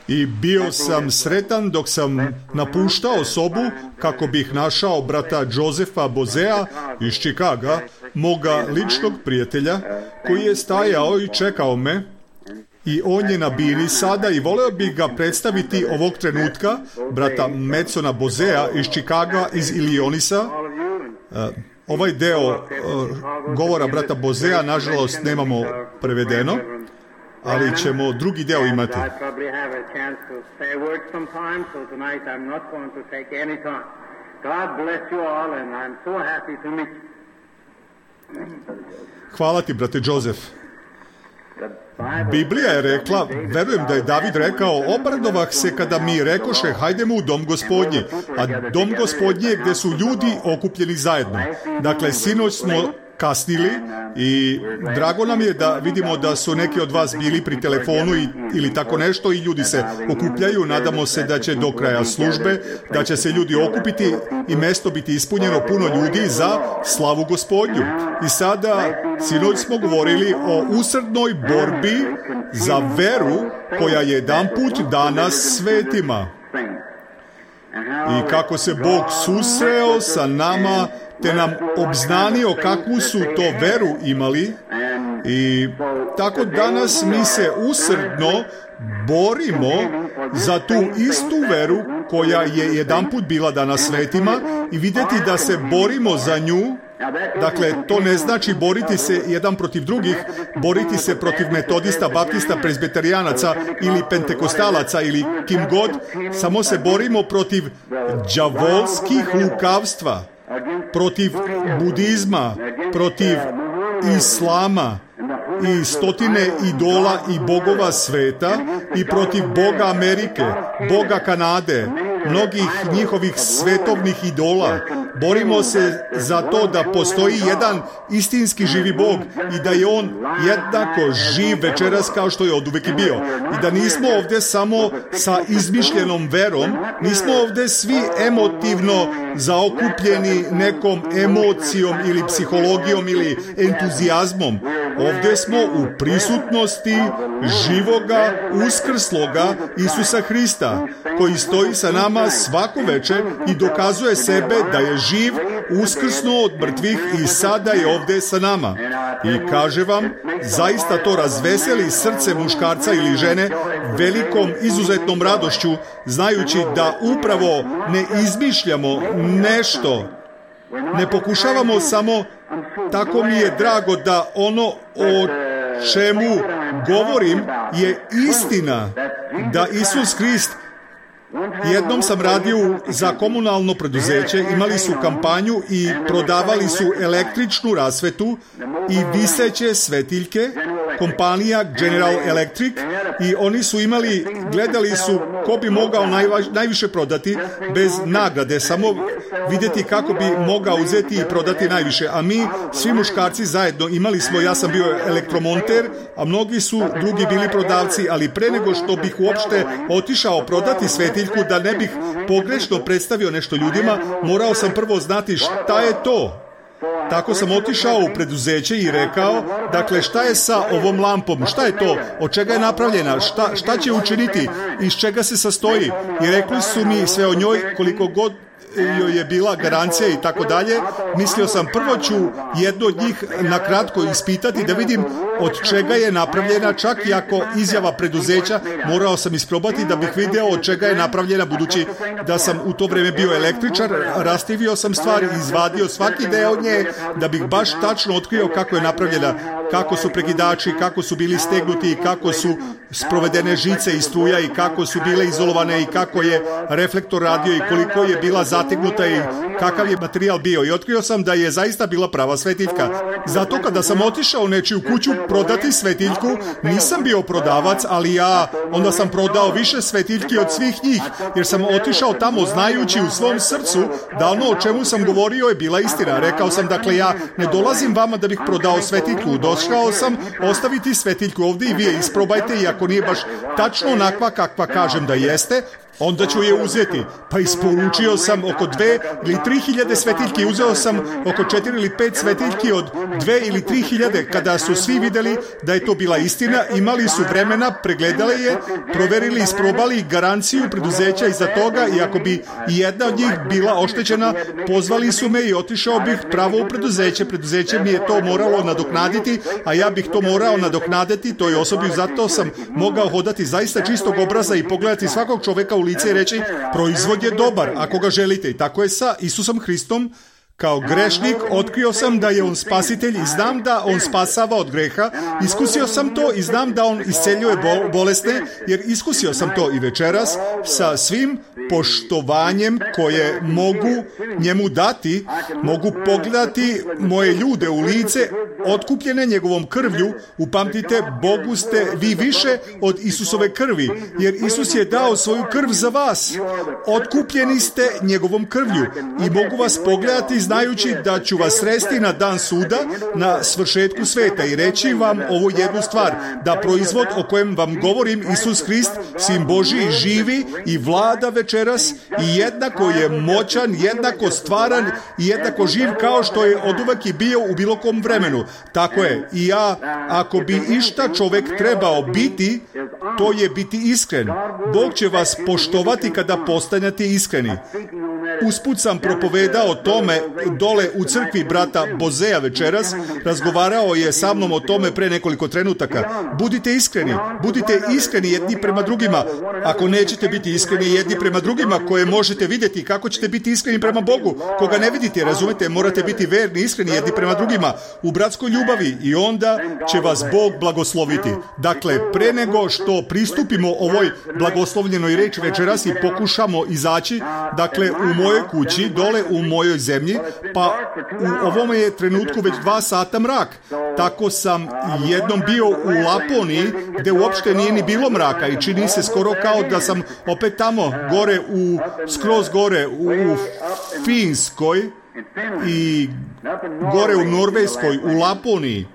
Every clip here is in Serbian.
I bio sam sretan dok sam napuštao sobu kako bih našao brata Josefa Bozea iz Čikaga, moga ličnog prijatelja, koji je stajao i čekao me. I on je na bini sada i voleo bih ga predstaviti ovog trenutka, brata Madsona Bozea iz Čikaga, iz Illionisa. Ovaj deo govora brata Bozea, nažalost, nemamo prevedeno, ali ćemo drugi deo imati. Hvala ti, brate Joseph. Biblija je rekla, verujem da je David rekao, obradovah se kada mi rekoše, hajdemo u dom Gospodnji, a dom Gospodnji je gde su ljudi okupljeni zajedno. Dakle, sinoć smo kasnili i drago nam je da vidimo da su neki od vas bili pri telefonu ili tako nešto i ljudi se okupljaju. Nadamo se da će do kraja službe, da će se ljudi okupiti i mesto biti ispunjeno puno ljudi za slavu Gospodnju. I sada, sinoć smo govorili o usrdnoj borbi za veru koja je jedanput dana svetima. I kako se Bog susreo sa nama, te nam obznanio kakvu su to veru imali. I tako danas mi se usrdno borimo za tu istu veru koja je jedanput bila dana svetima i vidjeti da se borimo za nju. Dakle, to ne znači boriti se jedan protiv drugih, boriti se protiv metodista, baptista, prezbiterijanaca ili pentekostalaca ili kim god, samo se borimo protiv đavolskih lukavstva, protiv budizma, protiv islama i stotine idola i bogova sveta i protiv Boga Amerike, Boga Kanade, mnogih njihovih svetovnih idola. Borimo se za to da postoji jedan istinski živi Bog i da je On jednako živ večeras kao što je oduvek i bio. I da nismo ovdje samo sa izmišljenom verom, nismo ovdje svi emotivno zaokupljeni nekom emocijom ili psihologijom ili entuzijazmom. Ovdje smo u prisutnosti živoga, uskrsloga Isusa Hrista, koji stoji sa nama svako večer i dokazuje sebe da je živ, uskrsnuo od mrtvih i sada je ovdje sa nama. I kaže vam, zaista to razveseli srce muškarca ili žene velikom izuzetnom radošću, znajući da upravo ne izmišljamo nešto, ne pokušavamo samo, tako mi je drago da ono o čemu govorim je istina, da Isus Hrist. Jednom sam radio za komunalno preduzeće, imali su kampanju i prodavali su električnu rasvetu i viseće svetiljke, kompanija General Electric, i oni su imali, gledali su ko bi mogao najviše prodati bez nagrade, samo vidjeti kako bi mogao uzeti i prodati najviše. A mi, svi muškarci zajedno, imali smo, ja sam bio elektromonter, a mnogi su drugi bili prodavci, ali pre nego što bih uopšte otišao prodati svetiljku, da ne bih pogrešno predstavio nešto ljudima, morao sam prvo znati šta je to. Tako sam otišao u preduzeće i rekao, dakle, šta je sa ovom lampom, šta je to, od čega je napravljena, šta će učiniti, iz čega se sastoji. I rekli su mi sve o njoj, koliko god joj je bila garancija i tako dalje. Mislio sam, prvo ću jedno od njih nakratko ispitati da vidim od čega je napravljena, čak i ako izjava preduzeća, morao sam isprobati da bih vidio od čega je napravljena, budući da sam u to vrijeme bio električar. Rastivio sam stvari, izvadio svaki deo nje da bih baš tačno otkrio kako je napravljena, kako su prekidači, kako su bili stegnuti, kako su sprovedene žice i struja i kako su bile izolovane i kako je reflektor radio i koliko je bila zategnuta i kakav je materijal bio. I otkrio sam da je zaista bila prava svetiljka. Zato kada sam otišao u nečiju kuću prodati svetiljku, nisam bio prodavac, ali onda sam prodao više svetiljki od svih njih, jer sam otišao tamo znajući u svom srcu da ono o čemu sam govorio je bila istina. Rekao sam, dakle, ja ne dolazim vama da bih prodao svetiljku, došao sam ostaviti svetiljku ovdje i vi je isprobajte, i ako nije baš tačno onakva kakva kažem da jeste, onda ću je uzeti. Pa isporučio sam oko 2 ili 3 hiljade svetiljki. Uzeo sam oko 4 ili 5 svetiljki od 2 ili 3 hiljade. Kada su svi vidjeli da je to bila istina, imali su vremena, pregledali je, proverili, isprobali garanciju preduzeća iza toga i ako bi i jedna od njih bila oštećena, pozvali su me i otišao bih pravo u preduzeće. Preduzeće mi je to moralo nadoknaditi, a ja bih to morao nadoknaditi toj osobi. Zato sam mogao hodati zaista čistog obraza i pogledati svakog čovjeka u lice i reći, proizvod je dobar ako ga želite. I tako je sa Isusom Hristom. Kao grešnik otkrio sam da je on spasitelj i znam da on spasava od greha. Iskusio sam to i znam da on isceljuje bolesne, jer iskusio sam to i večeras sa svim poštovanjem koje mogu njemu dati. Mogu pogledati moje ljude u lice, otkupljene njegovom krvlju. Upamtite, Bogu ste vi više od Isusove krvi, jer Isus je dao svoju krv za vas. Otkupljeni ste njegovom krvlju i mogu vas pogledati znajući da ću vas sresti na dan suda, na svršetku sveta i reći vam ovu jednu stvar, da proizvod o kojem vam govorim, Isus Hrist, Sin Božji, živi i vlada večeras i jednako je moćan, jednako stvaran i jednako živ kao što je oduvek i bio u bilo kom vremenu. Tako je. I ja, ako bi išta čovjek trebao biti, to je biti iskren. Bog će vas poštovati kada postanete iskreni. Usput sam propovedao o tome dole u crkvi brata Bozeja večeras. Razgovarao je sa mnom o tome pre nekoliko trenutaka. Budite iskreni jedni prema drugima. Ako nećete biti iskreni jedni prema drugima, koje možete vidjeti, kako ćete biti iskreni prema Bogu, koga ne vidite, razumete, morate biti verni, iskreni jedni prema drugima u bratskoj ljubavi i onda će vas Bog blagosloviti. Dakle, pre nego što pristupimo ovoj blagoslovljenoj reči večeras i pokušamo izaći, dakle, u mojoj kući, dole u mojoj zemlji, pa u ovome je trenutku već 2 sata mrak. Tako sam jednom bio u Laponiji, gdje uopšte nije ni bilo mraka i čini se skoro kao da sam opet tamo, skroz gore u Finskoj i gore u Norveškoj, u Laponiji.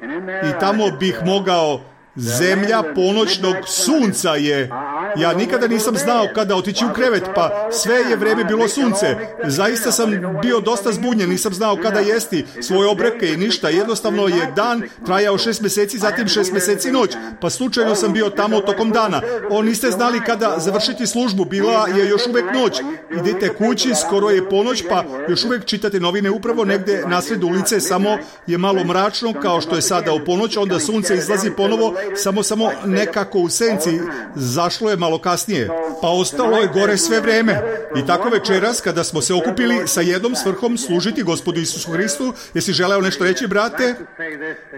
I tamo bih mogao, zemlja ponoćnog sunca je. Ja nikada nisam znao kada otići u krevet, pa sve je vrijeme bilo sunce. Zaista sam bio dosta zbunjen, nisam znao kada jesti svoje obroke i ništa. Jednostavno je dan trajao 6 mjeseci, zatim 6 mjeseci noć. Pa slučajno sam bio tamo tokom dana. Niste znali kada završiti službu, bila je još uvijek noć. Idete kući, skoro je ponoć, pa još uvijek čitate novine upravo negdje nasred ulice, samo je malo mračno kao što je sada u ponoć, onda sunce izlazi ponovo, samo nekako u senci, zašlo je malo kasnije, pa ostalo je gore sve vrijeme. I tako večeras, kada smo se okupili sa jednom svrhom služiti Gospodu Isusu Hristu, jesi želeo nešto reći, brate?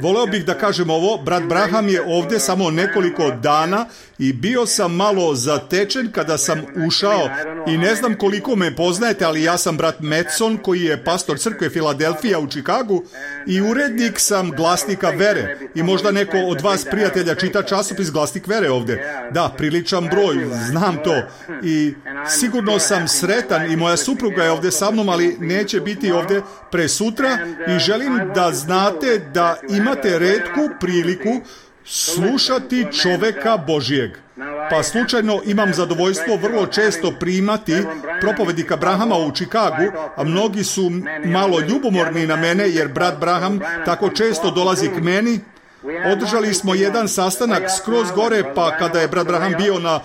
Voleo bih da kažem ovo, brat Braham je ovdje samo nekoliko dana i bio sam malo zatečen kada sam ušao i ne znam koliko me poznajete, ali ja sam brat Metson koji je pastor crkve Filadelfija u Čikagu i urednik sam Glasnika vere i možda neko od vas prijatelja čita časopis Glasnik vere ovdje. Da, priličan broj, znam to i sigurno sam sretan i moja supruga je ovdje sa mnom, ali neće biti ovdje presutra i želim da znate da imate retku priliku slušati čoveka Božijeg. Pa slučajno imam zadovoljstvo vrlo često primati propovednika Brahama u Čikagu, a mnogi su malo ljubomorni na mene jer brat Braham tako često dolazi k meni. Održali smo jedan sastanak skroz gore, pa kada je brat Braham bio na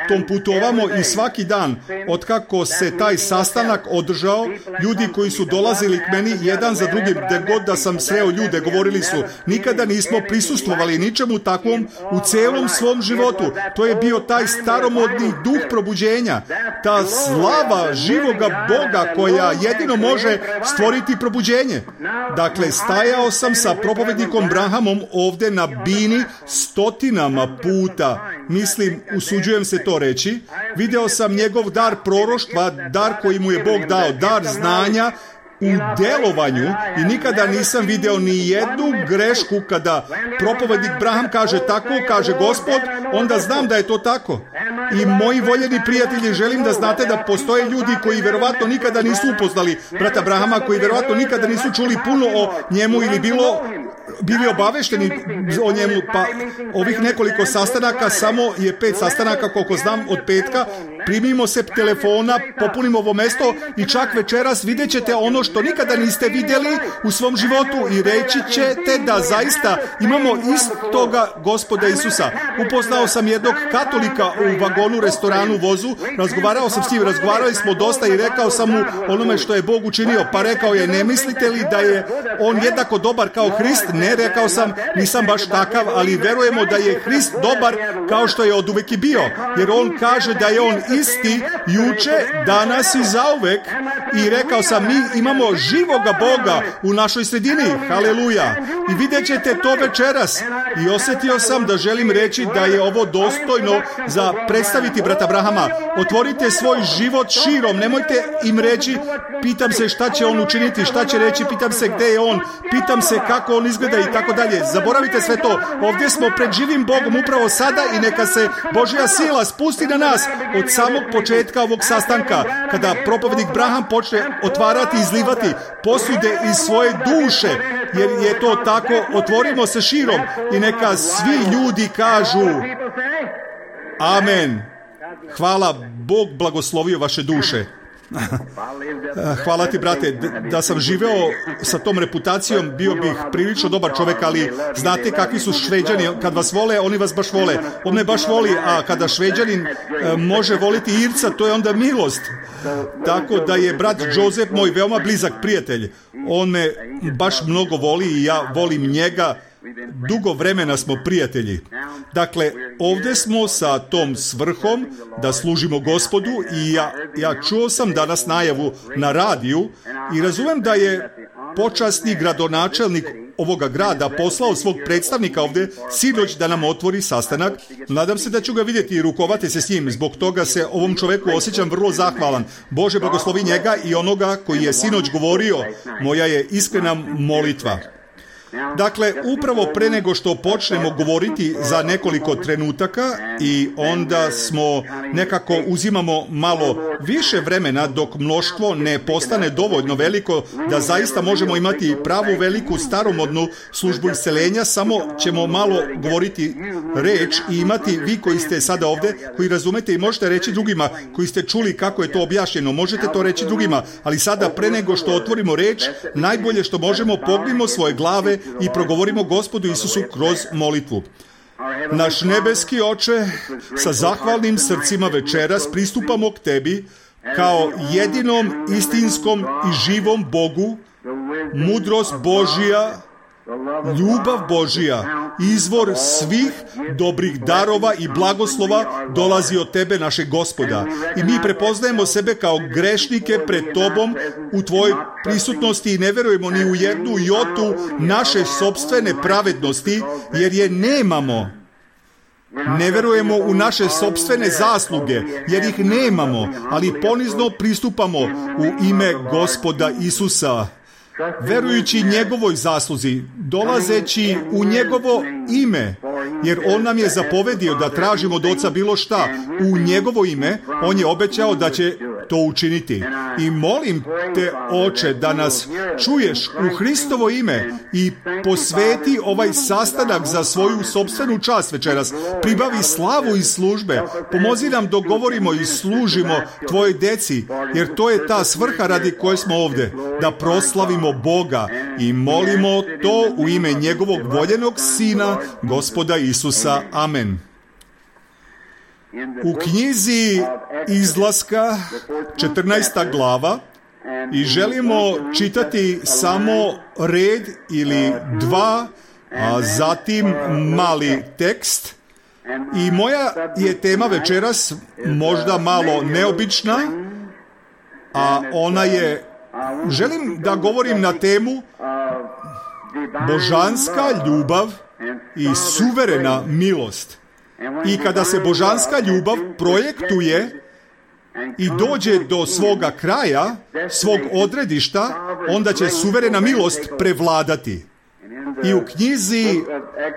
tom putu ovamo i svaki dan, otkako se taj sastanak održao, ljudi koji su dolazili k meni jedan za drugim, gdje god da sam sreo ljude, govorili su, nikada nismo prisustvovali ničemu takvom u celom svom životu. To je bio taj staromodni duh probuđenja, ta slava živoga Boga koja jedino može stvoriti probuđenje. Dakle, stajao sam sa propovednikom Brahamom ovdje na bini stotinama puta. Mislim, usuđujem se to reći, video sam njegov dar proroštva, dar koji mu je Bog dao, dar znanja u delovanju i nikada nisam video ni jednu grešku kada propovednik Braham kaže tako, kaže Gospod, onda znam da je to tako. I moji voljeni prijatelji, želim da znate da postoje ljudi koji verovatno nikada nisu upoznali brata Brahama, koji verovatno nikada nisu čuli puno o njemu ili bili obavešteni o njemu, pa ovih nekoliko sastanaka, samo je 5 sastanaka koliko znam od petka, primimo se telefona, popunimo ovo mesto i čak večeras vidjet ćete ono što nikada niste vidjeli u svom životu i reći ćete da zaista imamo istoga Gospoda Isusa. Upoznao sam jednog katolika u vagonu, restoranu, vozu, razgovarao sam s njim, razgovarali smo dosta i rekao sam mu onome što je Bog učinio, pa rekao je, ne mislite li da je on jednako dobar kao Hrist? Ne, rekao sam, nisam baš takav, ali verujemo da je Hrist dobar kao što je oduvek i bio, jer on kaže da je on isti juče, danas i zauvek. I rekao sam, mi imamo živoga Boga u našoj sredini, haleluja, i vidjet ćete to večeras. I osjetio sam da želim reći da je ovo dostojno za predstaviti brata Abrahama. Otvorite svoj život širom, nemojte im reći, pitam se šta će on učiniti, šta će reći, pitam se gdje je on, pitam se kako on izgleda i tako dalje. Zaboravite sve to. Ovdje smo pred živim Bogom upravo sada i neka se Božja sila spusti na nas od samog početka ovog sastanka, kada propovednik Branham počne otvarati i izlivati posude iz svoje duše, jer je to tako. Otvorimo se širom i neka svi ljudi kažu amen. Hvala, Bog blagoslovio vaše duše. Hvala ti, brate, da sam živeo sa tom reputacijom, bio bih prilično dobar čovjek, ali znate kakvi su Šveđani, kad vas vole, oni vas baš vole. On me baš voli, a kada Šveđanin može voliti Irca, to je onda milost. Tako da je brat Joseph moj veoma blizak prijatelj. On me baš mnogo voli i ja volim njega. Dugo vremena smo prijatelji. Dakle, ovdje smo sa tom svrhom da služimo Gospodu i ja čuo sam danas najavu na radiju i razumijem da je počasni gradonačelnik ovoga grada poslao svog predstavnika ovdje sinoć da nam otvori sastanak. Nadam se da ću ga vidjeti i rukovati se s njim. Zbog toga se ovom čovjeku osjećam vrlo zahvalan. Bože blagoslovi njega i onoga koji je sinoć govorio. Moja je iskrena molitva. Dakle, upravo pre nego što počnemo govoriti za nekoliko trenutaka i onda smo nekako uzimamo malo više vremena dok mnoštvo ne postane dovoljno veliko da zaista možemo imati pravu veliku staromodnu službu isceljenja, samo ćemo malo govoriti reč i imati vi koji ste sada ovdje, koji razumete i možete reći drugima koji ste čuli kako je to objašnjeno, možete to reći drugima, ali sada pre nego što otvorimo reč, najbolje što možemo pognimo svoje glave i progovorimo Gospodu Isusu kroz molitvu. Naš nebeski Oče, sa zahvalnim srcima večeras pristupamo k Tebi kao jedinom istinskom i živom Bogu, mudrost Božja, ljubav Božja, izvor svih dobrih darova i blagoslova dolazi od Tebe, našeg Gospoda. I mi prepoznajemo sebe kao grešnike pred Tobom u Tvojoj prisutnosti i ne verujemo ni u jednu jotu naše sopstvene pravednosti, jer je nemamo. Ne verujemo u naše sopstvene zasluge, jer ih nemamo, ali ponizno pristupamo u ime Gospoda Isusa, verujući njegovoj zasluzi, dolazeći u njegovo ime, jer on nam je zapovedio da tražimo od Oca bilo šta u njegovo ime, on je obećao da će to učiniti. I molim te, Oče, da nas čuješ u Hristovo ime i posveti ovaj sastanak za svoju sopstvenu čast večeras. Pribavi slavu iz službe, pomozi nam dok govorimo i služimo Tvojoj deci, jer to je ta svrha radi koje smo ovdje, da proslavimo Boga i molimo to u ime njegovog voljenog Sina, Gospoda Isusa. Amen. U knjizi Izlaska, 14. glava, i želimo čitati samo red ili dva, a zatim mali tekst. I moja je tema večeras možda malo neobična, a ona je, želim da govorim na temu božanska ljubav i suverena milost. I kada se božanska ljubav projektuje i dođe do svoga kraja, svog odredišta, onda će suverena milost prevladati. I u knjizi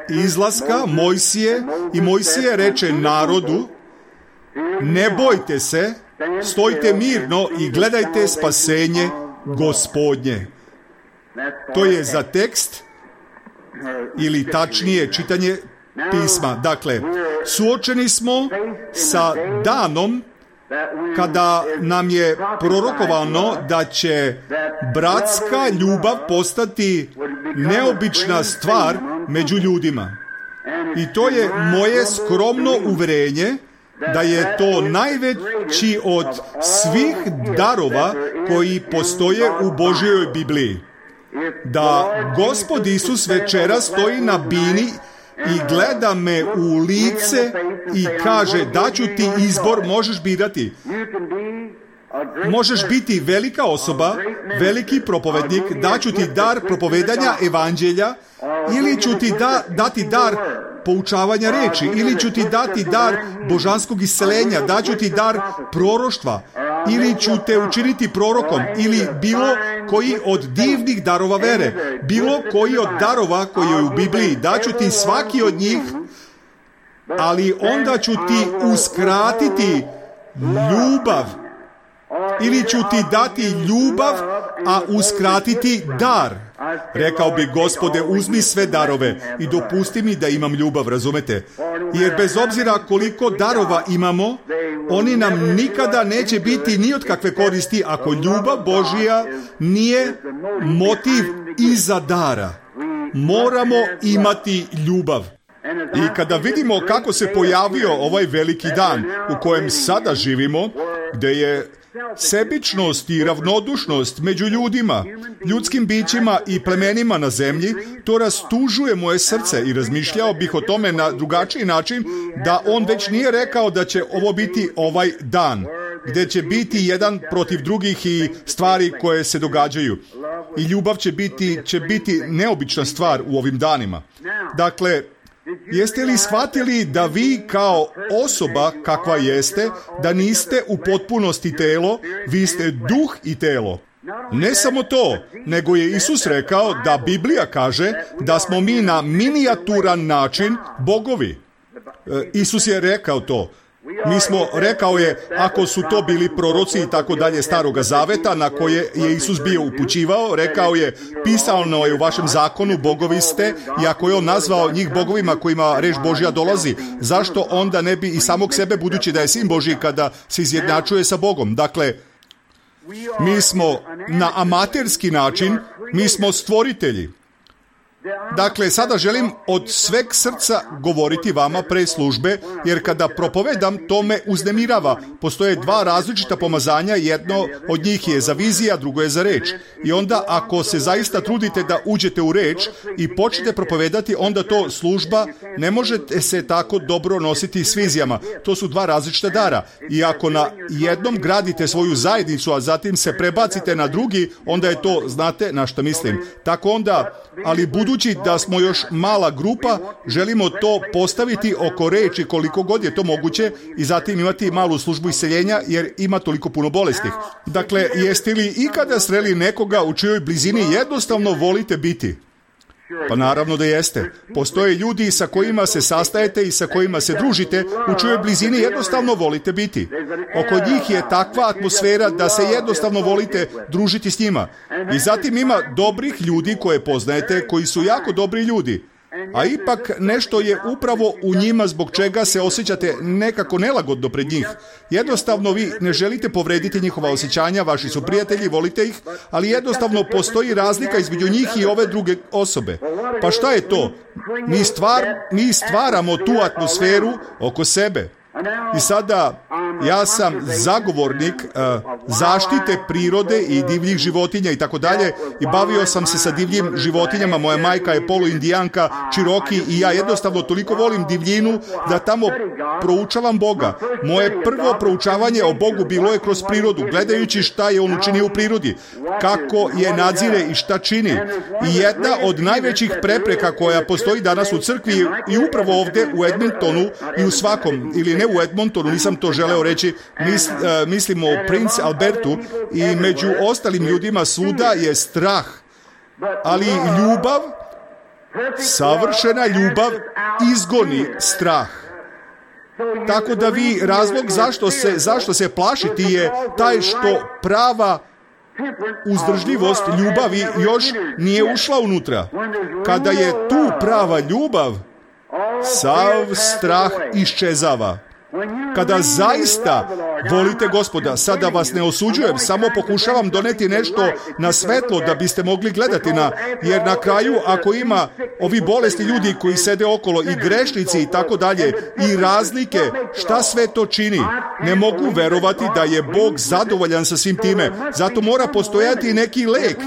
Izlaska Mojsije reče narodu: ne bojte se, stojite mirno i gledajte spasenje Gospodnje. To je za tekst, ili tačnije čitanje pisma. Dakle, suočeni smo sa danom kada nam je prorokovano da će bratska ljubav postati neobična stvar među ljudima. I to je moje skromno uverenje da je to najveći od svih darova koji postoje u Božjoj Bibliji. Da Gospod Isus večera stoji na bini i gleda me u lice i kaže: daću ti izbor, možeš birati. Možeš biti velika osoba, veliki propovednik, daću ti dar propovedanja evanđelja, ili ću ti dati dar poučavanja reči, ili ću ti dati dar božanskog isceljenja, daću ti dar proroštva, ili ću te učiniti prorokom, ili bilo koji od divnih darova vere, bilo koji od darova koji je u Bibliji, daću ti svaki od njih, ali onda ću ti uskratiti ljubav, ili ću ti dati ljubav, a uskratiti dar. Rekao bi: Gospode, uzmi sve darove i dopusti mi da imam ljubav, razumete? Jer bez obzira koliko darova imamo, oni nam nikada neće biti ni od kakve koristi ako ljubav Božja nije motiv iza dara. Moramo imati ljubav. I kada vidimo kako se pojavio ovaj veliki dan u kojem sada živimo, gde je sebičnost i ravnodušnost među ljudima, ljudskim bićima i plemenima na zemlji, to rastužuje moje srce i razmišljao bih o tome na drugačiji način, da on već nije rekao da će ovo biti ovaj dan, gde će biti jedan protiv drugih i stvari koje se događaju. I ljubav će biti neobična stvar u ovim danima. Dakle, jeste li shvatili da vi kao osoba kakva jeste, da niste u potpunosti telo, vi ste duh i telo? Ne samo to, nego je Isus rekao da Biblija kaže da smo mi na minijaturan način bogovi. Isus je rekao to. Rekao je, ako su to bili proroci i tako dalje Staroga Zaveta na koje je Isus bio upućivao, rekao je: pisano je u vašem zakonu, bogovi ste, i ako je on nazvao njih bogovima kojima reč Božja dolazi, zašto onda ne bi i samog sebe, budući da je Sin Božji, kada se izjednačuje sa Bogom? Dakle, mi smo na amaterski način, mi smo stvoritelji. Dakle, sada želim od sveg srca govoriti vama pre službe, jer kada propovedam, to me uznemirava. Postoje dva različita pomazanja, jedno od njih je za vizija, drugo je za reč. I onda, ako se zaista trudite da uđete u reč i počnete propovedati, onda to služba, ne možete se tako dobro nositi s vizijama. To su dva različita dara. I ako na jednom gradite svoju zajednicu, a zatim se prebacite na drugi, onda je to, znate na što mislim. Tako onda, ali budući da smo još mala grupa, želimo to postaviti oko reči koliko god je to moguće i zatim imati malu službu isceljenja, jer ima toliko puno bolesti. Dakle, jeste li ikada sreli nekoga u čijoj blizini jednostavno volite biti? Pa naravno da jeste. Postoje ljudi sa kojima se sastajete i sa kojima se družite, u čijoj blizini jednostavno volite biti. Oko njih je takva atmosfera da se jednostavno volite družiti s njima. I zatim ima dobrih ljudi koje poznajete, koji su jako dobri ljudi. A ipak nešto je upravo u njima zbog čega se osjećate nekako nelagodno pred njih. Jednostavno vi ne želite povrediti njihova osjećanja, vaši su prijatelji, volite ih, ali postoji razlika između njih i ove druge osobe. Pa šta je to? Mi stvaramo tu atmosferu oko sebe. I sada ja sam zagovornik zaštite prirode i divljih životinja i tako dalje, i bavio sam se sa divljim životinjama. Moja majka je poluindijanka, Čiroki, i ja jednostavno toliko volim divljinu da tamo proučavam Boga. Moje prvo proučavanje o Bogu bilo je kroz prirodu, gledajući šta je on učinio u prirodi, kako je nadzire i šta čini. I jedna od najvećih prepreka koja postoji danas u crkvi i upravo ovde u Edmontonu i u svakom, ili ne u Edmontonu, nisam to želeo reći, mislimo o Prince Albertu i među ostalim ljudima svuda je strah. Ali ljubav, savršena ljubav, izgoni strah. Tako da vi, razlog zašto se plašiti je taj što prava uzdržljivost ljubavi još nije ušla unutra. Kada je tu prava ljubav, sav strah iščezava. Kada zaista volite Gospoda, sada vas ne osuđujem, samo pokušavam doneti nešto na svetlo da biste mogli gledati jer na kraju ako ima ovi bolesti ljudi koji sede okolo i grešnici i tako dalje i razlike, šta sve to čini? Ne mogu verovati da je Bog zadovoljan sa svim time. Zato mora postojati neki lek.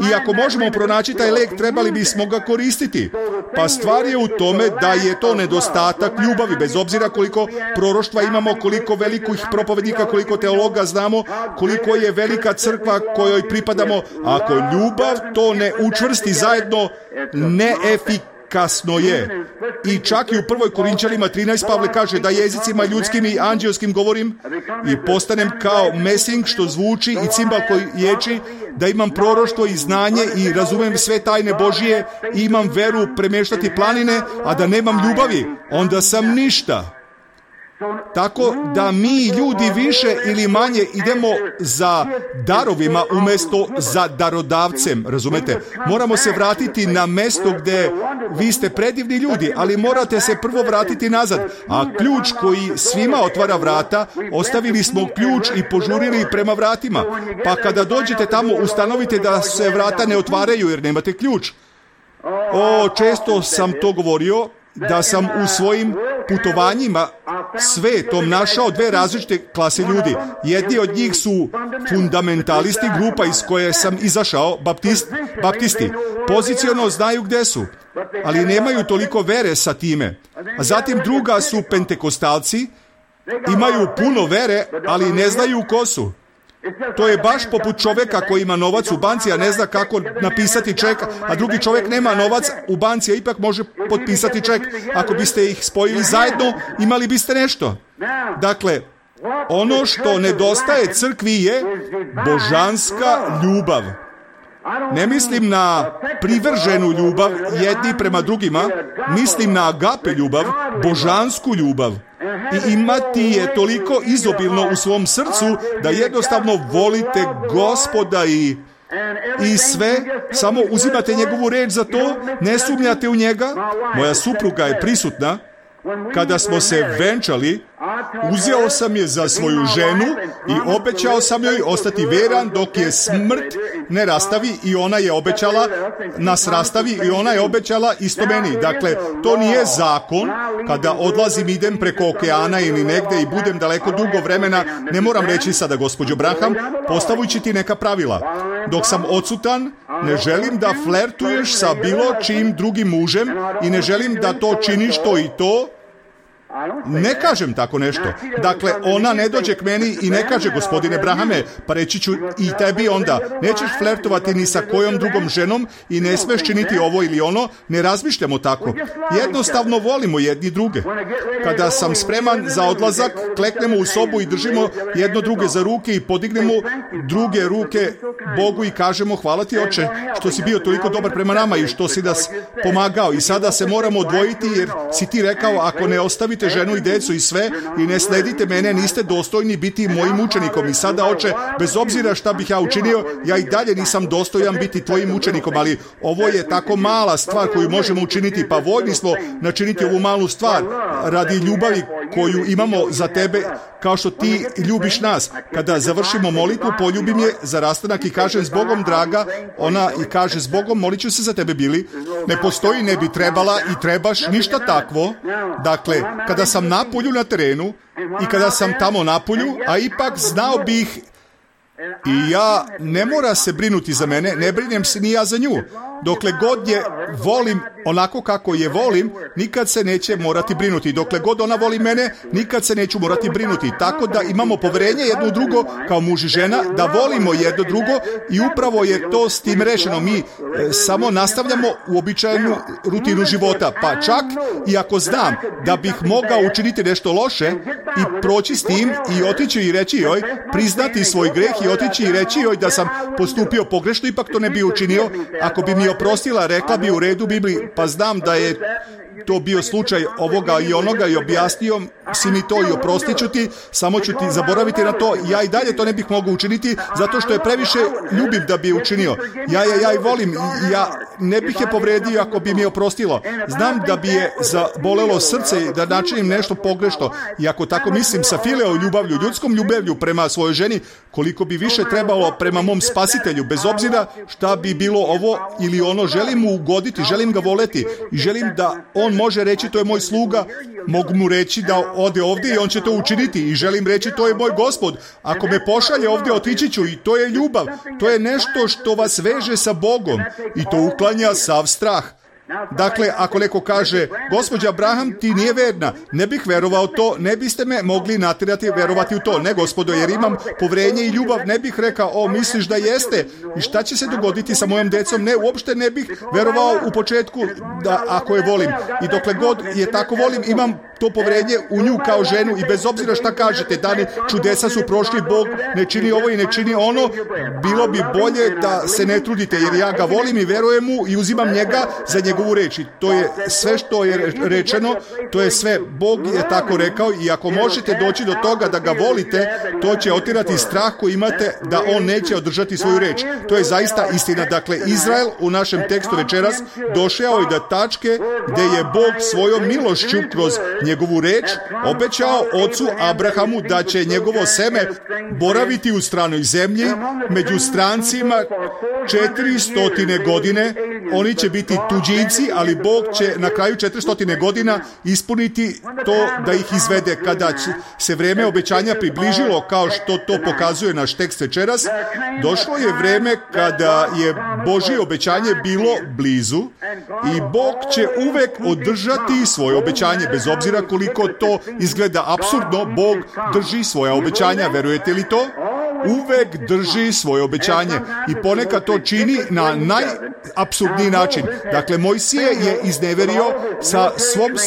I ako možemo pronaći taj lek, trebali bismo ga koristiti. Pa stvar je u tome da je to nedostatak ljubavi, bez obzira koliko proroštva imamo, koliko velikih propovednika, koliko teologa znamo, koliko je velika crkva kojoj pripadamo. Ako ljubav to ne učvrsti zajedno, neefikasno je. I čak i u 1. Korinćanima 13 Pavle kaže da jezicima ljudskim i anđelskim govorim i postanem kao mesing što zvuči i cimbal koji ječi, da imam proroštvo i znanje i razumem sve tajne Božije i imam veru premještati planine, a da nemam ljubavi, onda sam ništa. Tako da mi ljudi više ili manje idemo za darovima umjesto za darodavcem, razumete? Moramo se vratiti na mesto gdje vi ste predivni ljudi, ali morate se prvo vratiti nazad. A ključ koji svima otvara vrata, ostavili smo ključ i požurili prema vratima. Pa kada dođete tamo, ustanovite da se vrata ne otvaraju jer nemate ključ. Često sam to govorio, da sam u svojim putovanjima svetom našao dve različite klase ljudi. Jedni od njih su fundamentalisti, grupa iz koje sam izašao, baptisti. Poziciono znaju gdje su, ali nemaju toliko vere sa time. A zatim druga su pentekostalci, imaju puno vere, ali ne znaju ko su. To je baš poput čovjeka koji ima novac u banci, a ne zna kako napisati ček, a drugi čovjek nema novac u banci, a ipak može potpisati ček. Ako biste ih spojili zajedno, imali biste nešto. Dakle, ono što nedostaje crkvi je božanska ljubav. Ne mislim na privrženu ljubav jedni prema drugima, mislim na agape ljubav, božansku ljubav. I imati je toliko izobilno u svom srcu da jednostavno volite Gospoda i sve, samo uzimate njegovu reč za to, ne sumnjate u njega. Moja supruga je prisutna. Kada smo se venčali, uzeo sam je za svoju ženu i obećao sam joj ostati veran dok je smrt ne rastavi i ona je obećala, nas rastavi i ona je obećala isto meni. Dakle, to nije zakon. Kada odlazim, idem preko okeana ili negde i budem daleko dugo vremena, ne moram reći sada, gospođo Branham, postavujući ti neka pravila. Dok sam odsutan, ne želim da flertuješ sa bilo čim drugim mužem i ne želim da to činiš to i to. Ne kažem tako nešto. Dakle, ona ne dođe k meni i ne kaže, gospodine Brahame, pa reći ću i tebi onda, nećeš flertovati ni sa kojom drugom ženom i ne smeš činiti ovo ili ono, ne razmišljamo tako. Jednostavno volimo jedni druge. Kada sam spreman za odlazak, kleknemo u sobu i držimo jedno druge za ruke i podignemo druge ruke Bogu i kažemo, hvala ti, Oče, što si bio toliko dobar prema nama i što si nas pomagao. I sada se moramo odvojiti jer si ti rekao, ako ne ostavite ženu i decu i sve i ne sledite mene, niste dostojni biti mojim učenikom. I sada, Oče, bez obzira šta bih ja učinio, ja i dalje nisam dostojan biti tvojim učenikom, ali ovo je tako mala stvar koju možemo učiniti, pa voljni smo načiniti ovu malu stvar radi ljubavi koju imamo za tebe, kao što ti ljubiš nas. Kada završimo molitvu, poljubim je za rastanak i kažem, s Bogom draga, ona i kaže, s Bogom, molit ću se za tebe, Bili. Ne postoji, ne bi trebala i trebaš, ništa takvo. Dakle, kada sam napolju na terenu i kada sam tamo napolju, a ipak znao bih i ja, ne mora se brinuti za mene, ne brinem se ni ja za nju. Dokle god je volim onako kako je volim, nikad se neće morati brinuti. Dokle god ona voli mene, nikad se neću morati brinuti. Tako da imamo poverenje jedno u drugo, kao muž i žena, da volimo jedno drugo i upravo je to s tim rešeno. Mi samo nastavljamo uobičajenu rutinu života. Pa čak i ako znam da bih mogao učiniti nešto loše i proći s tim i otići i reći joj, priznati svoj greh i otići i reći joj da sam postupio pogrešno, ipak to ne bi učinio. Ako bi mi oprostila, rekla bi, u redu, Bibli, pa znam da je to bio slučaj ovoga i onoga i objasnio si mi to i oprostit ću ti, samo ću ti zaboraviti na to. Ja i dalje to ne bih mogao učiniti zato što je previše ljubim da bi je učinio. Ja i volim, ja ne bih je povredio ako bi mi je oprostilo. Znam da bi je zabolelo srce i da načinim nešto pogrešno. I ako tako mislim sa fileo ljubavlju, ljudskom ljubavlju prema svojoj ženi, koliko bi više trebalo prema mom spasitelju, bez obzira šta bi bilo ovo ili ono, želim mu ugoditi, želim ga voleti i želim da on može reći to je moj sluga, mogu mu reći da ode ovdje i on će to učiniti i želim reći to je moj Gospod, ako me pošalje ovdje otići ću i to je ljubav, to je nešto što vas veže sa Bogom i to uklanja sav strah. Dakle, ako neko kaže, gospođa Abraham, ti nije verna, ne bih verovao to, ne biste me mogli natjerati verovati u to. Ne, gospodo, jer imam povjerenje i ljubav, ne bih rekao, misliš da jeste? I šta će se dogoditi sa mojom decom? Ne, uopšte ne bih verovao u početku da ako je volim. I dokle god je tako volim, imam to povjerenje u nju kao ženu i bez obzira šta kažete, dani čudesa su prošli, Bog ne čini ovo i ne čini ono, bilo bi bolje da se ne trudite, jer ja ga volim i verujem mu i uzimam njega za njegovu reč. I to je sve što je rečeno, to je sve. Bog je tako rekao i ako možete doći do toga da ga volite, to će otirati strah koji imate da on neće održati svoju reč. To je zaista istina. Dakle, Izrael u našem tekstu večeras došao je do tačke gdje je Bog svojom milošću kroz njegovu reč obećao ocu Abrahamu da će njegovo seme boraviti u stranoj zemlji među strancima 400 godine. Oni će biti tuđinci, ali Bog će na kraju 400 godina ispuniti to da ih izvede. Kada se vrijeme obećanja približilo, kao što to pokazuje naš tekst večeras, došlo je vrijeme kada je Božje obećanje bilo blizu i Bog će uvek održati svoje obećanje, bez obzira koliko to izgleda apsurdno. Bog drži svoja obećanja, verujete li to? Uvek drži svoje obećanje i ponekad to čini na najapsurdniji način. Dakle, Mojsije je izneverio sa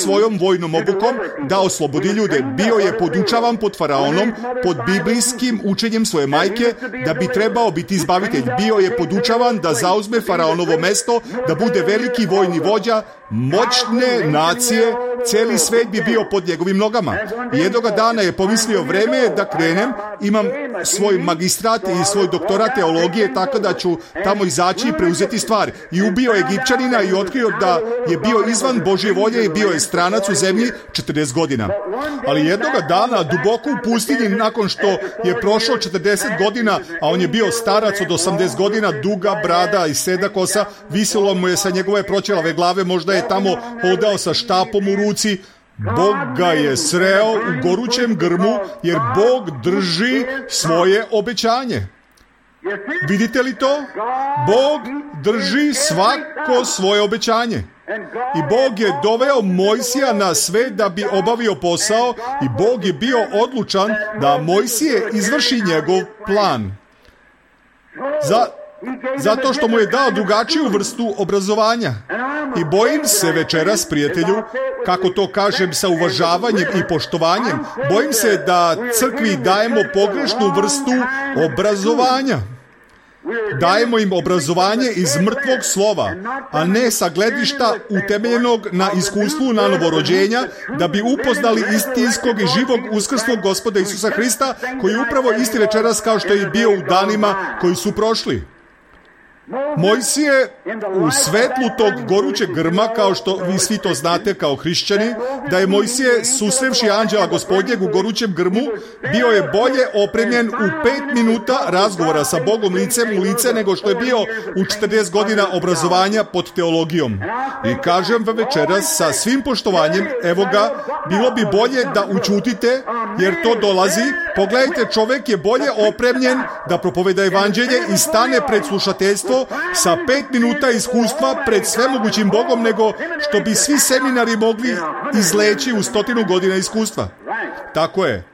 svojom vojnom obukom da oslobodi ljude. Bio je podučavan pod faraonom, pod biblijskim učenjem svoje majke, da bi trebao biti izbavitelj. Bio je podučavan da zauzme faraonovo mesto, da bude veliki vojni vođa moćne nacije, cijeli svet bi bio pod njegovim nogama. Jednoga dana je pomislio, vreme je da krenem, imam svoj magistrat i svoj doktorat teologije, tako da ću tamo izaći i preuzeti stvari. I ubio Egipćanina i otkrio da je bio izvan Božje volje i bio je stranac u zemlji 40 godina. Ali jednoga dana, duboko u pustinji, nakon što je prošlo 40 godina, a on je bio starac od 80 godina, duga brada i seda kosa, visilo mu je sa njegove proćelave glave, možda je tamo hodao sa štapom u ruci. Bog ga je sreo u gorućem grmu, jer Bog drži svoje obećanje. Vidite li to? Bog drži svako svoje obećanje. I Bog je doveo Mojsija na sve da bi obavio posao i Bog je bio odlučan da Mojsije izvrši njegov plan. Zato što mu je dao drugačiju vrstu obrazovanja. I bojim se večeras, prijatelju, kako to kažem sa uvažavanjem i poštovanjem, bojim se da crkvi dajemo pogrešnu vrstu obrazovanja. Dajemo im obrazovanje iz mrtvog slova, a ne sa gledišta utemeljenog na iskustvu na novorođenja, da bi upoznali istinskog i živog uskrslog Gospoda Isusa Hrista, koji je upravo isti večeras kao što je bio u danima koji su prošli. Mojsije u svetlu tog gorućeg grma, kao što vi svi to znate kao hrišćani, da je Mojsije susrevši anđela Gospodnjeg u gorućem grmu, bio je bolje opremljen u 5 minuta razgovora sa Bogom licem u lice nego što je bio u 40 godina obrazovanja pod teologijom. I kažem vam večeras sa svim poštovanjem, evo ga, bilo bi bolje da učutite, jer to dolazi. Pogledajte, čovjek je bolje opremljen da propoveda evanđelje i stane pred slušateljstvo sa 5 minuta iskustva pred svemogućim Bogom nego što bi svi seminari mogli izleći u 100 godina iskustva. Tako je.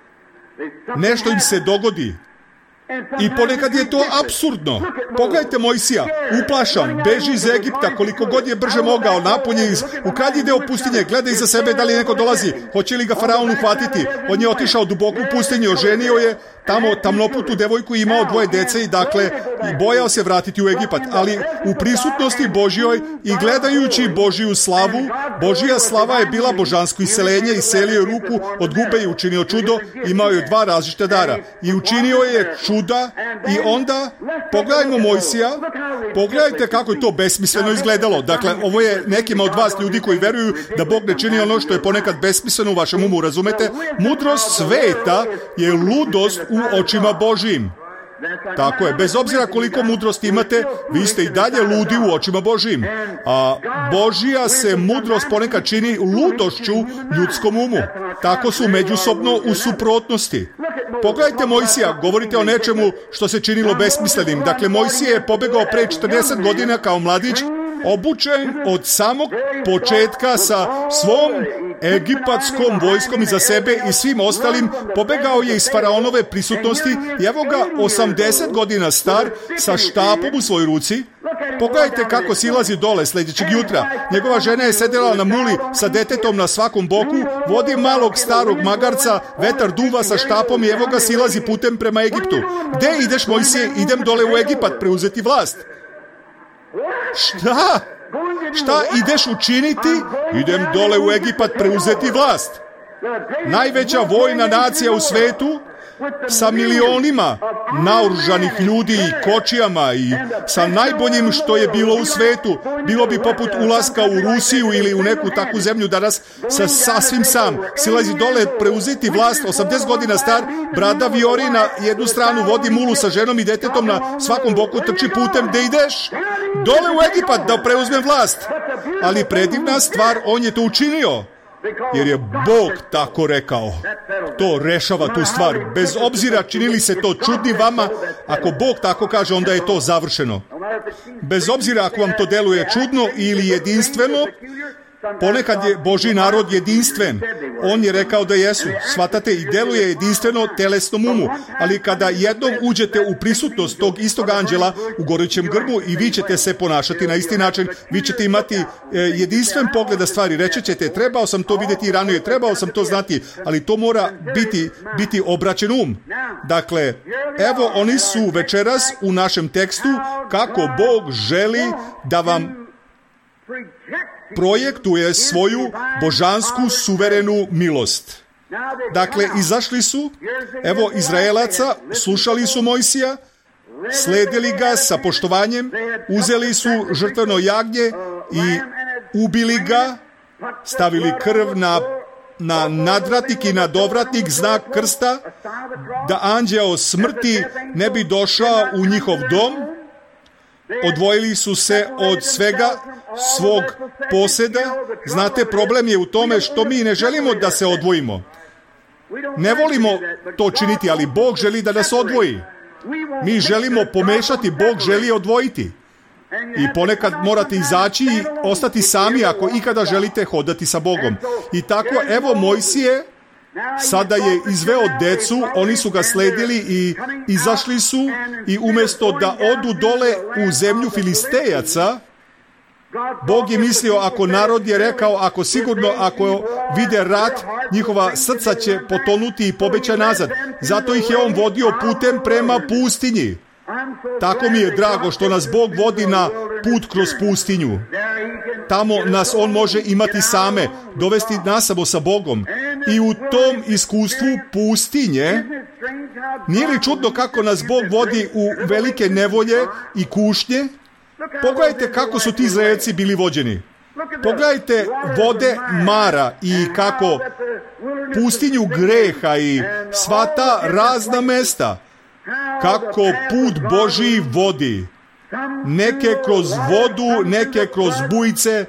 Nešto im se dogodi. I ponekad je to apsurdno. Pogledajte Mojsija, uplašan, beži iz Egipta koliko god je brže mogao, napolje u krajnji deo pustinje, gleda iza sebe da li neko dolazi, hoće li ga faraon uhvatiti. On je otišao duboko u pustinju, oženio je tamo tamnoputu devojku, imao 2 dece i dakle bojao se vratiti u Egipat, ali u prisutnosti Božjoj i gledajući Božju slavu, Božja slava je bila božansko iseljenje, iselio je ruku od gube i učinio čudo, imao je 2 različita dara i učinio je čuda. I onda pogledajmo Mojsija, pogledajte kako je to besmisleno izgledalo. Dakle, ovo je nekima od vas ljudi koji veruju da Bog ne čini ono što je ponekad besmisleno u vašem umu, razumete? Mudrost sveta je ludost u očima Božjim. Tako je, bez obzira koliko mudrosti imate, vi ste i dalje ludi u očima Božjim. A Božja se mudrost ponekad čini ludošću ljudskom umu. Tako su međusobno u suprotnosti. Pogledajte Mojsija, govorite o nečemu što se činilo besmislenim. Dakle, Mojsije je pobegao pre 40 godina kao mladić, obučen od samog početka sa svom egipatskom vojskom iza sebe i svim ostalim, pobegao je iz faraonove prisutnosti i evo ga 80 godina star sa štapom u svojoj ruci. Pogledajte kako silazi dole sljedećeg jutra. Njegova žena je sedela na muli sa detetom na svakom boku, vodi malog starog magarca, vetar duva sa štapom i evo ga silazi putem prema Egiptu. Gde ideš, Mojsije? Idem dole u Egipat preuzeti vlast. Šta ideš učiniti? Idem dole u Egipat preuzeti vlast. Najveća vojna nacija u svetu sa milionima naoružanih ljudi i kočijama i sa najboljim što je bilo u svetu. Bilo bi poput ulaska u Rusiju ili u neku takvu zemlju danas, sa sasvim sam. Silazi dole preuzeti vlast, 80 godina star, brada vijori na jednu stranu, vodi mulu sa ženom i detetom na svakom boku, trči putem. Gde ideš? Dole u Egipat da preuzmem vlast. Ali predivna stvar, on je to učinio. Jer je Bog tako rekao. To rešava tu stvar. Bez obzira činili se to čudni vama, ako Bog tako kaže, onda je to završeno. Bez obzira ako vam to deluje čudno ili jedinstveno, ponekad je Božji narod jedinstven. On je rekao da jesu. Shvatate, i deluje jedinstveno telesnom umu. Ali kada jednom uđete u prisutnost tog istog anđela u gorećem grbu i vi ćete se ponašati na isti način, vi ćete imati jedinstven pogled na stvari. Reći ćete, trebao sam to vidjeti ranije, trebao sam to znati, ali to mora biti obraćen um. Dakle, evo oni su večeras u našem tekstu kako Bog želi da vam projektuje svoju božansku suverenu milost. Dakle, izašli su, evo Izraelaca, slušali su Mojsija, sledili ga sa poštovanjem, uzeli su žrtveno jagnje i ubili ga, stavili krv na nadvratnik i na dovratnik, znak krsta, da anđeo smrti ne bi došao u njihov dom. Odvojili su se od svega svog poseda. Znate, problem je u tome što mi ne želimo da se odvojimo. Ne volimo to činiti, ali Bog želi da nas odvoji. Mi želimo pomešati, Bog želi odvojiti. I ponekad morate izaći i ostati sami ako ikada želite hodati sa Bogom. I tako, evo Mojsije sada je izveo decu, oni su ga sledili i izašli su i umjesto da odu dole u zemlju Filistejaca, Bog je mislio, ako narod je rekao, ako vide rat, njihova srca će potonuti i pobeća nazad. Zato ih je on vodio putem prema pustinji. Tako mi je drago što nas Bog vodi na put kroz pustinju. Tamo nas on može imati same, dovesti nas samo sa Bogom. I u tom iskustvu pustinje, nije li čudno kako nas Bog vodi u velike nevolje i kušnje? Pogledajte kako su ti Izraelci bili vođeni. Pogledajte vode Mara i kako pustinju greha i sva ta razna mesta. Kako put Božji vodi. Neke kroz vodu, neke kroz bujice,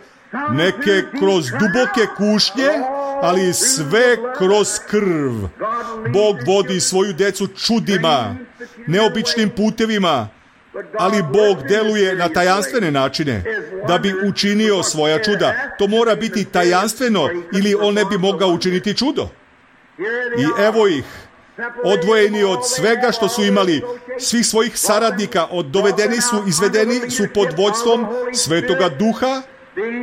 neke kroz duboke kušnje, ali sve kroz krv. Bog vodi svoju decu čudima, neobičnim putevima, ali Bog deluje na tajanstvene načine da bi učinio svoja čuda. To mora biti tajanstveno ili on ne bi mogao učiniti čudo. I evo ih. odvojeni od svega što su imali, svih svojih saradnika, dovedeni su, izvedeni su pod vođstvom Svetoga Duha,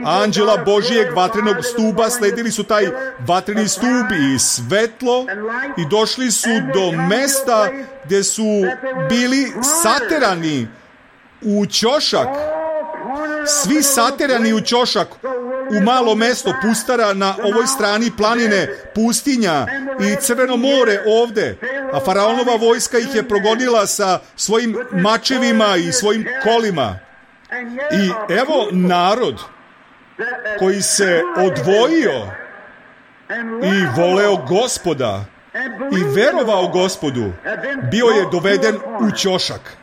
anđela Božijeg vatrenog stuba, sledili su taj vatreni stub i svetlo i došli su do mesta gdje su bili saterani u ćošak. Svi saterani u ćošak, u malo mesto pustara na ovoj strani planine, pustinja i Crveno more ovde, a faraonova vojska ih je progonila sa svojim mačevima i svojim kolima. I evo narod koji se odvojio i voleo Gospoda i verovao Gospodu, bio je doveden u ćošak.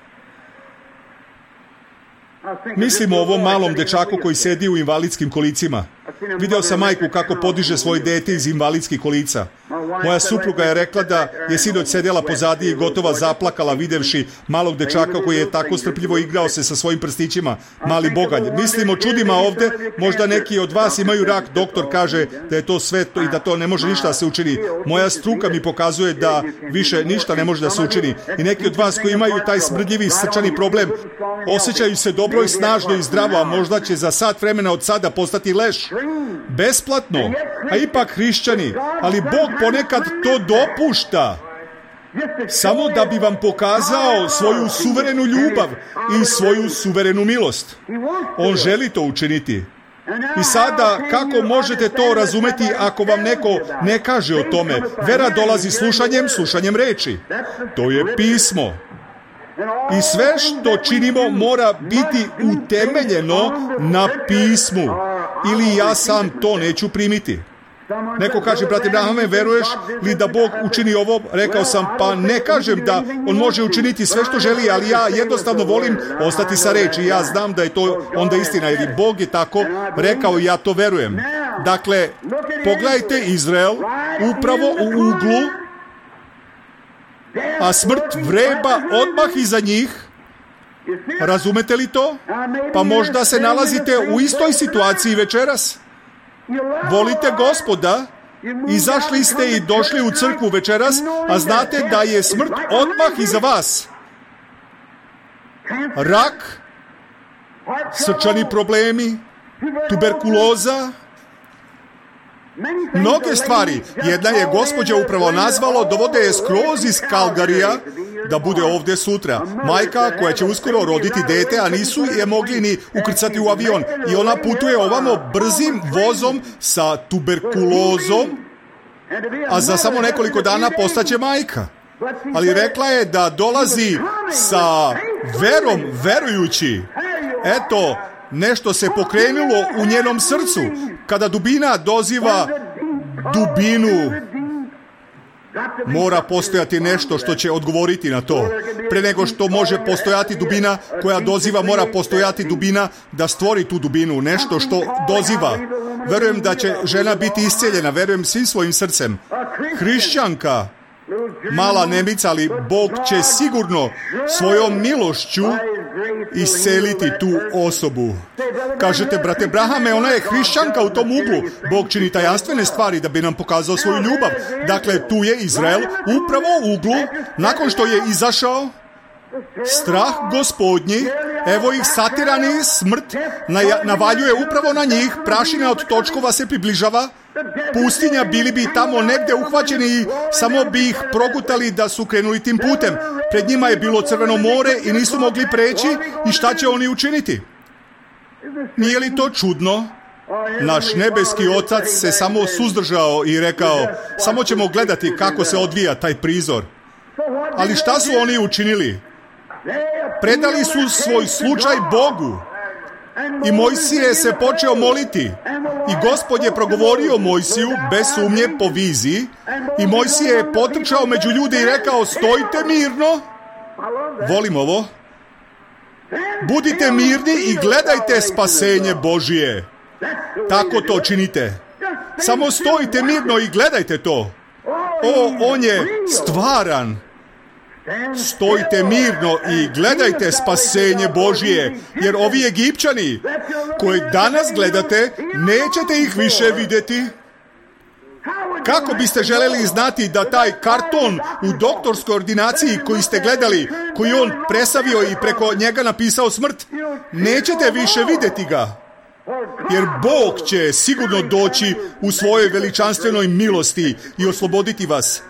Mislim o ovom malom dečaku koji sedi u invalidskim kolicima. Video sam majku kako podiže svoje dete iz invalidskih kolica. Moja supruga je rekla da je sinoć sedjela pozadi i gotova zaplakala videvši malog dečaka koji je tako strpljivo igrao se sa svojim prstićima, mali bogalj. Mislim o čudima ovde, možda neki od vas imaju rak, doktor kaže da je to sve i da to ne može ništa da se učini. Moja struka mi pokazuje da više ništa ne može da se učini. I neki od vas koji imaju taj smrdljivi srčani problem, osjećaju se dobro i snažno i zdravo, a možda će za sat vremena od sada postati leš. Besplatno, a ipak hrišćani, ali Bog ponekad to dopušta samo da bi vam pokazao svoju suverenu ljubav i svoju suverenu milost. On želi to učiniti. I sada, kako možete to razumeti ako vam neko ne kaže o tome? Vera dolazi slušanjem reči. To je pismo. I sve što činimo mora biti utemeljeno na pismu. Ili ja sam to neću primiti. Neko kaže, brate Brahame, veruješ li da Bog učini ovo? Rekao sam, pa ne kažem da On može učiniti sve što želi, ali ja jednostavno volim ostati sa reči. Ja znam da je to onda istina, jer Bog je tako rekao i ja to verujem. Dakle, pogledajte Izrael upravo u uglu, a smrt vreba odmah iza njih. Razumete li to? Pa možda se nalazite u istoj situaciji večeras. Volite Gospoda, izašli ste i došli u crkvu večeras, a znate da je smrt odmah iza vas. Rak, srčani problemi, tuberkuloza, mnoge stvari. Jedna je gospođa upravo nazvalo, dovode je skroz iz Kalgarija da bude ovdje sutra. Majka koja će uskoro roditi dete, a nisu je mogli ni ukrcati u avion. I ona putuje ovamo brzim vozom sa tuberkulozom, a za samo nekoliko dana postaće majka. Ali rekla je da dolazi sa verom verujući. Eto, nešto se pokrenulo u njenom srcu. Kada dubina doziva dubinu, mora postojati nešto što će odgovoriti na to. Pre nego što može postojati dubina koja doziva, mora postojati dubina da stvori tu dubinu, nešto što doziva. Verujem da će žena biti iscijeljena, verujem svim svojim srcem. Hrišćanka, mala nemica, ali Bog će sigurno svojom milošću isceliti tu osobu. Kažete, brate Brahame, ona je hrišćanka u tom uglu. Bog čini tajanstvene stvari da bi nam pokazao svoju ljubav. Dakle, tu je Izrael upravo u uglu, nakon što je izašao strah Gospodnji, evo ih satirani, smrt navaljuje upravo na njih, prašina od točkova se približava, pustinja, bili bi tamo negde uhvaćeni i samo bi ih progutali da su krenuli tim putem. Pred njima je bilo Crveno more i nisu mogli preći i šta će oni učiniti? Nije li to čudno? Naš nebeski Otac se samo suzdržao i rekao, samo ćemo gledati kako se odvija taj prizor. Ali šta su oni učinili? Predali su svoj slučaj Bogu. I Mojsije se počeo moliti. I Gospod je progovorio Mojsiju bez sumnje po viziji. I Mojsije je potrčao među ljude i rekao, stojite mirno. Volim ovo. Budite mirni i gledajte spasenje Božije. Tako to činite. Samo stojite mirno i gledajte to. On je stvaran. Stojite mirno i gledajte spasenje Božije, jer ovi Egipćani koje danas gledate, nećete ih više vidjeti. Kako biste želeli znati da taj karton u doktorskoj ordinaciji koji ste gledali, koji on presavio i preko njega napisao smrt, nećete više vidjeti ga? Jer Bog će sigurno doći u svojoj veličanstvenoj milosti i osloboditi vas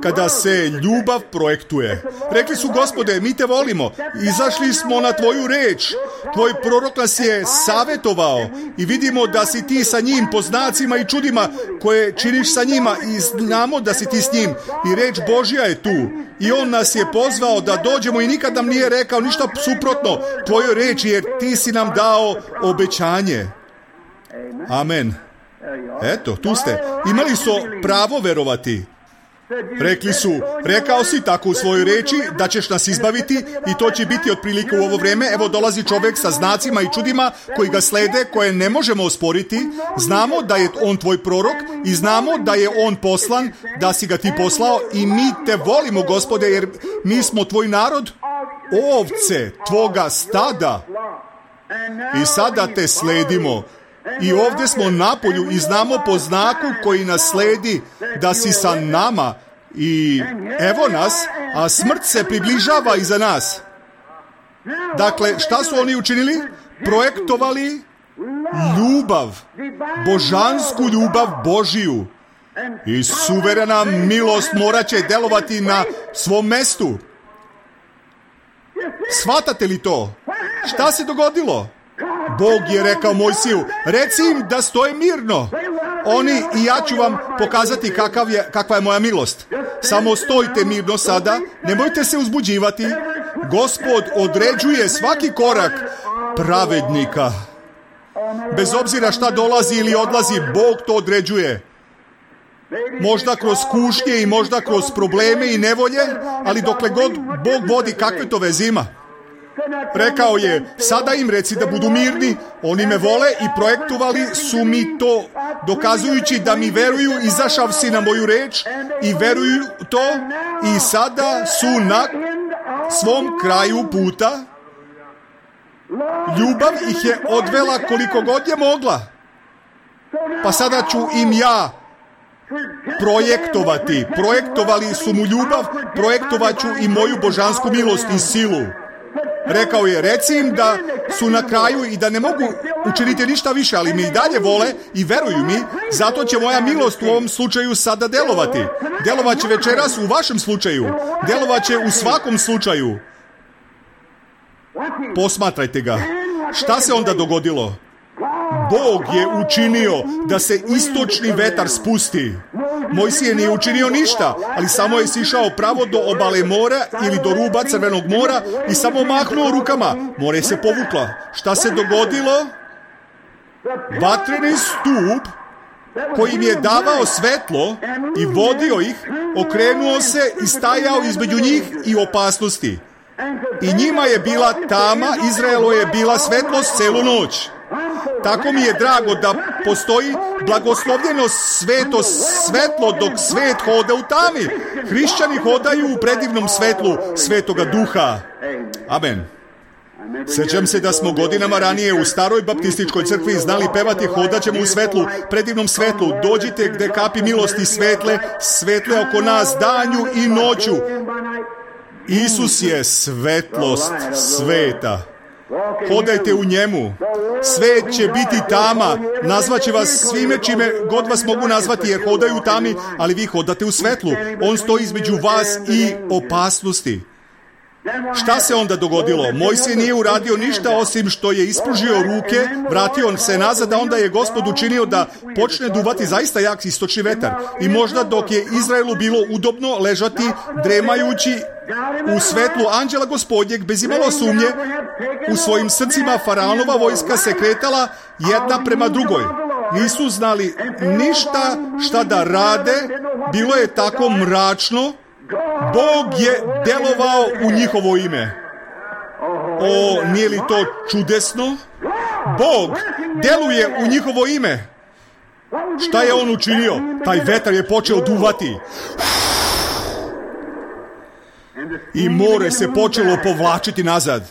kada se ljubav projektuje. Rekli su: Gospode, mi te volimo, izašli smo na tvoju reč, tvoj prorok nas je savjetovao i vidimo da si ti sa njim po znacima i čudima koje činiš sa njima i znamo da si ti s njim i reč Božja je tu i on nas je pozvao da dođemo i nikad nam nije rekao ništa suprotno tvojoj reči, jer ti si nam dao obećanje. Amen. Eto, tu ste. Imali su pravo verovati. Rekli su: rekao si tako u svojoj reči da ćeš nas izbaviti i to će biti otprilike u ovo vrijeme. Evo dolazi čovjek sa znacima i čudima koji ga slede, koje ne možemo osporiti. Znamo da je on tvoj prorok i znamo da je on poslan, da si ga ti poslao i mi te volimo, Gospode, jer mi smo tvoj narod, ovce tvoga stada i sada te sledimo. I ovdje smo na polju i znamo po znaku koji nas sledi da si sa nama i evo nas, a smrt se približava iza nas. Dakle, šta su oni učinili? Projektovali ljubav, božansku ljubav Božiju. I suverena milost morat će delovati na svom mestu. Shvatate li to? Šta se dogodilo? Bog je rekao Mojsiju: reci im da stoje mirno. Oni i ja ću vam pokazati kakva je moja milost. Samo stojite mirno sada, nemojte se uzbuđivati. Gospod određuje svaki korak pravednika. Bez obzira šta dolazi ili odlazi, Bog to određuje. Možda kroz kušnje i možda kroz probleme i nevolje, ali dokle god Bog vodi, kakve to veze ima? Rekao je: sada im reci da budu mirni, oni me vole i projektovali su mi to, dokazujući da mi veruju, izašav si na moju reč i veruju to i sada su na svom kraju puta. Ljubav ih je odvela koliko god je mogla. Pa sada ću im ja projektovati. Projektovali su mu ljubav, projektovat ću i moju božansku milost i silu. Rekao je: reci im da su na kraju i da ne mogu učiniti ništa više, ali mi i dalje vole i veruju mi, zato će moja milost u ovom slučaju sada delovati. Delovat će večeras u vašem slučaju. Delovat će u svakom slučaju. Posmatrajte ga. Šta se onda dogodilo? Bog je učinio da se istočni vetar spusti. Mojsije nije učinio ništa, ali samo je sišao pravo do obale mora ili do ruba Crvenog mora i samo mahnuo rukama. More se povukla. Šta se dogodilo? Vatreni stup koji im je davao svetlo i vodio ih, okrenuo se i stajao između njih i opasnosti. I njima je bila tama, Izraelu je bila svetlost celu noć. Tako mi je drago da postoji blagoslovljeno sveto svetlo dok svet hoda u tami. Hrišćani hodaju u predivnom svetlu Svetoga Duha. Amen. Sjećam se da smo godinama ranije u staroj baptističkoj crkvi znali pevati: hodat ćemo u svetlu, predivnom svetlu, dođite gde kapi milosti svetle oko nas danju i noću. Isus je svetlost sveta. Hodajte u njemu. Svet će biti tama. Nazvaće vas svime čime god vas mogu nazvati, jer hodaju u tami, ali vi hodate u svetlu. On stoji između vas i opasnosti. Šta se onda dogodilo? Mojsije nije uradio ništa osim što je ispružio ruke, vratio se nazad, a onda je Gospod učinio da počne duvati zaista jak istočni vetar. I možda dok je Izraelu bilo udobno ležati, dremajući u svetlu anđela Gospodnjeg, bez imalo sumnje, u svojim srcima faraonova vojska se kretala jedna prema drugoj. Nisu znali ništa šta da rade, bilo je tako mračno. Bog je delovao u njihovo ime. O, nije li to čudesno? Bog deluje u njihovo ime. Šta je on učinio? Taj vetar je počeo duvati. I more se počelo povlačiti nazad.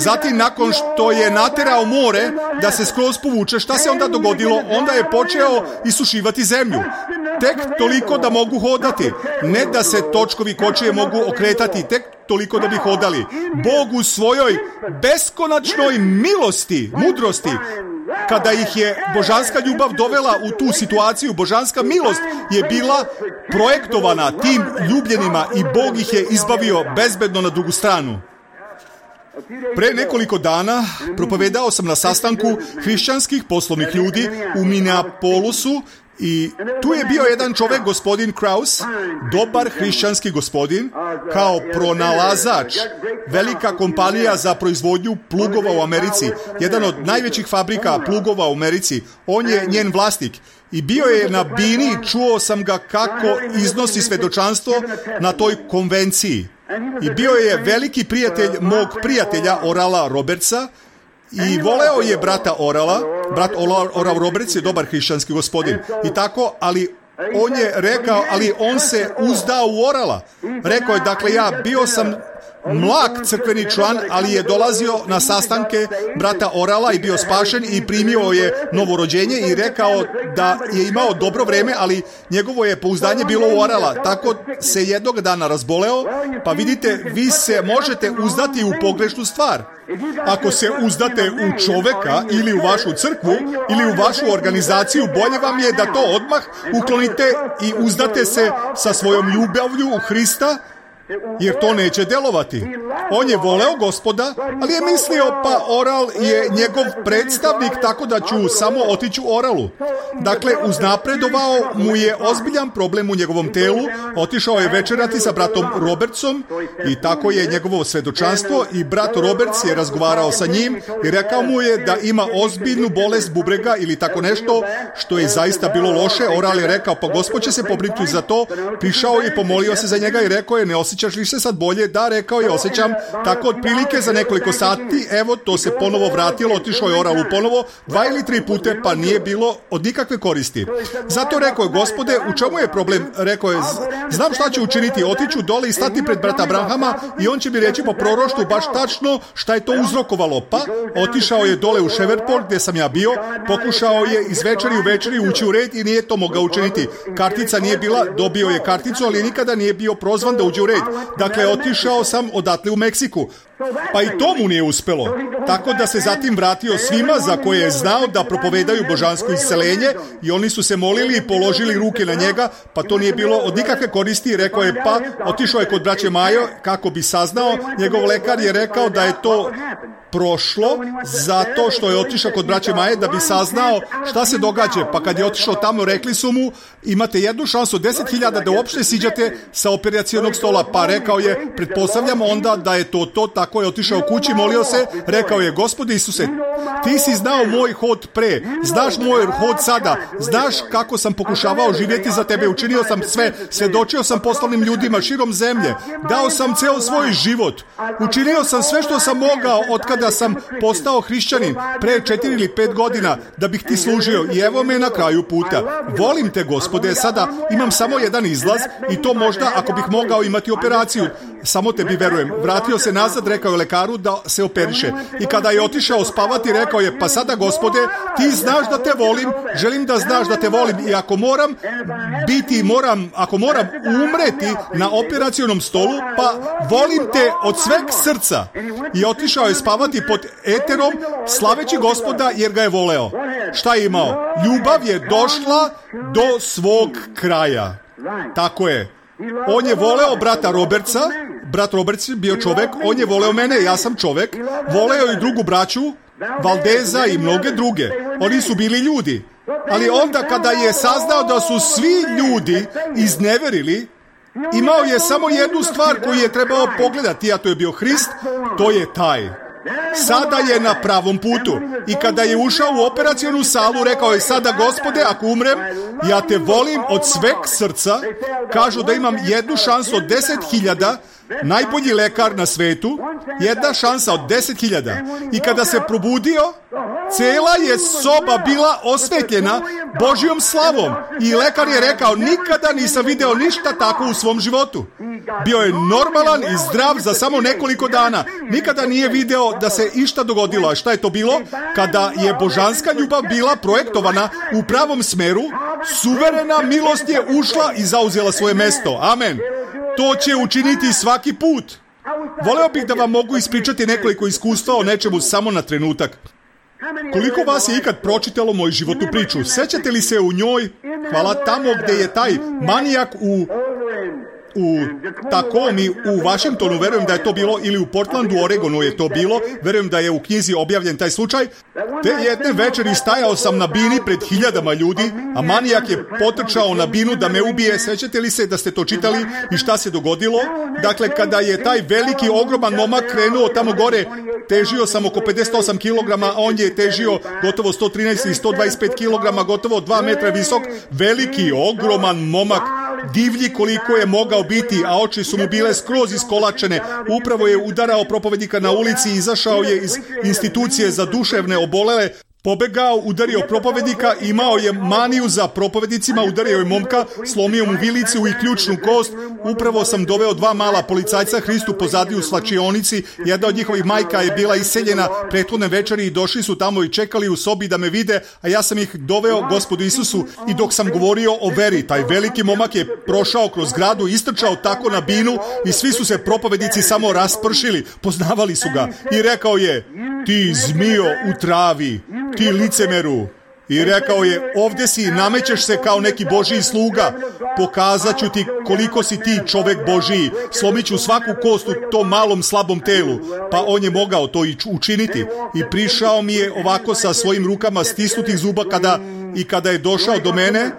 Zatim, nakon što je naterao more da se skroz povuče, šta se onda dogodilo? Onda je počeo isušivati zemlju. Tek toliko da mogu hodati. Ne da se točkovi kočije mogu okretati, tek toliko da bi hodali. Bog u svojoj beskonačnoj milosti, mudrosti, kada ih je božanska ljubav dovela u tu situaciju, božanska milost je bila projektovana tim ljubljenima i Bog ih je izbavio bezbedno na drugu stranu. Pre nekoliko dana propovedao sam na sastanku hrišćanskih poslovnih ljudi u Minneapolisu i tu je bio jedan čovek, gospodin Kraus, dobar hrišćanski gospodin, kao pronalazač, velika kompanija za proizvodnju plugova u Americi, jedan od najvećih fabrika plugova u Americi, on je njen vlasnik. I bio je na bini, čuo sam ga kako iznosi svedočanstvo na toj konvenciji. I bio je veliki prijatelj mog prijatelja Orala Robertsa i voleo je brata Orala. Brat Oral Roberts je dobar hrišćanski gospodin. I tako, ali on je rekao, ali on se uzdao u Orala. Rekao je, dakle, ja bio sam mlak crkveni član, ali je dolazio na sastanke brata Orala i bio spašen i primio je novorođenje i rekao da je imao dobro vreme, ali njegovo je pouzdanje bilo u Orala. Tako se jednog dana razboleo, pa vidite, vi se možete uzdati u pogrešnu stvar. Ako se uzdate u čoveka ili u vašu crkvu ili u vašu organizaciju, bolje vam je da to odmah uklonite i uzdate se sa svojom ljubavlju u Hrista, jer to neće delovati. On je voleo Gospoda, ali je mislio, pa Oral je njegov predstavnik, tako da ću samo otići u Oralu. Dakle, uznapredovao mu je ozbiljan problem u njegovom telu, otišao je večerati sa bratom Robertsom i tako je njegovo svedočanstvo i brat Roberts je razgovarao sa njim i rekao mu je da ima ozbiljnu bolest bubrega ili tako nešto, što je zaista bilo loše. Oral je rekao, pa Gospod će se pobrinuti za to. Prišao je i pomolio se za njega i rekao je, ne osjećaš li se sad bolje? Da, rekao je, osjećam. Tako otprilike za nekoliko sati, evo, to se ponovo vratilo, otišao je Oralu ponovo 2 ili 3 pute, pa nije bilo od nikakve koristi. Zato rekao je, Gospode, u čemu je problem? Rekao je, znam šta ću učiniti, otiću dole i stati pred brata Abrahama i on će mi reći po proroštvu baš tačno šta je to uzrokovalo. Pa otišao je dole u Shreveport gdje sam ja bio, pokušao je iz večeri u večeri ući u red i nije to mogao učiniti. Kartica nije bila, dobio je karticu, ali nikada nije bio prozvan da uđe u red. Dakle, otišao sam odatle u Meksiku. Pa i to mu nije uspelo. Tako da se zatim vratio svima za koje je znao da propovedaju božansko isceljenje i oni su se molili i položili ruke na njega, pa to nije bilo od nikakve koristi. Rekao je, pa otišao je kod braće Majo kako bi saznao. Njegov lekar je rekao da je to prošlo zato što je otišao kod braće Maje da bi saznao šta se događa. Pa kad je otišao tamo, rekli su mu, imate jednu šansu 10.000 da uopšte siđate sa operacionog stola. Pa rekao je, pretpostavljam onda da je to. Tako je otišao kući, molio se, rekao je, Gospode Isuse, ti si znao moj hod pre, znaš moj hod sada, znaš kako sam pokušavao živjeti za tebe, učinio sam sve, svedočio sam poslovnim ljudima širom zemlje, dao sam ceo svoj život, učinio sam sve što sam mogao od kada sam postao hrišćanin pre 4 ili 5 godina da bih ti služio i evo me na kraju puta. Volim te, Gospode, sada imam samo jedan izlaz i to možda ako bih mogao imati operaciju. Samo tebi verujem. Vratio se nazad, rekao je lekaru da se operiše. I kada je otišao spavati, rekao je, pa sada, Gospode, ti znaš da te volim, želim da znaš da te volim i ako moram umreti na operacionom stolu, pa volim te od sveg srca. I otišao je spavati pod eterom, slaveći Gospoda jer ga je voleo. Šta je imao? Ljubav je došla do svog kraja. Tako je. On je voleo brata Robertsa, brat Roberts je bio čovek, on je voleo mene, ja sam čovek, voleo i drugu braću, Valdeza i mnoge druge. Oni su bili ljudi. Ali onda kada je saznao da su svi ljudi izneverili, imao je samo jednu stvar koju je trebao pogledati, a to je bio Hrist, to je taj. Sada je na pravom putu. I kada je ušao u operacionu salu, rekao je, sada, Gospode, ako umrem, ja te volim od sveg srca. Kažu da imam jednu šansu od 10.000 najbolji lekar na svetu, jedna šansa od 10.000. I kada se probudio, cela je soba bila osvetljena Božjom slavom. I lekar je rekao, nikada nisam video ništa tako u svom životu. Bio je normalan i zdrav za samo nekoliko dana. Nikada nije video da se išta dogodilo. A šta je to bilo? Kada je božanska ljubav bila projektovana u pravom smeru, suverena milost je ušla i zauzela svoje mesto. Amen. To će učiniti svaki put. Voleo bih da vam mogu ispričati nekoliko iskustva o nečemu samo na trenutak. Koliko vas je ikad pročitalo moju životnu priču? Sećate li se u njoj? Hvala, tamo gde je taj manijak u Takomi u Washingtonu, verujem da je to bilo, ili u Portlandu, Oregonu je to bilo, verujem da je u knjizi objavljen taj slučaj. Te jedne večeri stajao sam na bini pred 1000 ljudi, a manijak je potrčao na binu da me ubije. Sećate li se da ste to čitali i šta se dogodilo? Dakle, kada je taj veliki, ogroman momak krenuo tamo gore, težio sam oko 58 kg, a on je težio gotovo 113 i 125 kg, gotovo 2 metra visok, veliki, ogroman momak, divlji koliko je mogao biti, a oči su mu bile skroz iskolačene. Upravo je udarao propovednika na ulici, izašao je iz institucije za duševne obolele, pobegao, udario propovednika, imao je maniju za propovednicima, udario je momka, slomio mu vilicu i ključnu kost. Upravo sam doveo 2 mala policajca Hristu pozadi u slačionici. Jedna od njihovih majka je bila iseljena prethodne večeri i došli su tamo i čekali u sobi da me vide, a ja sam ih doveo Gospodu Isusu. I dok sam govorio o veri, taj veliki momak je prošao kroz zgradu, istrčao tako na binu i svi su se propovednici samo raspršili, poznavali su ga. I rekao je, ti zmijo u travi, ti licemeru. I rekao je, ovdje si, namećeš se kao neki Božiji sluga, pokazat ću ti koliko si ti čovek Božiji, slomit ću svaku kost u tom malom slabom telu. Pa on je mogao to i učiniti. I prišao mi je ovako sa svojim rukama stisnutih zuba kada je došao do mene,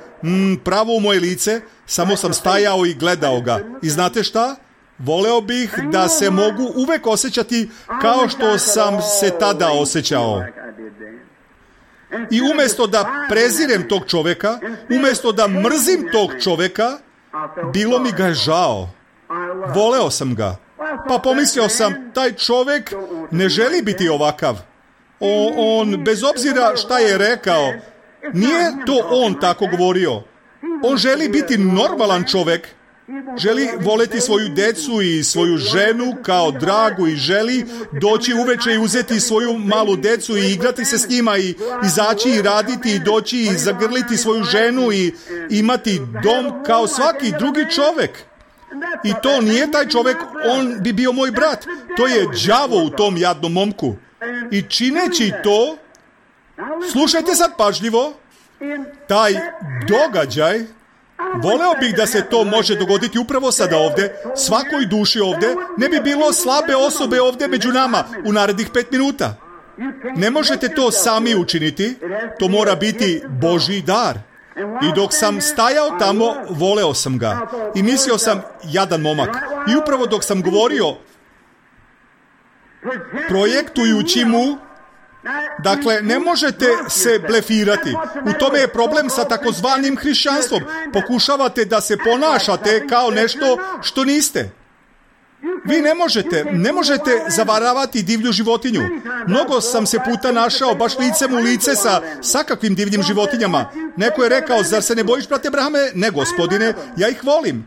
pravo u moje lice, samo sam stajao i gledao ga. I znate šta? Voleo bih da se mogu uvek osjećati kao što sam se tada osjećao. I umjesto da prezirem tog čoveka, umjesto da mrzim tog čoveka, bilo mi ga je žao. Voleo sam ga. Pa pomislio sam, taj čovek ne želi biti ovakav. On, bez obzira šta je rekao, nije to on tako govorio. On želi biti normalan čovek. Želi voleti svoju decu i svoju ženu kao dragu i želi doći uveče i uzeti svoju malu decu i igrati se s njima i izaći i raditi i doći i zagrliti svoju ženu i imati dom kao svaki drugi čovek. I to nije taj čovek, on bi bio moj brat. To je đavo u tom jadnom momku. I čineći to, slušajte sad pažljivo, taj događaj, voleo bih da se to može dogoditi upravo sada ovdje, svakoj duši ovdje, ne bi bilo slabe osobe ovdje među nama u narednih 5 minuta. Ne možete to sami učiniti, to mora biti Božji dar. I dok sam stajao tamo, voleo sam ga. I mislio sam, jadan momak. I upravo dok sam govorio, projektujući mu, dakle, ne možete se blefirati. U tome je problem sa takozvanim hrišćanstvom. Pokušavate da se ponašate kao nešto što niste. Vi ne možete zavaravati divlju životinju. Mnogo sam se puta našao baš licem u lice sa kakvim divljim životinjama. Neko je rekao, zar se ne bojiš, brate Abrahame? Ne, gospodine, ja ih volim.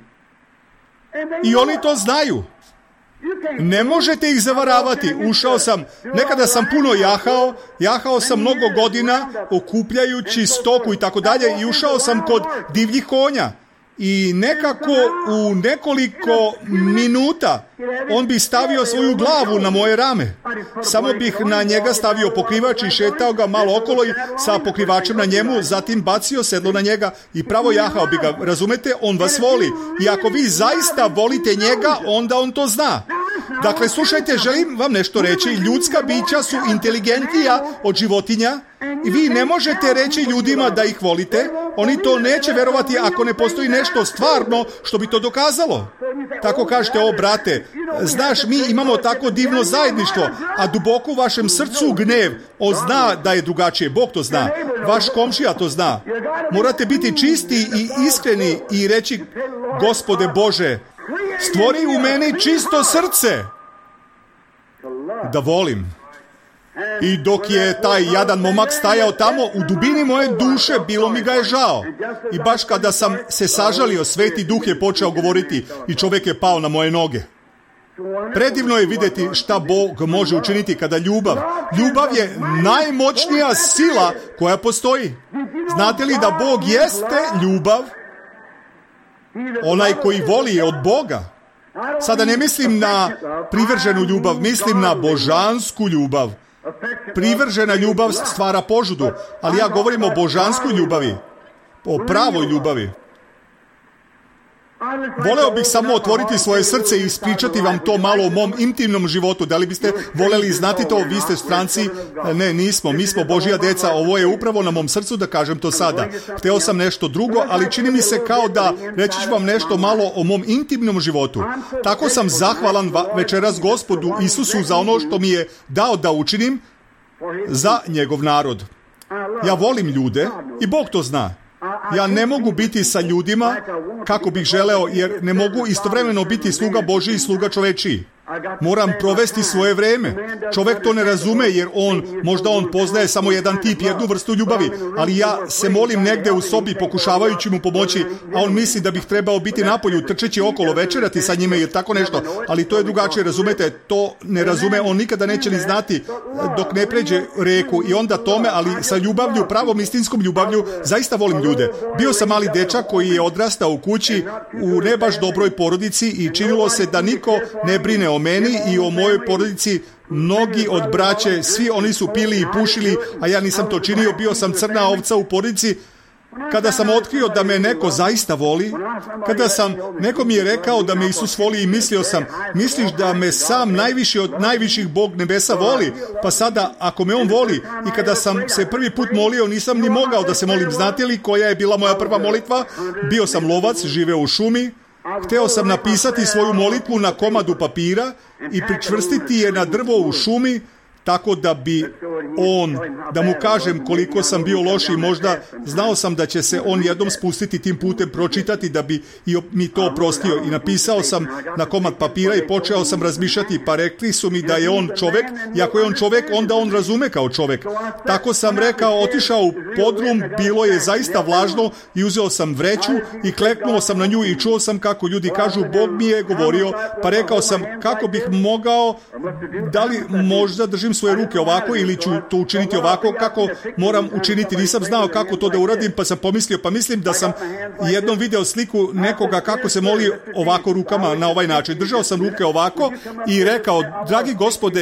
I oni to znaju. Ne možete ih zavaravati. Ušao sam, nekada sam puno jahao sam mnogo godina okupljajući stoku i tako dalje i ušao sam kod divljih konja. I nekako u nekoliko minuta on bi stavio svoju glavu na moje rame. Samo bih na njega stavio pokrivač i šetao ga malo okolo i sa pokrivačem na njemu, zatim bacio sedlo na njega i pravo jahao bi ga. Razumete? On vas voli. I ako vi zaista volite njega, onda on to zna. Dakle, slušajte, želim vam nešto reći. Ljudska bića su inteligentnija od životinja i vi ne možete reći ljudima da ih volite. Oni to neće verovati ako ne postoji nešto stvarno što bi to dokazalo. Tako kažete, o brate, znaš, mi imamo tako divno zajedništvo, a duboko u vašem srcu gnev. On zna da je drugačije, Bog to zna. Vaš komšija to zna. Morate biti čisti i iskreni i reći, Gospode Bože, Stvori u meni čisto srce da volim. I dok je taj jadan momak stajao tamo, u dubini moje duše bilo mi ga je žao. I baš kada sam se sažalio, Sveti Duh je počeo govoriti i čovjek je pao na moje noge. Predivno je vidjeti šta Bog može učiniti kada ljubav je najmoćnija sila koja postoji. Znate li da Bog jeste ljubav? Onaj koji voli je od Boga. Sada ne mislim na privrženu ljubav, mislim na božansku ljubav. Privržena ljubav stvara požudu, ali ja govorim o božanskoj ljubavi, o pravoj ljubavi. Voleo bih samo otvoriti svoje srce i ispričati vam to malo o mom intimnom životu. Da li biste voljeli znati to? Vi ste stranci? Ne, nismo. Mi smo Božja deca. Ovo je upravo na mom srcu da kažem to sada. Hteo sam nešto drugo, ali čini mi se kao da reći ću vam nešto malo o mom intimnom životu. Tako sam zahvalan večeras Gospodu Isusu za ono što mi je dao da učinim za njegov narod. Ja volim ljude i Bog to zna. Ja ne mogu biti sa ljudima kako bih želeo, jer ne mogu istovremeno biti sluga Božji i sluga čovečiji. Moram provesti svoje vreme. Čovjek to ne razume, jer možda on poznaje samo jedan tip, jednu vrstu ljubavi, ali ja se molim negde u sobi pokušavajući mu pomoći, a on misli da bih trebao biti napolju, trčeći okolo, večerati sa njime ili tako nešto, ali to je drugačije, razumete, to ne razume, on nikada neće ni znati dok ne pređe reku i onda tome, ali sa ljubavlju, pravom istinskom ljubavlju, zaista volim ljude. Bio sam mali dečak koji je odrastao u kući u ne baš dobroj porodici i činilo se da niko ne brine o meni i o mojoj porodici. Mnogi od braće, svi oni su pili i pušili, a ja nisam to činio, bio sam crna ovca u porodici. Kada sam otkrio da me neko zaista voli, neko mi je rekao da me Isus voli i mislio sam, misliš da me sam najviši od najviših Bog nebesa voli? Pa sada, ako me on voli, i kada sam se prvi put molio, nisam ni mogao da se molim. Znate li koja je bila moja prva molitva? Bio sam lovac, živeo u šumi. Hteo sam napisati svoju molitvu na komadu papira i pričvrstiti je na drvo u šumi, tako da bi da mu kažem koliko sam bio loš i možda znao sam da će se on jednom spustiti tim putem, pročitati da bi mi to oprostio. I napisao sam na komad papira i počeo sam razmišljati, pa rekli su mi da je on čovek, i ako je on čovek, onda on razume kao čovek. Tako sam rekao, otišao u podrum, bilo je zaista vlažno i uzeo sam vreću i kleknuo sam na nju i čuo sam kako ljudi kažu, Bog mi je govorio, pa rekao sam kako bih mogao, da li možda držim svoje ruke ovako ili ću to učiniti ovako, kako moram učiniti. Nisam znao kako to da uradim, pa sam pomislio, pa mislim da sam jednom video sliku nekoga kako se moli ovako rukama na ovaj način. Držao sam ruke ovako i rekao, dragi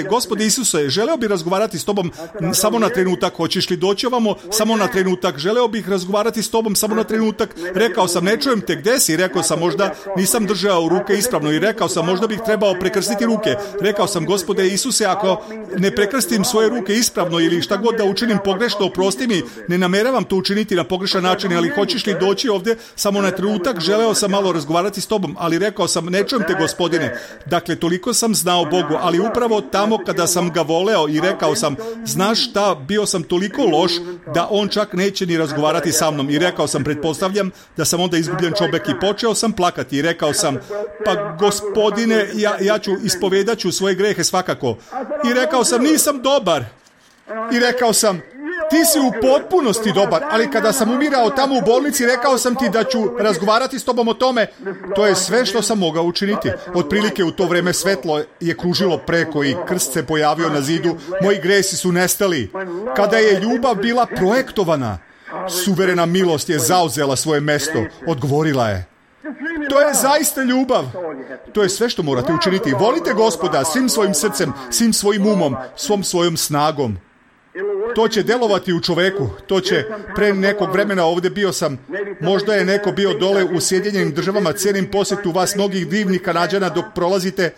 Gospode Isuse, želeo bih razgovarati s tobom samo na trenutak, hoćeš li doći ovamo samo na trenutak, želeo bih razgovarati s tobom samo na trenutak. Rekao sam, ne čujem te, gde si? Rekao sam, možda nisam držao ruke ispravno i rekao sam, možda bih trebao prekrstiti ruke. Rekao sam, Gospode Isuse, ako ne prekrstim svoje ruke ispravno ili šta god da učinim pogrešno, oprosti mi, ne nameravam to učiniti na pogrešan način, ali hoćeš li doći ovdje samo na trenutak, želeo sam malo razgovarati s tobom, ali rekao sam, ne čujem te, Gospodine. Dakle, toliko sam znao Bogu, ali upravo tamo kada sam ga voleo i rekao sam, znaš šta, bio sam toliko loš da on čak neće ni razgovarati sa mnom. I rekao sam, pretpostavljam da sam onda izgubljen čovjek i počeo sam plakati i rekao sam, pa Gospodine, ja ću ispovedat ću svoje grehe svakako. I rekao sam, nisam dobar. I rekao sam, ti si u potpunosti dobar, ali kada sam umirao tamo u bolnici, rekao sam ti da ću razgovarati s tobom o tome. To je sve što sam mogao učiniti. Otprilike u to vreme svetlo je kružilo preko i krst se pojavio na zidu. Moji gresi su nestali. Kada je ljubav bila projektovana, suverena milost je zauzela svoje mesto, odgovorila je. To je zaista ljubav. To je sve što morate učiniti. Volite Gospoda svim svojim srcem, svim svojim umom, svom svojom snagom. To će delovati u čoveku. To će, pre nekog vremena ovdje bio sam, možda je neko bio dole u Sjedinjenim Državama, cijenim posjetu vas mnogih divnih Kanađana dok prolazite.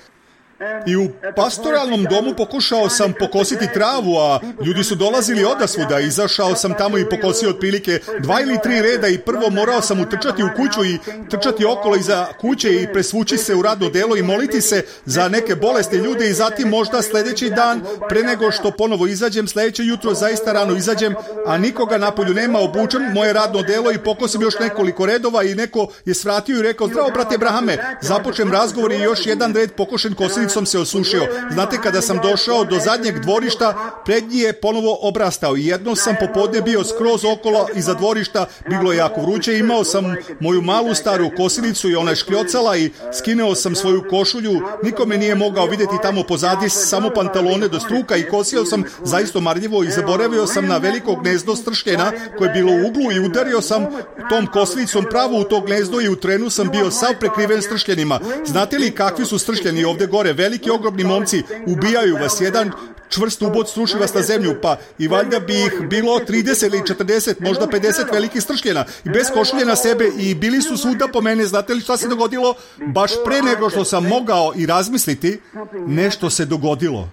I u pastoralnom domu pokušao sam pokositi travu, a ljudi su dolazili odasvuda. Izašao sam tamo i pokosio otprilike 2 ili 3 reda i prvo morao sam utrčati u kuću i trčati okolo iza kuće i presvući se u radno delo i moliti se za neke bolesne ljude i zatim možda sljedeći dan, pre nego što ponovo izađem, sljedeće jutro zaista rano izađem, a nikoga napolju nema, obučem moje radno delo i pokosim još nekoliko redova i neko je svratio i rekao: zdravo brate Abrahame, započem razgovor i još jedan red pokošen kosilicom se osušio. Znate, kada sam došao do zadnjeg dvorišta, prednji je ponovo obrastao i jedno sam popodne bio skroz okolo iza dvorišta, bilo je jako vruće, imao sam moju malu staru kosilicu i ona je škljocala i skineo sam svoju košulju, niko me nije mogao vidjeti tamo pozadi, samo pantalone do struka i kosio sam zaista marljivo i zaboravio sam na veliko gnezdo stršljena koje je bilo u uglu i udario sam tom kosilicom pravo u to gnezdo i u trenu sam bio sav prekriven stršljenima. Znate li kakvi su stršljeni ovdje gore? Veliki, ogromni momci, ubijaju vas, jedan čvrst ubod struši vas na zemlju, pa i valjda bi ih bilo 30 ili 40, možda 50 velikih stršljena i bez košulje na sebe i bili su svuda po mene. Znate li šta se dogodilo? Baš pre nego što sam mogao i razmisliti, nešto se dogodilo.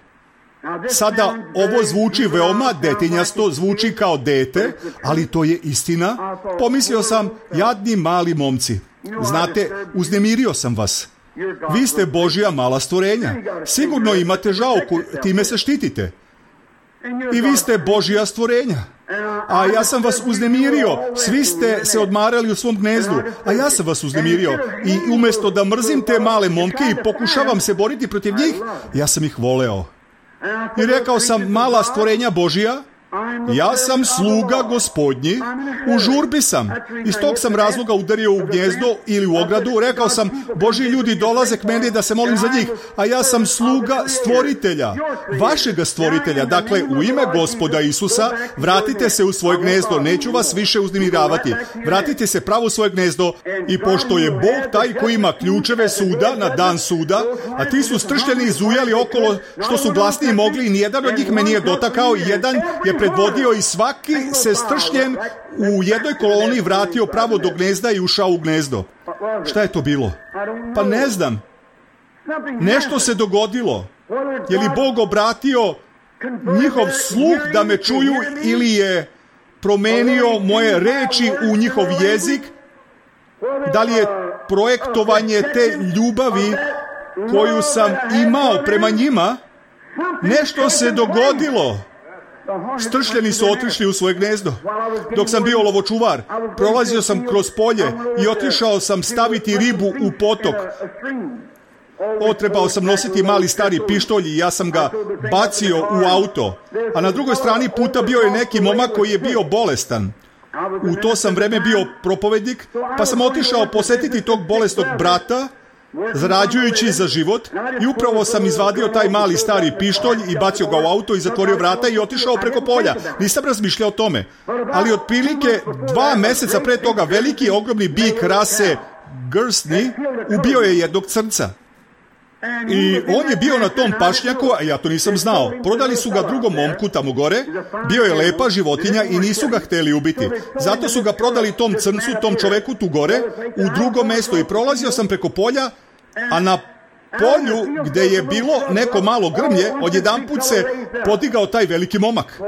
Sada ovo zvuči veoma detinjasto, zvuči kao dete, ali to je istina. Pomislio sam, jadni mali momci. Znate, uznemirio sam vas. Vi ste Božja mala stvorenja. Sigurno imate žauku, time se štitite. I vi ste Božja stvorenja. A ja sam vas uznemirio. Svi ste se odmarali u svom gnezdu. A ja sam vas uznemirio. I umjesto da mrzim te male momke i pokušavam se boriti protiv njih, ja sam ih voleo. I rekao sam: mala stvorenja Božja, ja sam sluga Gospodnji, u žurbi sam. Iz tog sam razloga udario u gnjezdo ili u ogradu. Rekao sam: Božji ljudi dolaze k meni da se molim za njih, a ja sam sluga stvoritelja, vašega stvoritelja. Dakle, u ime Gospoda Isusa, vratite se u svoje gnezdo, neću vas više uznemiravati. Vratite se pravo u svoje gnezdo i pošto je Bog taj koji ima ključeve suda na dan suda, a ti su stršljeni i zujali okolo što su glasniji mogli i nijedan od njih me nije dotakao, jedan je predvodio i svaki se stršljen u jednoj koloni vratio pravo do gnezda i ušao u gnezdo. Šta je to bilo? Pa ne znam. Nešto se dogodilo. Je li Bog obratio njihov sluh da me čuju ili je promenio moje reči u njihov jezik? Da li je projektovanje te ljubavi koju sam imao prema njima? Nešto se dogodilo. Stršljeni su otišli u svoje gnezdo. Dok sam bio lovočuvar, prolazio sam kroz polje i otišao sam staviti ribu u potok. Trebao sam nositi mali stari pištolj i ja sam ga bacio u auto. A na drugoj strani puta bio je neki momak koji je bio bolestan. U to sam vreme bio propovednik, pa sam otišao posjetiti tog bolesnog brata, zarađujući za život, i upravo sam izvadio taj mali stari pištolj i bacio ga u auto i zatvorio vrata i otišao preko polja. Nisam razmišljao o tome. Ali otprilike 2 mjeseca pre toga veliki ogromni bik rase Guernsey ubio je jednog crnca. I on je bio na tom pašnjaku, a ja to nisam znao. Prodali su ga drugom momku tamo gore, bio je lepa životinja i nisu ga hteli ubiti. Zato su ga prodali tom crncu, tom čoveku tu gore, u drugom mjestu, i prolazio sam preko polja, a na polju gdje je bilo neko malo grmlje, odjedanput se podigao taj veliki momak.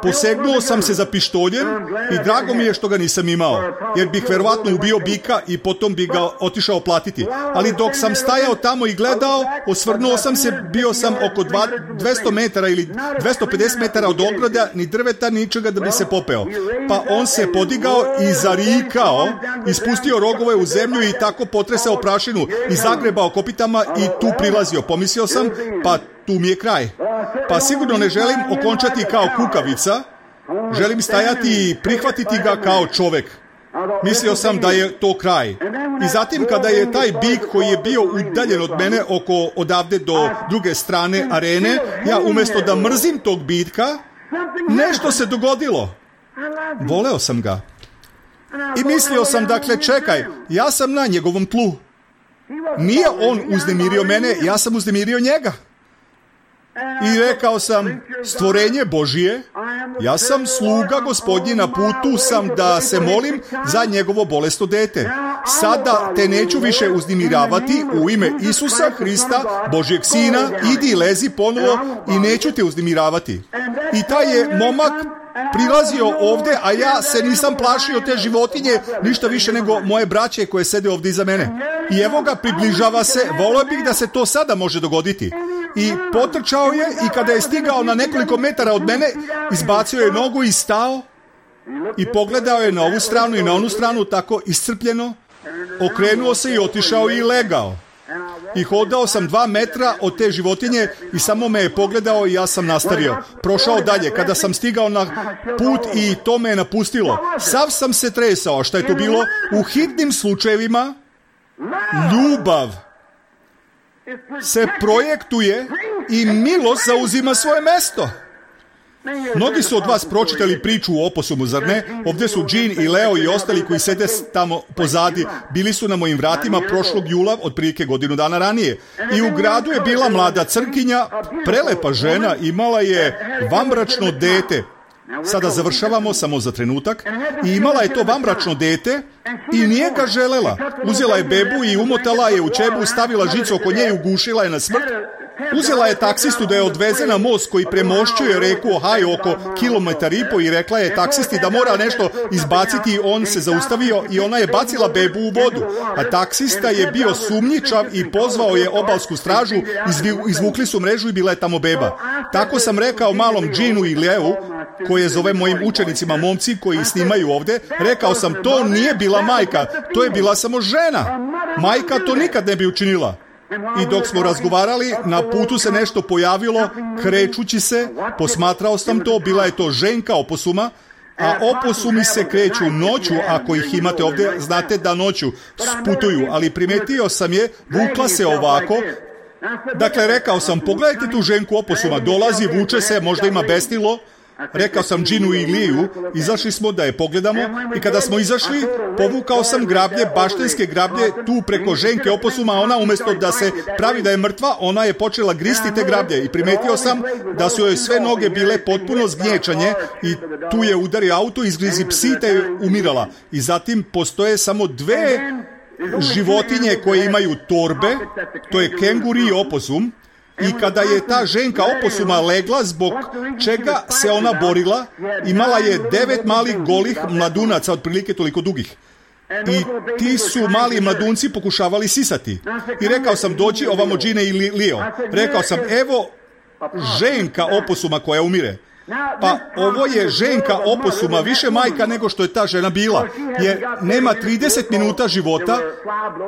Posegnuo sam se za pištoljem i drago mi je što ga nisam imao, jer bih verovatno ubio bika i potom bi ga otišao platiti. Ali dok sam stajao tamo i gledao, osvrnuo sam se, bio sam oko 200 metara ili 250 metara od ograda, ni drveta, ničega da bi se popeo. Pa on se podigao i zarikao, ispustio rogove u zemlju i tako potresao prašinu i zagrebao kopitama i tu prilazio. Pomislio sam, pa tu mi je kraj. Pa sigurno ne želim okončati kao kukavica, želim stajati i prihvatiti ga kao čovek. Mislio sam da je to kraj. I zatim kada je taj bik koji je bio udaljen od mene odavde do druge strane arene, ja umjesto da mrzim tog bitka, nešto se dogodilo. Voleo sam ga. I mislio sam, dakle, čekaj, ja sam na njegovom tlu. Nije on uznemirio mene, ja sam uznemirio njega. I rekao sam, stvorenje Božije, ja sam sluga Gospodnji, na putu sam da se molim za njegovo bolesno dete. Sada te neću više uznemiravati, u ime Isusa Hrista, Božjeg Sina, idi lezi ponovo i neću te uznemiravati. I taj je momak prilazio ovdje, a ja se nisam plašio te životinje ništa više nego moje braće koje sede ovdje iza mene. I evo ga, približava se, volio bih da se to sada može dogoditi. I potrčao je i kada je stigao na nekoliko metara od mene, izbacio je nogu i stao i pogledao je na ovu stranu i na onu stranu tako iscrpljeno, okrenuo se i otišao i legao. I hodao sam 2 metra od te životinje i samo me je pogledao i ja sam nastavio. Prošao dalje. Kada sam stigao na put i to me je napustilo, sav sam se tresao. Šta je to bilo? U hitnim slučajevima ljubav se projektuje i milost zauzima svoje mesto. Mnogi su od vas pročitali priču o oposumu, zar ne? Ovdje su Jean i Leo i ostali koji sede tamo pozadi. Bili su na mojim vratima prošlog jula, otprilike godinu dana ranije. I u gradu je bila mlada crkinja, prelepa žena, imala je vanbračno dete. Sada završavamo samo za trenutak. I imala je to vanbračno dete i nije ga želela. Uzela je bebu i umotala je u čebu, stavila žicu oko nje i ugušila je na smrt. Uzela je taksistu da je odveze na most koji premošćuje reku Ohio oko 1,5 kilometara i rekla je taksisti da mora nešto izbaciti. On se zaustavio i ona je bacila bebu u vodu. A taksista je bio sumnjičav i pozvao je obalsku stražu, izvukli su mrežu i bila je tamo beba. Tako sam rekao malom Jeanu i Leu, koje zove mojim učenicima momci koji snimaju ovdje, rekao sam, to nije bila majka, to je bila samo žena. Majka to nikad ne bi učinila. I dok smo razgovarali, na putu se nešto pojavilo, krećući se, posmatrao sam to, bila je to ženka oposuma, a oposumi se kreću noću, ako ih imate ovdje, znate da noću putuju, ali primetio sam je, vukla se ovako. Dakle, rekao sam, pogledajte tu ženku oposuma, dolazi, vuče se, možda ima besnilo. Rekao sam Jeanu i Liju, izašli smo da je pogledamo i kada smo izašli, povukao sam grablje, baštenske grablje, tu preko ženke oposuma, ona umjesto da se pravi da je mrtva, ona je počela gristi te grablje i primetio sam da su joj sve noge bile potpuno zgnječanje i tu je udario auto, izgrizi psi te je umirala. I zatim postoje samo 2 životinje koje imaju torbe, to je kenguri i oposum. I kada je ta ženka oposuma legla, zbog čega se ona borila, imala je 9 malih golih mladunaca, otprilike toliko dugih. I ti su mali mladunci pokušavali sisati. I rekao sam, dođi ovamo Gine i Leo. Rekao sam, evo ženka oposuma koja umire. Pa ovo je ženka oposuma, više majka nego što je ta žena bila, jer nema 30 minuta života,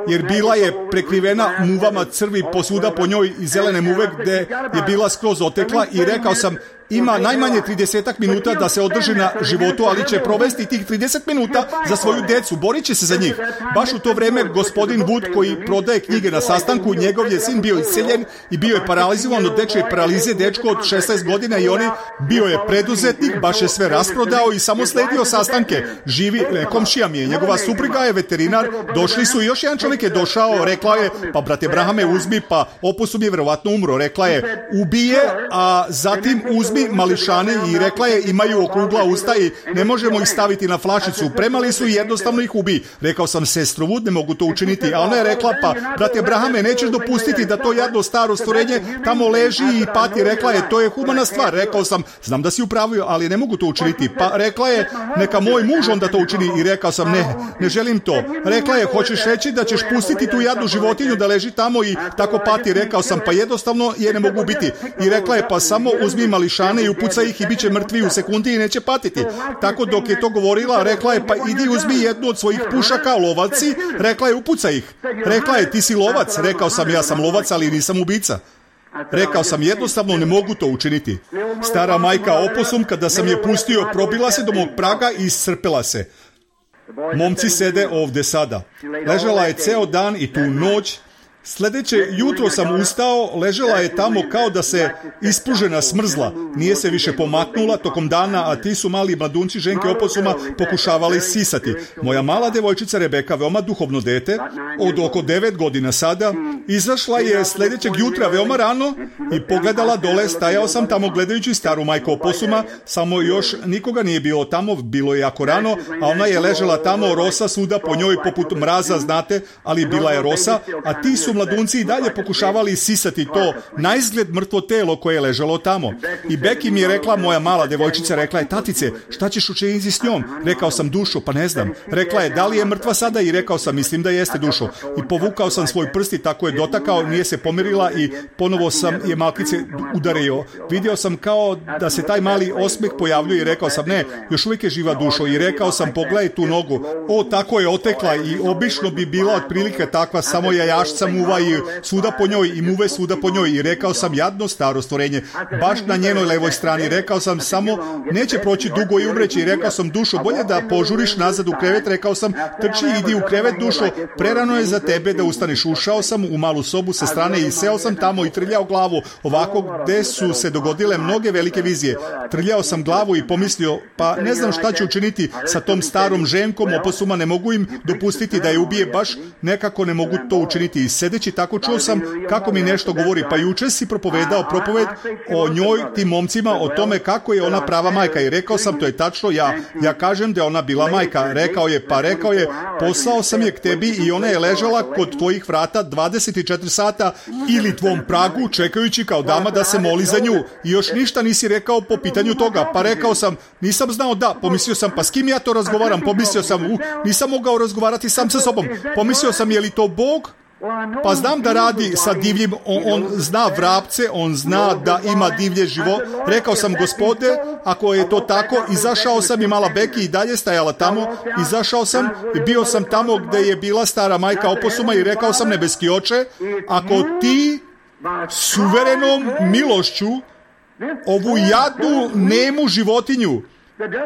jer bila je prekrivena muvama crvi posvuda po njoj i zelene muve gdje je bila skroz otekla i rekao sam, ima najmanje 30 minuta da se održi na životu, ali će provesti tih 30 minuta za svoju decu, borit će se za njih. Baš u to vrijeme gospodin Wood, koji prodaje knjige na sastanku, njegov je sin bio iseljen i bio je paralizovan od dečje paralize, dečko od 16 godina i on bio je preduzetnik, baš je sve rasprodao i samo sledio sastanke. Živi, komšija mi je, njegova supruga je veterinar, došli su i još jedan čovjek je došao, rekla je, pa brate Brahame uzmi, pa oposum je vjerovatno umro, rekla je, ubije, a zatim uzmi mališane i rekla je, imaju okrugla usta i ne možemo ih staviti na flašicu, premali su i jednostavno ih ubi. Rekao sam, sestro Wood, ne mogu to učiniti, a ona je rekla, pa brate Abrahame, nećeš dopustiti da to jadno staro stvorenje tamo leži i pati. Rekla je, to je humana stvar. Rekao sam, znam da si upravio, ali ne mogu to učiniti. Pa rekla je, neka moj muž onda to učini i rekao sam, ne želim to. Rekla je, hoćeš reći da ćeš pustiti tu jadnu životinju da leži tamo i tako pati. Rekao sam, pa jednostavno je ne mogu ubiti. I rekla je, pa samo uzmi mališane i upucaj ih i bit će mrtvi u sekundi i neće patiti. Tako dok je to govorila, rekla je, pa idi uzmi jednu od svojih pušaka, lovaci. Rekla je, upucaj ih. Rekla je, ti si lovac. Rekao sam, ja sam lovac, ali nisam ubica. Rekao sam, jednostavno ne mogu to učiniti. Stara majka oposum, kada sam je pustio, probila se do mog praga i iscrpela se. Momci sede ovdje sada. Ležala je ceo dan i tu noć Sljedeće jutro sam ustao, ležela je tamo kao da se ispružena smrzla. Nije se više pomaknula tokom dana, a ti su mali mladunci ženke oposuma pokušavali sisati. Moja mala devojčica Rebeka, veoma duhovno dete, od oko 9 godina sada, izašla je sljedećeg jutra veoma rano i pogledala dole. Stajao sam tamo gledajući staru majku oposuma, samo još nikoga nije bilo tamo, bilo je jako rano, a ona je ležela tamo, rosa svuda po njoj poput mraza, znate, ali bila je rosa, a ti su mladunci i dalje pokušavali sisati to naizgled mrtvo telo koje je ležalo tamo. I Beki mi je rekla, moja mala devojčica, rekla je, tatice, šta ćeš učiniti s njom? Rekao sam, dušo, pa ne znam. Rekla je, da li je mrtva sada? I rekao sam, mislim da jeste, dušo. I povukao sam svoj prst i tako je dotakao, nije se pomirila i ponovo sam je malkice udario. Vidio sam kao da se taj mali osmeh pojavljuje i rekao sam, ne, još uvijek je živa, dušo. I rekao sam, pogledaj tu nogu. O, tako je otekla i obično bi bila otprilike takva, samo jajašca muva i svuda po njoj i muve svuda po njoj. I rekao sam, jadno staro stvorenje, baš na njenoj levoj strani. Rekao sam, samo neće proći dugo i umreći. I rekao sam, dušo, bolje da požuriš nazad u krevet. Rekao sam, trči, idi u krevet, dušo, prerano je za tebe da ustaneš. Ušao sam u malu sobu sa strane i seo sam tamo i trljao glavu ovako gde su se dogodile mnoge velike vizije. Trljao sam glavu i pomislio, pa ne znam šta ću učiniti sa tom starom ženkom oposuma, ne mogu im dopustiti da je ubije, baš nekako ne mogu to učiniti. I sedeći tako čuo sam kako mi nešto govori, pa juče si propovedao propoved o njoj, tim momcima, o tome kako je ona prava majka. I rekao sam, to je tačno, ja kažem da je ona bila majka. Rekao je, poslao sam je k tebi i ona je ležala kod tvojih vrata 24 sata ili tvom pragu, čekajući kao dama da se moli za nju. I još ništa nisi rekao po pitanju toga. Pa rekao sam, nisam znao da. Pomislio sam, pa s kim ja to razgovaram? Pomislio sam, nisam mogao razgovarati sam sa sobom. Pomislio sam, je li to Bog? Pa znam da radi sa divljim, on zna vrapce, on zna da ima divlje živo. Rekao sam, Gospode, ako je to tako, izašao sam i mala Beki i dalje stajala tamo. Izašao sam i bio sam tamo gde je bila stara majka oposuma i rekao sam, nebeski oče, ako ti suverenom milošću ovu jadnu nemu životinju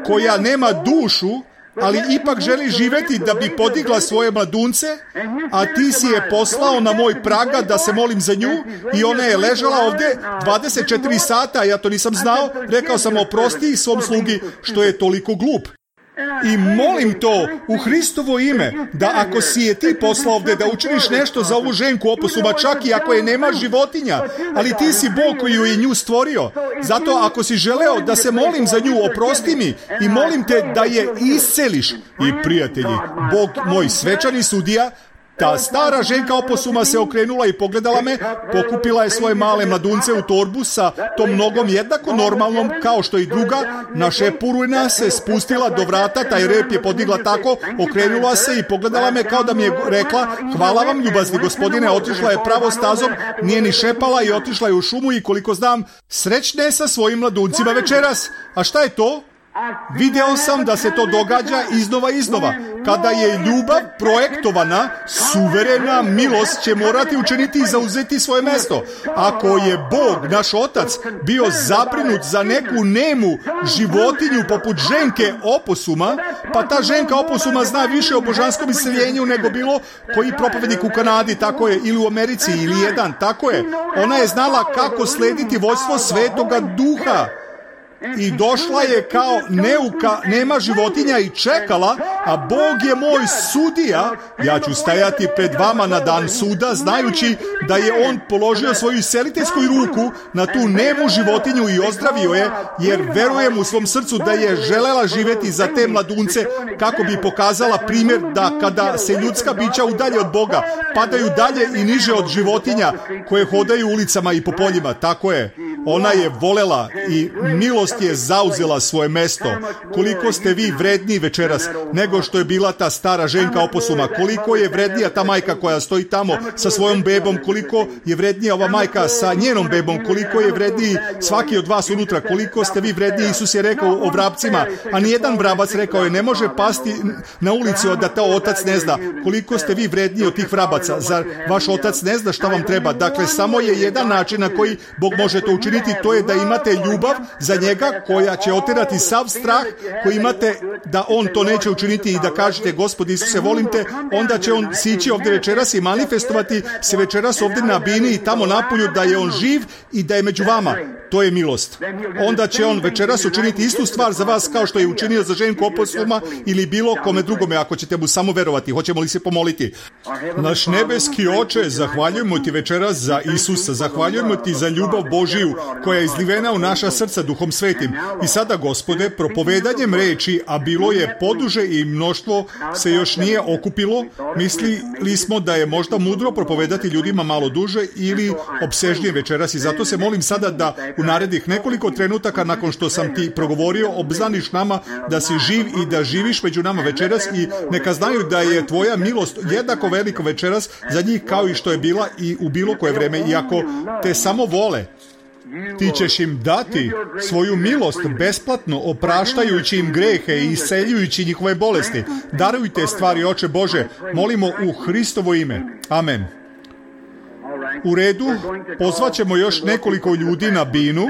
koja nema dušu, ali ipak želi živeti da bi podigla svoje mladunce, a ti si je poslao na moj praga da se molim za nju i ona je ležala ovdje 24 sata, ja to nisam znao. Rekao sam, oprosti svom slugi što je toliko glup. I molim to u Hristovo ime, da ako si je ti poslao ovdje da učiniš nešto za ovu ženku oposuma, čak i ako je nema životinja, ali ti si Bog koji je nju stvorio. Zato ako si želeo da se molim za nju, oprosti mi i molim te da je isceliš. I prijatelji, Bog moj svečani sudija, ta stara ženka oposuma se okrenula i pogledala me, pokupila je svoje male mladunce u torbu sa tom nogom jednako normalnom kao što i druga, na šepurina se spustila do vrata, taj rep je podigla tako, okrenula se i pogledala me kao da mi je rekla, hvala vam ljubazni gospodine, otišla je pravo stazom, nije ni šepala i otišla je u šumu i koliko znam, srećne sa svojim mladuncima večeras. A šta je to? Video sam da se to događa iznova. Kada je ljubav projektovana, suverena milost će morati učiniti i zauzeti svoje mesto. Ako je Bog, naš Otac, bio zabrinut za neku nemu životinju poput ženke oposuma, pa ta ženka oposuma zna više o božanskom isceljenju nego bilo koji propovednik u Kanadi, tako je, ili u Americi, ili jedan, tako je. Ona je znala kako slediti vođstvo Svetoga Duha. I došla je kao neuka, nema životinja i čekala, a Bog je moj sudija. Ja ću stajati pred vama na dan suda, znajući da je on položio svoju isceliteljsku ruku na tu nemu životinju i ozdravio je, jer verujem u svom srcu da je želela živjeti za te mladunce, kako bi pokazala primjer da kada se ljudska bića udalje od Boga, padaju dalje i niže od životinja koje hodaju ulicama i po poljima. Tako je. Ona je volela i milost je zauzela svoje mesto. Koliko ste vi vredniji večeras nego što je bila ta stara ženka oposuma. Koliko je vrednija ta majka koja stoji tamo sa svojom bebom. Koliko je vrednija ova majka sa njenom bebom. Koliko je vredniji svaki od vas unutra. Koliko ste vi vredniji. Isus je rekao o vrapcima, a nijedan vrabac, rekao je, ne može pasti na ulici da to otac ne zna. Koliko ste vi vredniji od tih vrabaca. Zar vaš otac ne zna šta vam treba? Dakle, samo je jedan način na koji Bog može to učiniti. učiniti, to je da imate ljubav za njega koja će oterati sav strah koji imate da on to neće učiniti i da kažete Gospod Isuse, volim te, onda će on sići ovdje večeras i manifestovati se večeras ovdje na bini i tamo napolju da je on živ i da je među vama. To je milost. Onda će on večeras učiniti istu stvar za vas kao što je učinio za Ženku Oposluma ili bilo kome drugome, ako ćete mu samo verovati. Hoćemo li se pomoliti? Naš nebeski Oče, zahvaljujemo ti večeras za Isusa, zahvaljujemo ti za ljubav Božiju koja je izlivena u naša srca Duhom Svetim. I sada, Gospode, propovedanjem reči, a bilo je poduže i mnoštvo se još nije okupilo, mislili smo da je možda mudro propovedati ljudima malo duže ili opsežnije večeras i zato se molim sada da u narednih nekoliko trenutaka nakon što sam ti progovorio obznaniš nama da si živ i da živiš među nama večeras i neka znaju da je tvoja milost jednako velika večeras za njih kao i što je bila i u bilo koje vreme. I ako te samo vole, ti ćeš im dati svoju milost besplatno, opraštajući im grehe i isceljujući njihove bolesti. Darujte stvari, Oče Bože, molimo u Hristovo ime. Amen. U redu, pozvaćemo još nekoliko ljudi na binu.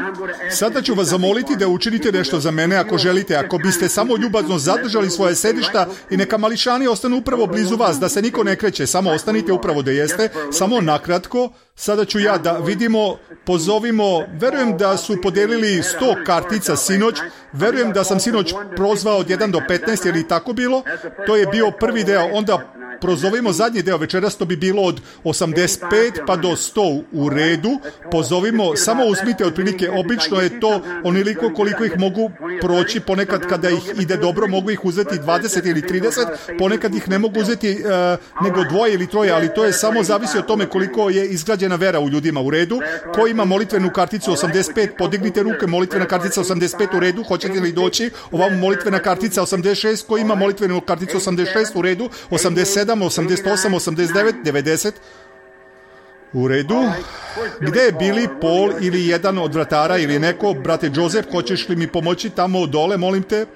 Sada ću vas zamoliti da učinite nešto za mene ako želite. Ako biste samo ljubazno zadržali svoje sedišta i neka mališani ostanu upravo blizu vas, da se niko ne kreće, samo ostanite upravo da jeste, samo nakratko. Sada ću ja da vidimo, pozovimo, verujem da su podelili 100 kartica sinoć, verujem da sam sinoć prozvao od 1 do 15, je li tako bilo? To je bio prvi deo, onda prozovimo zadnji deo večeras, to bi bilo od 85 pa do 100 u redu. Pozovimo, samo uzmite otprilike, obično je to oniliko koliko ih mogu proći, ponekad kada ih ide dobro mogu ih uzeti 20 ili 30, ponekad ih ne mogu uzeti nego 2 ili 3, ali to je samo zavisi od tome koliko je izgrađena vera u ljudima. U redu, ko ima molitvenu karticu 85, podignite ruke, molitvena kartica 85 u redu, hoćete li doći? Ovamo molitvena kartica 86, ko ima molitvenu karticu 86 u redu, 87, 88, 89, 90. U redu. Gde je Billy, Paul ili jedan od vratara ili neko? Brate Joseph, hoćeš li mi pomoći tamo dole, molim te?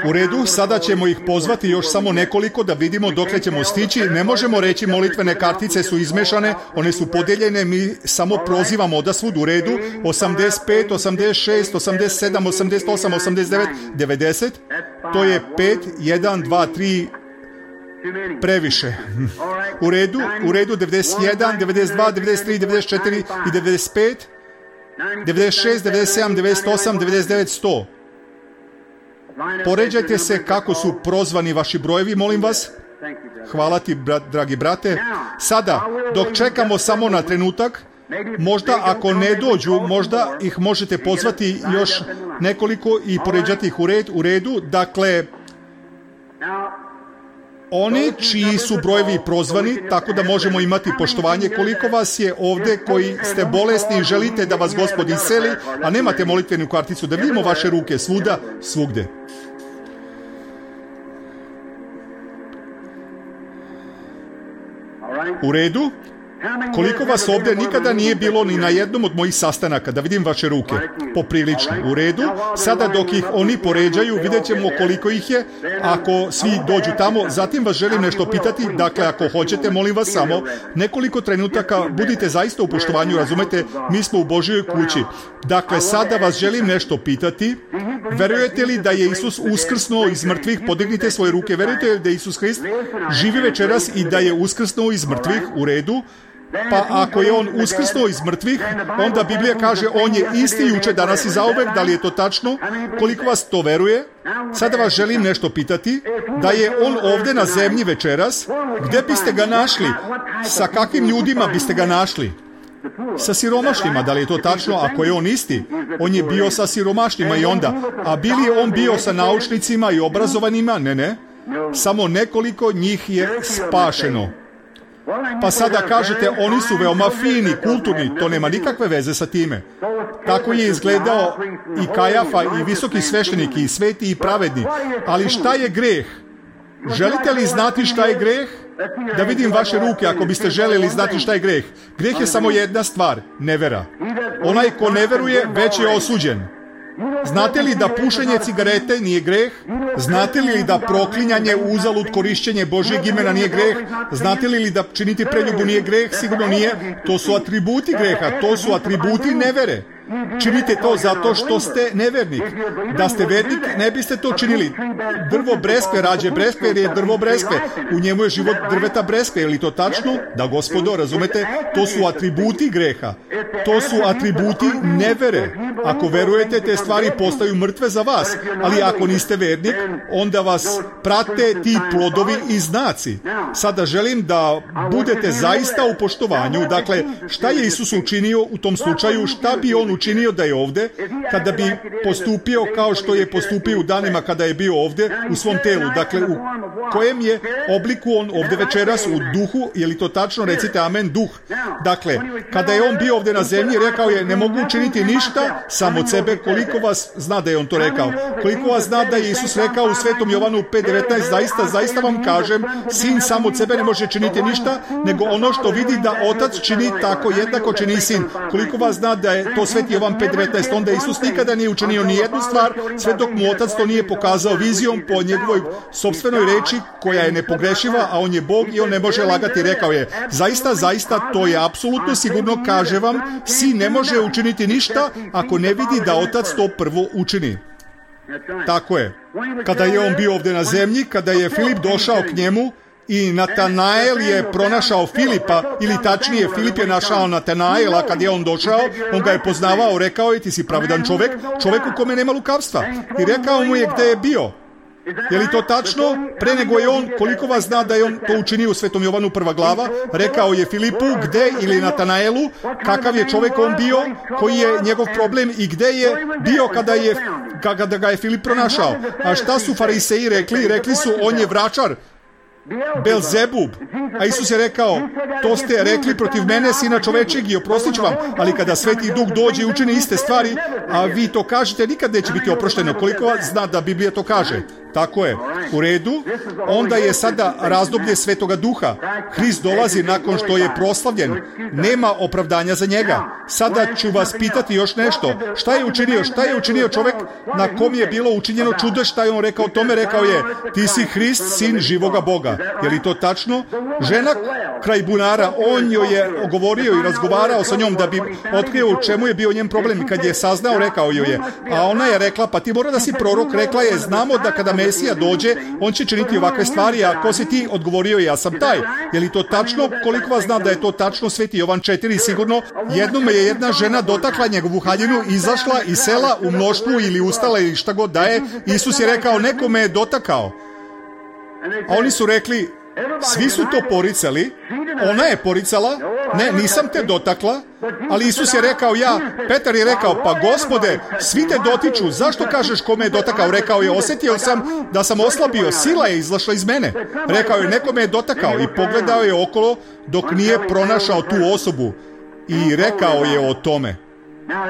U redu, sada ćemo ih pozvati još samo nekoliko da vidimo dokle ćemo stići. Ne možemo reći molitvene kartice su izmešane, one su podeljene, mi samo prozivamo odasvud. U redu, 85, 86, 87, 88, 89, 90. To je 5, 1, 2, 3... previše. U redu, 91, 92, 93, 94 i 95, 96, 97, 98, 99, 100. Poređajte se kako su prozvani vaši brojevi, molim vas. Hvala ti, dragi brate. Sada, dok čekamo samo na trenutak, možda ako ne dođu, možda ih možete pozvati još nekoliko i poređati ih u redu. Dakle, oni čiji su brojevi prozvani, tako da možemo imati poštovanje. Koliko vas je ovdje koji ste bolesni i želite da vas Gospod iseli, a nemate molitvenu karticu, da vidimo vaše ruke svuda, svugde. U redu? Koliko vas ovdje nikada nije bilo ni na jednom od mojih sastanaka, da vidim vaše ruke, poprilično. U redu, sada dok ih oni poređaju, vidjet ćemo koliko ih je, ako svi dođu tamo. Zatim vas želim nešto pitati, dakle ako hoćete, molim vas samo nekoliko trenutaka, budite zaista u poštovanju, razumete, mi smo u Božjoj kući. Dakle, sada vas želim nešto pitati, verujete li da je Isus uskrsnuo iz mrtvih? Podignite svoje ruke. Verujete li da je Isus Hrist živi večeras i da je uskrsnuo iz mrtvih? U redu. Pa ako je on uskrsnuo iz mrtvih, onda Biblija kaže on je isti juče, danas i zauvek. Da li je to tačno? Koliko vas to veruje? Sada vas želim nešto pitati. Da je on ovdje na zemlji večeras, gdje biste ga našli? Sa kakvim ljudima biste ga našli? Sa siromašnima, da li je to tačno? Ako je on isti, on je bio sa siromašnima i onda. A bi li on bio sa naučnicima i obrazovanima? Ne. Samo nekoliko njih je spašeno. Pa sada kažete, oni su veoma fini, kulturni, to nema nikakve veze sa time. Tako je izgledao i Kajafa i visoki sveštenik i sveti i pravedni. Ali šta je greh? Želite li znati šta je greh? Da vidim vaše ruke ako biste željeli znati šta je greh. Greh je samo jedna stvar, nevera. Onaj ko ne veruje, već je osuđen. Znate li da pušenje cigarete nije greh? Znate li da proklinjanje, uzalud korišćenje Božjeg imena nije greh? Znate li da činiti preljubu nije greh? Sigurno nije. To su atributi greha, to su atributi nevere. Činite to zato što ste nevernik. Da ste vernik, ne biste to činili. Drvo breskve rađe breskve jer je drvo breskve. U njemu je život drveta breskve. Je li to tačno? Da, gospodo, razumete? To su atributi greha. To su atributi nevere. Ako verujete, te stvari postaju mrtve za vas. Ali ako niste vernik, onda vas prate ti plodovi i znaci. Sada želim da budete zaista u poštovanju. Dakle, šta je Isus učinio u tom slučaju? Šta bi on učinio da je ovde, kada bi postupio kao što je postupio u danima kada je bio ovde u svom telu? Dakle, u kojem je obliku on ovde večeras? U duhu? Je li to tačno? Recite amen, duh. Dakle, kada je on bio ovde na zemlji, rekao je, ne mogu učiniti ništa sam od sebe. Koliko vas zna da je on to rekao? Koliko vas zna da je Isus rekao u Svetom Jovanu 5:19, zaista vam kažem, sin sam od sebe ne može činiti ništa, nego ono što vidi da otac čini, tako jednako čini i sin. Koliko vas zna da je to Sveti Jovan 5:19, onda Isus nikada nije učinio ni jednu stvar, sve dok mu otac to nije pokazao vizijom po njegovoj sopstvenoj reči, koja je nepogrešiva, a on je Bog i on ne može lagati. Rekao je, zaista, to je apsolutno sigurno, kaže vam, sin ne može učiniti ništa ako ne vidi da otac to prvo učini. Tako je. Kada je on bio ovde na zemlji, kada je Filip došao k njemu, i Natanael je pronašao Filipa, ili tačnije, Filip je našao Natanaela kad je on došao, on ga je poznavao, rekao je, ti si pravedan čovek, čovek u kome nema lukavstva. I rekao mu je gde je bio. Je li to tačno? Pre nego je on, koliko vas zna da je on to učinio u Svetom Jovanu 1. glava, rekao je Filipu gde, ili Natanaelu, kakav je čovek on bio, koji je njegov problem i gde je bio kada ga je Filip pronašao. A šta su fariseji rekli? Rekli su, on je vračar, Belzebub. A Isus je rekao, to ste rekli protiv mene, sina čovečeg, i oprostit ću vam, ali kada Sveti Duh dođe i učini iste stvari, a vi to kažete, nikad neće biti oprošteno. Koliko vas zna da Biblija to kaže? Tako je. U redu. Onda je sada razdoblje Svetoga Duha. Hrist dolazi nakon što je proslavljen. Nema opravdanja za njega. Sada ću vas pitati još nešto. Šta je učinio? Šta je učinio čovek na kom je bilo učinjeno čudo? Šta je on rekao o tome? Rekao je, ti si Hrist, sin živoga Boga. Je li to tačno? Žena kraj bunara, on joj je govorio i razgovarao sa njom da bi otkrio u čemu je bio njen problem. Kad je saznao, rekao joj je. A ona je rekla, pa ti mora da si prorok. Rekla je, znamo da kada Mesija dođe, on će činiti ovakve stvari, a ko si ti? Odgovorio je, ja sam taj. Je li to tačno? Koliko vas zna da je to tačno? Sveti Jovan 4, sigurno. Jednom je jedna žena dotakla njegovu haljinu, izašla iz sela u mnoštvu ili ustala ili šta god da je. Isus je rekao, neko me je dotakao. A oni su rekli, svi su to poricali, ona je poricala, ne, nisam te dotakla, ali Isus je rekao, Petar je rekao, pa Gospode, svi te dotiču, zašto kažeš ko me je dotakao? Rekao je, osjetio sam da sam oslabio, sila je izlašla iz mene. Rekao je, neko me je dotakao, i pogledao je okolo dok nije pronašao tu osobu i rekao je o tome.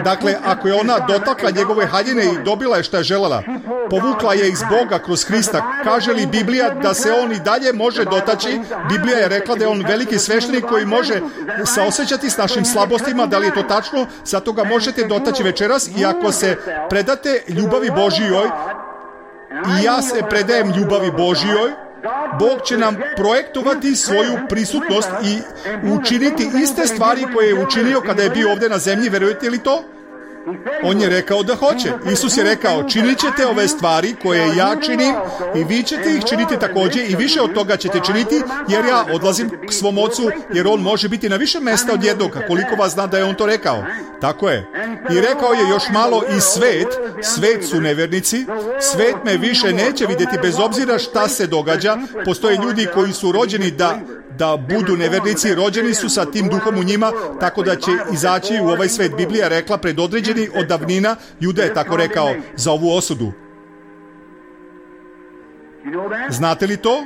Dakle, ako je ona dotakla njegove haljine i dobila je šta je želela, povukla je iz Boga kroz Hrista. Kaže li Biblija da se on i dalje može dotaći? Biblija je rekla da je on veliki sveštenik koji može saosećati s našim slabostima. Da li je to tačno? Zato ga možete dotaći večeras, i ako se predate ljubavi Božijoj, i ja se predajem ljubavi Božijoj, Bog će nam projektovati svoju prisutnost i učiniti iste stvari koje je učinio kada je bio ovde na zemlji. Verujete li to? On je rekao da hoće. Isus je rekao, činit ćete ove stvari koje ja činim i vi ćete ih činiti također, i više od toga ćete činiti, jer ja odlazim k svom ocu, jer on može biti na više mesta od jednog. Koliko vas zna da je on to rekao? Tako je. I rekao je još malo, i svet su nevernici, svet me više neće vidjeti bez obzira šta se događa. Postoje ljudi koji su rođeni da budu nevernici, rođeni su sa tim duhom u njima, tako da će izaći u ovaj svet. Biblija je rekla predodređeni od davnina, Juda je tako rekao za ovu osudu. Znate li to?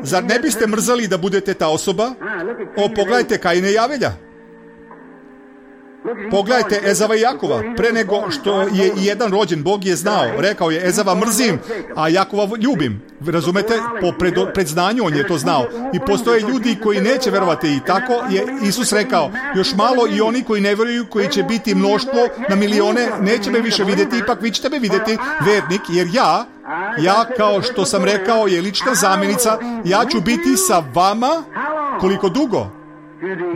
Zar ne biste mrzali da budete ta osoba? Pogledajte Kaina i Avelja. Pogledajte Ezava i Jakova. Pre nego što je jedan rođen, Bog je znao. Rekao je, Ezava mrzim, a Jakova ljubim. Razumete? Po predznanju on je to znao. I postoje ljudi koji neće verovati. I tako je Isus rekao, još malo i oni koji ne veruju, koji će biti mnoštvo na milione, neće me više vidjeti, ipak vi ćete me vidjeti, vernik, jer ja, kao što sam rekao, je lična zamjenica, ja ću biti sa vama, koliko dugo?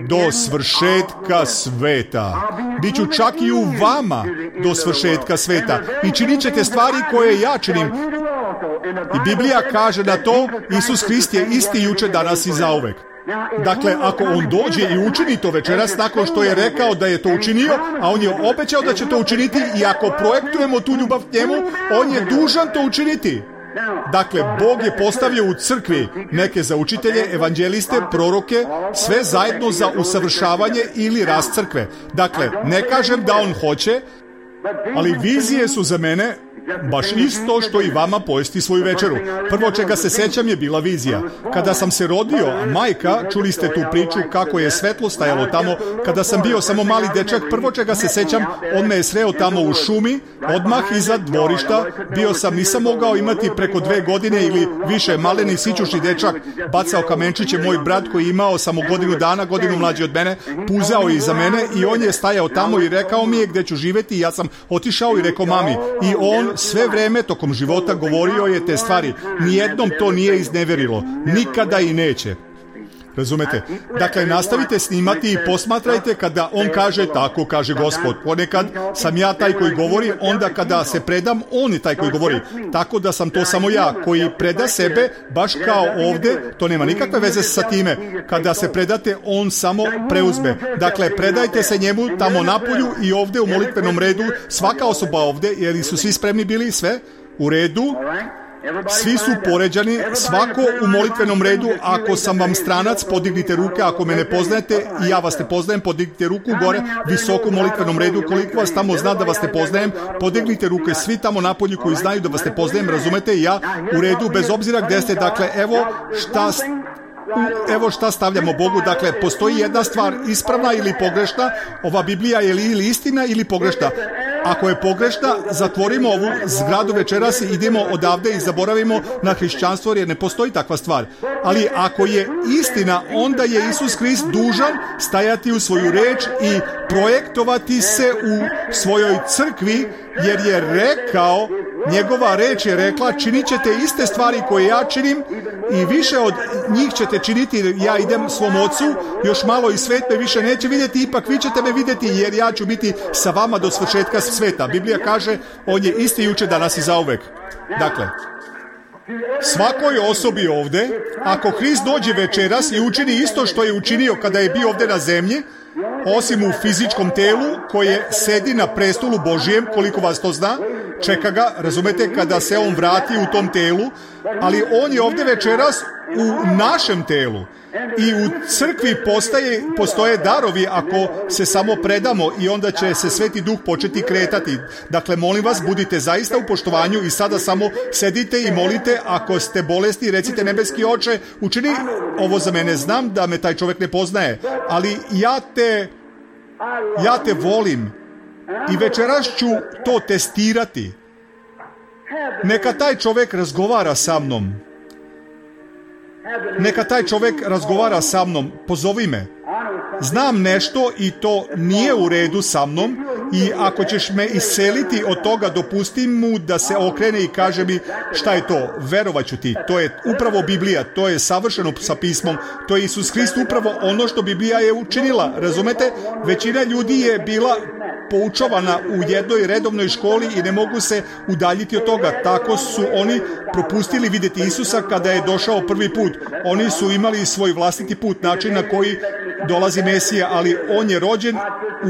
Do svršetka sveta. Biću čak i u vama do svršetka sveta. I činit ćete stvari koje ja činim. I Biblija kaže da to Isus Hrist je isti juče, danas i zauvek. Dakle, ako on dođe i učini to večeras nakon što je rekao da je to učinio, a on je obećao da će to učiniti, i ako projektujemo tu ljubav k njemu, on je dužan to učiniti. Dakle, Bog je postavio u crkvi neke za učitelje, evanđeliste, proroke, sve zajedno za usavršavanje ili rast crkve. Dakle, ne kažem da on hoće, ali vizije su za mene baš isto što i vama pojesti svoju večeru. Prvo čega se sećam je bila vizija. Kada sam se rodio, majka, čuli ste tu priču kako je svetlo stajalo tamo. Kada sam bio samo mali dečak, prvo čega se sećam, on me je sreo tamo u šumi, odmah iza dvorišta. Nisam mogao imati preko 2 godine ili više, maleni sićušni dečak, bacao kamenčiće, moj brat koji je imao samo godinu mlađi od mene, puzao je iza mene i on je stajao tamo i rekao mi je gde ću živjeti, i ja sam otišao i rekao mami. I on sve vreme tokom života govorio je te stvari. Nijednom to nije izneverilo. Nikada i neće. Razumete? Dakle, nastavite snimati i posmatrajte kada on kaže, tako kaže Gospod. Ponekad sam ja taj koji govori, onda kada se predam, on je taj koji govori. Tako da sam to samo ja koji preda sebe, baš kao ovde, to nema nikakve veze sa time. Kada se predate, on samo preuzme. Dakle, predajte se njemu tamo napolju i ovde u molitvenom redu, svaka osoba ovde, jer su svi spremni bili, sve u redu. Svi su poređani, svako u molitvenom redu. Ako sam vam stranac, podignite ruke. Ako me ne poznajete i ja vas ne poznajem, podignite ruku gore, visoko u molitvenom redu. Koliko vas tamo zna da vas ne poznajem, podignite ruke. Svi tamo napolju koji znaju da vas ne poznajem, razumete, i ja u redu, bez obzira gde ste. Dakle, evo šta stavljamo Bogu. Dakle, postoji jedna stvar ispravna ili pogrešna. Ova Biblija je ili istina ili pogrešna. Ako je pogrešna, zatvorimo ovu zgradu večeras i idemo odavde i zaboravimo na hrišćanstvo, jer ne postoji takva stvar. Ali ako je istina, onda je Isus Hrist dužan stajati u svoju reč i projektovati se u svojoj crkvi, jer je rekao, njegova reč je rekla, činit ćete iste stvari koje ja činim i više od njih ćete činiti, jer ja idem svom ocu, još malo i svet me više neće vidjeti, ipak vi ćete me vidjeti, jer ja ću biti sa vama do svršetka sveta. Biblija kaže, on je isti juče, danas i zauvek. Dakle, svakoj osobi ovde, ako Hrist dođe večeras i učini isto što je učinio kada je bio ovde na zemlji, osim u fizičkom telu koje sedi na prestolu Božijem, koliko vas to zna, čeka ga, razumete, kada se on vrati u tom telu, ali on je ovde večeras u našem telu. I u crkvi postoje darovi ako se samo predamo, i onda će se Sveti Duh početi kretati. Dakle, molim vas, budite zaista u poštovanju i sada samo sedite i molite. Ako ste bolesni, recite, nebeski Oče, učini ovo za mene. Znam da me taj čovjek ne poznaje, ali ja te volim i večeras ću to testirati. Neka taj čovjek razgovara sa mnom. Neka taj čovjek razgovara sa mnom, pozovi me. Znam nešto i to nije u redu sa mnom, i ako ćeš me iseliti od toga, dopusti mu da se okrene i kaže mi šta je to, verovat ću ti. To je upravo Biblija, to je savršeno sa pismom, to je Isus Hrist, upravo ono što Biblija je učinila, razumete? Većina ljudi je bila poučavana u jednoj redovnoj školi i ne mogu se udaljiti od toga. Tako su oni propustili vidjeti Isusa kada je došao prvi put. Oni su imali svoj vlastiti put, način na koji dolazi Mesija, ali on je rođen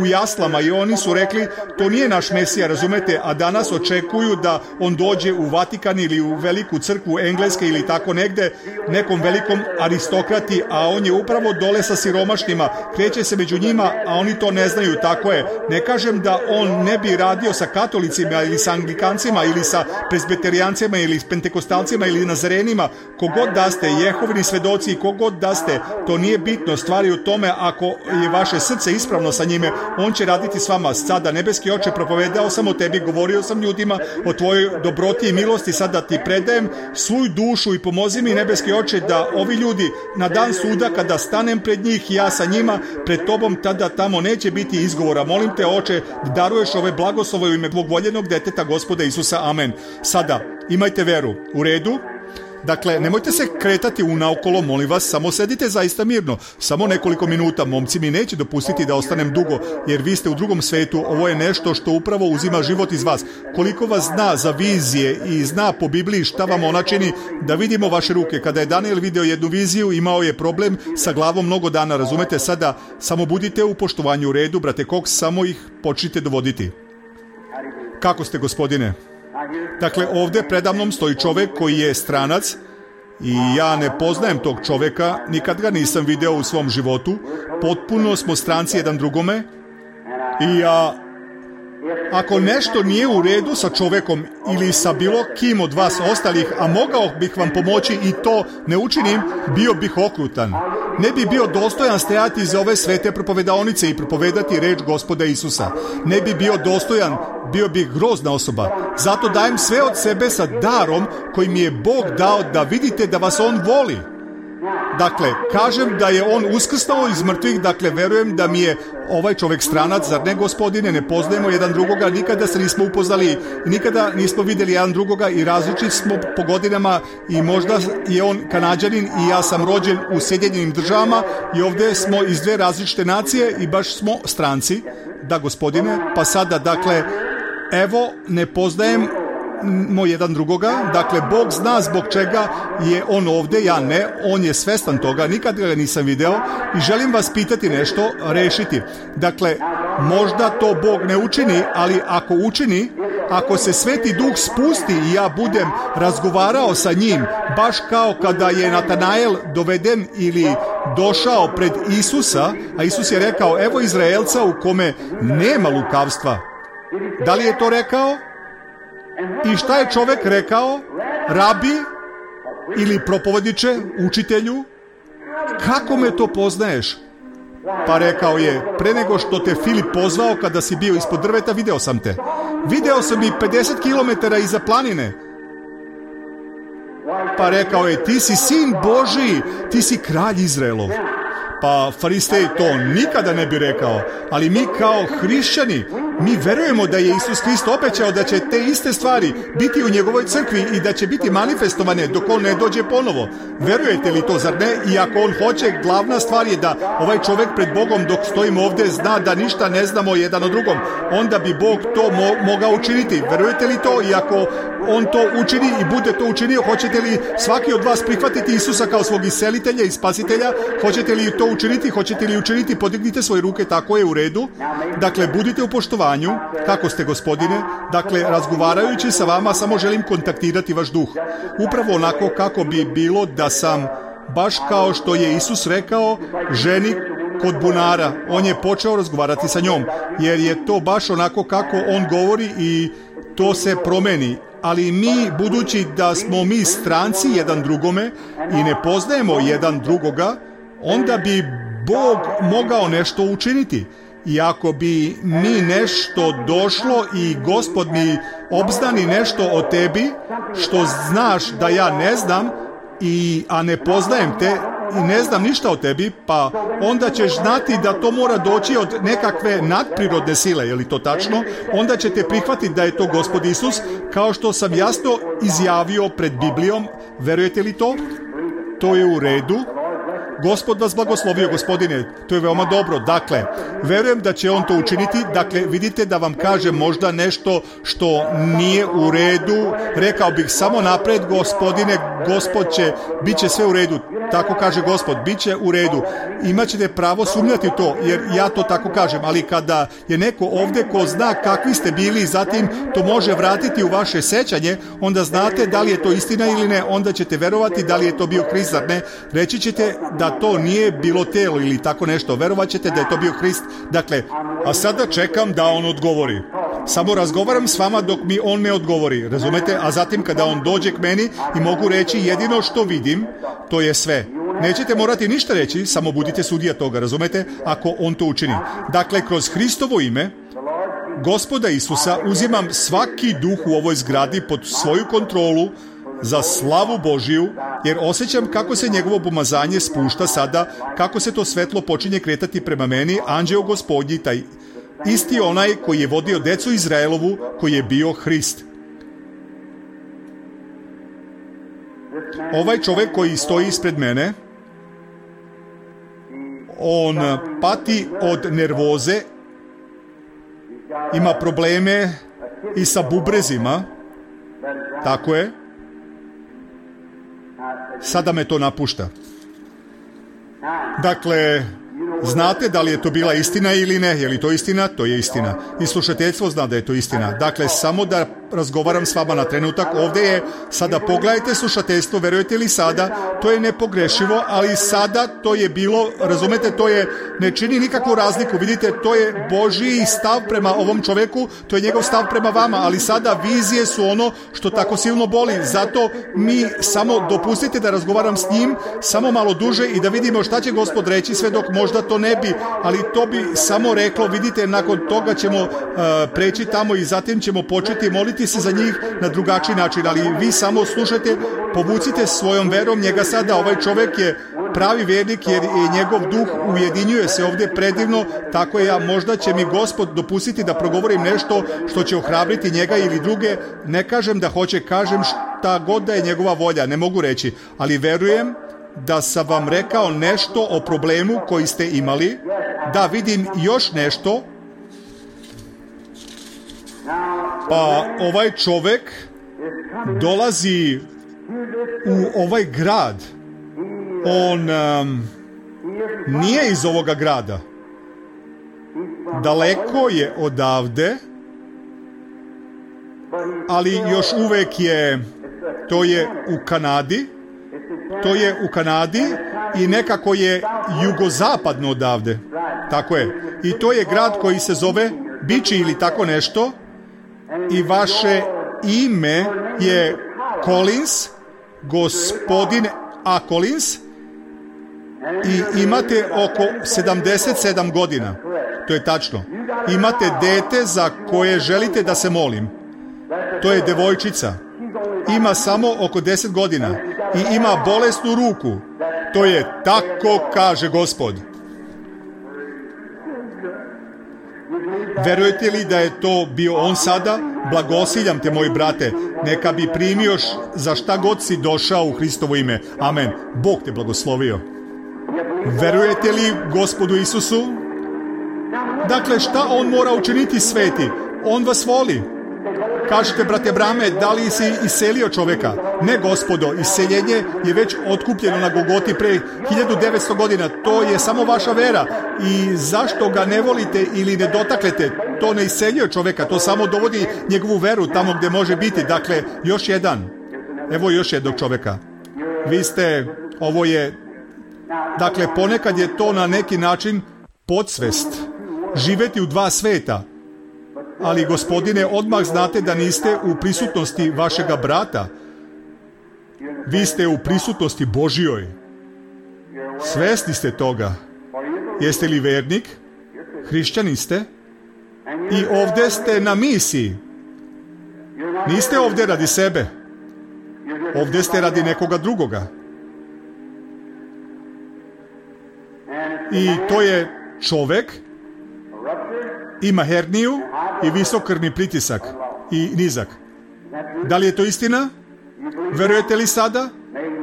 u jaslama i oni su rekli, to nije naš Mesija, razumete, a danas očekuju da on dođe u Vatikan ili u veliku crkvu Engleske ili tako negde, nekom velikom aristokrati, a on je upravo dole sa siromašnima, kreće se među njima, a oni to ne znaju. Tako je. Ne kažem da on ne bi radio sa katolicima ili sa anglikancima ili sa presbiterijancima ili s pentekostalcima ili nazarenima, kogod da ste, Jehovini svedoci, kogod da ste, to nije bitno. Stvari u tome tome, ako je vaše srce ispravno sa njime, on će raditi s vama. Sada, nebeski Oče, propovedao sam o tebi, govorio sam ljudima o tvojoj dobroti i milosti, sada ti predajem svoju dušu i pomozi mi, nebeski Oče, da ovi ljudi na dan suda, kada stanem pred njih, ja sa njima, pred tobom, tada tamo neće biti izgovora. Molim te, Oče, da daruješ ove blagoslove u ime tvog voljenog deteta, Gospoda Isusa. Amen. Sada, imajte veru. U redu? Dakle, nemojte se kretati unaokolo, molim vas, samo sedite zaista mirno. Samo nekoliko minuta, momci mi neće dopustiti da ostanem dugo, jer vi ste u drugom svetu, ovo je nešto što upravo uzima život iz vas. Koliko vas zna za vizije i zna po Bibliji šta vam ona čini, da vidimo vaše ruke. Kada je Daniel video jednu viziju, imao je problem sa glavom mnogo dana, razumete? Sada, samo budite u poštovanju. U redu, brate Cox, samo ih počnite dovoditi. Kako ste, gospodine? Dakle, ovdje predamnom stoji čovjek koji je stranac i ja ne poznajem tog čovjeka, nikad ga nisam video u svom životu, potpuno smo stranci jedan drugome i ako nešto nije u redu sa čovjekom ili sa bilo kim od vas ostalih, a mogao bih vam pomoći i to ne učinim, bio bih okrutan. Ne bi bio dostojan stajati iz ove svete propovedaonice i propovedati reč Gospoda Isusa. Ne bi bio dostojan, bio bih grozna osoba. Zato dajem sve od sebe sa darom koji mi je Bog dao da vidite da vas On voli. Dakle, kažem da je On uskrsnuo iz mrtvih, dakle, verujem da mi je ovaj čovjek stranac, zar ne, gospodine, ne poznajemo jedan drugoga, nikada se nismo upoznali, nikada nismo vidjeli jedan drugoga i različiti smo po godinama i možda je on Kanađanin i ja sam rođen u Sjedinjenim Državama i ovdje smo iz dve različite nacije i baš smo stranci. Da, gospodine, pa sada, dakle, evo, ne poznajem jedan drugoga, dakle Bog zna zbog čega je on ovdje, ja ne, on je svestan toga, nikad ga nisam video i želim vas pitati nešto, rešiti. Dakle, možda to Bog ne učini, ali ako učini, ako se Sveti Duh spusti i ja budem razgovarao sa njim, baš kao kada je Natanael doveden ili došao pred Isusa, a Isus je rekao, evo Izraelca u kome nema lukavstva. Da li je to rekao? I šta je čovjek rekao? Rabi ili propovediče, učitelju? Kako me to poznaješ? Pa rekao je, pre nego što te Filip pozvao kada si bio ispod drveta, video sam te. Video sam i 50 km iza planine. Pa rekao je, ti si sin Božiji, ti si kralj Izraelov. Pa Farisej to nikada ne bi rekao, ali mi kao hrišćani, mi verujemo da je Isus Krist obećao da će te iste stvari biti u njegovoj crkvi i da će biti manifestovane dok on ne dođe ponovo. Verujete li to, zar ne? I ako on hoće, glavna stvar je da ovaj čovjek pred Bogom dok stojimo ovdje zna da ništa ne znamo jedan o drugom. Onda bi Bog to mogao učiniti. Verujete li to? I ako on to učini i bude to učinio, hoćete li svaki od vas prihvatiti Isusa kao svog iscelitelja i spasitelja? Hoćete li to učiniti? Hoćete li učiniti? Podignite svoje ruke, tako je, u redu. Dakle, budite u poštovanju. Kako ste, gospodine? Dakle, razgovarajući sa vama, samo želim kontaktirati vaš duh. Upravo onako kako bi bilo da sam, baš kao što je Isus rekao ženi kod bunara, on je počeo razgovarati sa njom, jer je to baš onako kako on govori i to se promeni. Ali mi, budući da smo mi stranci jedan drugome i ne poznajemo jedan drugoga, onda bi Bog mogao nešto učiniti. I ako bi mi nešto došlo i Gospod mi obznani nešto o tebi, što znaš da ja ne znam, a ne poznajem te i ne znam ništa o tebi, pa onda ćeš znati da to mora doći od nekakve nadprirodne sile, je li to tačno? Onda ćete prihvatiti da je to Gospod Isus, kao što sam jasno izjavio pred Biblijom. Verujete li to? To je u redu. Gospod vas blagoslovio, gospodine, to je veoma dobro. Dakle, verujem da će on to učiniti. Dakle, vidite da vam kažem možda nešto što nije u redu. Rekao bih samo napred, gospodine, Gospod će, bit će sve u redu. Tako kaže Gospod, bit će u redu. Imaćete pravo sumnjati u to, jer ja to tako kažem. Ali kada je neko ovdje ko zna kakvi ste bili i zatim to može vratiti u vaše sećanje, onda znate da li je to istina ili ne, onda ćete verovati da li je to bio Hrist, zar ne? Reći ćete da to nije bilo telo ili tako nešto. Verovat ćete da je to bio Hrist. Dakle, a sada čekam da on odgovori. Samo razgovaram s vama dok mi on ne odgovori, razumete? A zatim kada on dođe k meni i mogu reći jedino što vidim, to je sve. Nećete morati ništa reći, samo budite sudija toga, razumete, ako on to učini. Dakle, kroz Hristovo ime, Gospoda Isusa, uzimam svaki duh u ovoj zgradi pod svoju kontrolu za slavu Božiju, jer osjećam kako se njegovo pomazanje spušta sada, kako se to svetlo počinje kretati prema meni, anđeo Gospodnji, taj isti onaj koji je vodio decu Izraelovu, koji je bio Hrist. Ovaj čovjek koji stoji ispred mene, on pati od nervoze, ima probleme i sa bubrezima, tako je. Sada me to napušta. Dakle, znate da li je to bila istina ili ne? Je li to istina? To je istina. I slušateljstvo zna da je to istina. Dakle, samo da razgovaram s vama na trenutak. Ovdje je, sada pogledajte slušateljstvo, verujete li sada? To je nepogrešivo, ali sada to je bilo, razumete, to je, ne čini nikakvu razliku. Vidite, to je Božji stav prema ovom čovjeku, to je njegov stav prema vama, ali sada vizije su ono što tako silno boli. Zato mi samo dopustite da razgovaram s njim, samo malo duže i da vidimo šta će Gospod reći, sve dok možda to ne bi, ali to bi samo reklo, vidite, nakon toga ćemo preći tamo i zatim ćemo početi moliti se za njih na drugačiji način, ali vi samo slušajte, povucite svojom verom njega sada. Ovaj čovjek je pravi vjernik jer je njegov duh ujedinjuje se ovdje predivno, tako je, možda će mi Gospod dopustiti da progovorim nešto što će ohrabriti njega ili druge. Ne kažem da hoće, kažem šta god da je njegova volja, ne mogu reći, ali verujem da sam vam rekao nešto o problemu koji ste imali, da vidim još nešto. Pa ovaj čovjek dolazi u ovaj grad. On nije iz ovoga grada. Daleko je odavde, ali još uvijek je, to je u Kanadi. To je u Kanadi i nekako je jugozapadno odavde. Tako je. I to je grad koji se zove Bići ili tako nešto. I vaše ime je Collins, gospodin A. Collins, i imate oko 77 godina. To je tačno. Imate dete za koje želite da se molim. To je devojčica. Ima samo oko 10 godina i ima bolesnu ruku. To je tako kaže Gospod. Verujete li da je to bio on sada? Blagosiljam te, moji brate. Neka bi primio za šta god si došao u Hristovo ime. Amen. Bog te blagoslovio. Verujete li Gospodu Isusu? Dakle, šta on mora učiniti, sveti? On vas voli. Kažete, brate Brame, da li si iselio čovjeka? Ne, Gospodo, iseljenje je već otkupljeno na Golgoti pre 1900 godina. To je samo vaša vera. I zašto ga ne volite ili ne dotaknete? To ne iseljuje čovjeka, to samo dovodi njegovu veru tamo gdje može biti. Dakle, još jedan. Evo još jednog čovjeka. Vi ste, ovo je, dakle, ponekad je to na neki način podsvest. Živjeti u dva sveta. Ali, gospodine, odmah znate da niste u prisutnosti vašega brata. Vi ste u prisutnosti Božjoj. Svesni ste toga. Jeste li vernik? Hrišćanin ste? I ovdje ste na misiji. Niste ovdje radi sebe. Ovdje ste radi nekoga drugoga. I to je čovjek, ima herniju i visok krvni pritisak i nizak. Da li je to istina? Verujete li sada?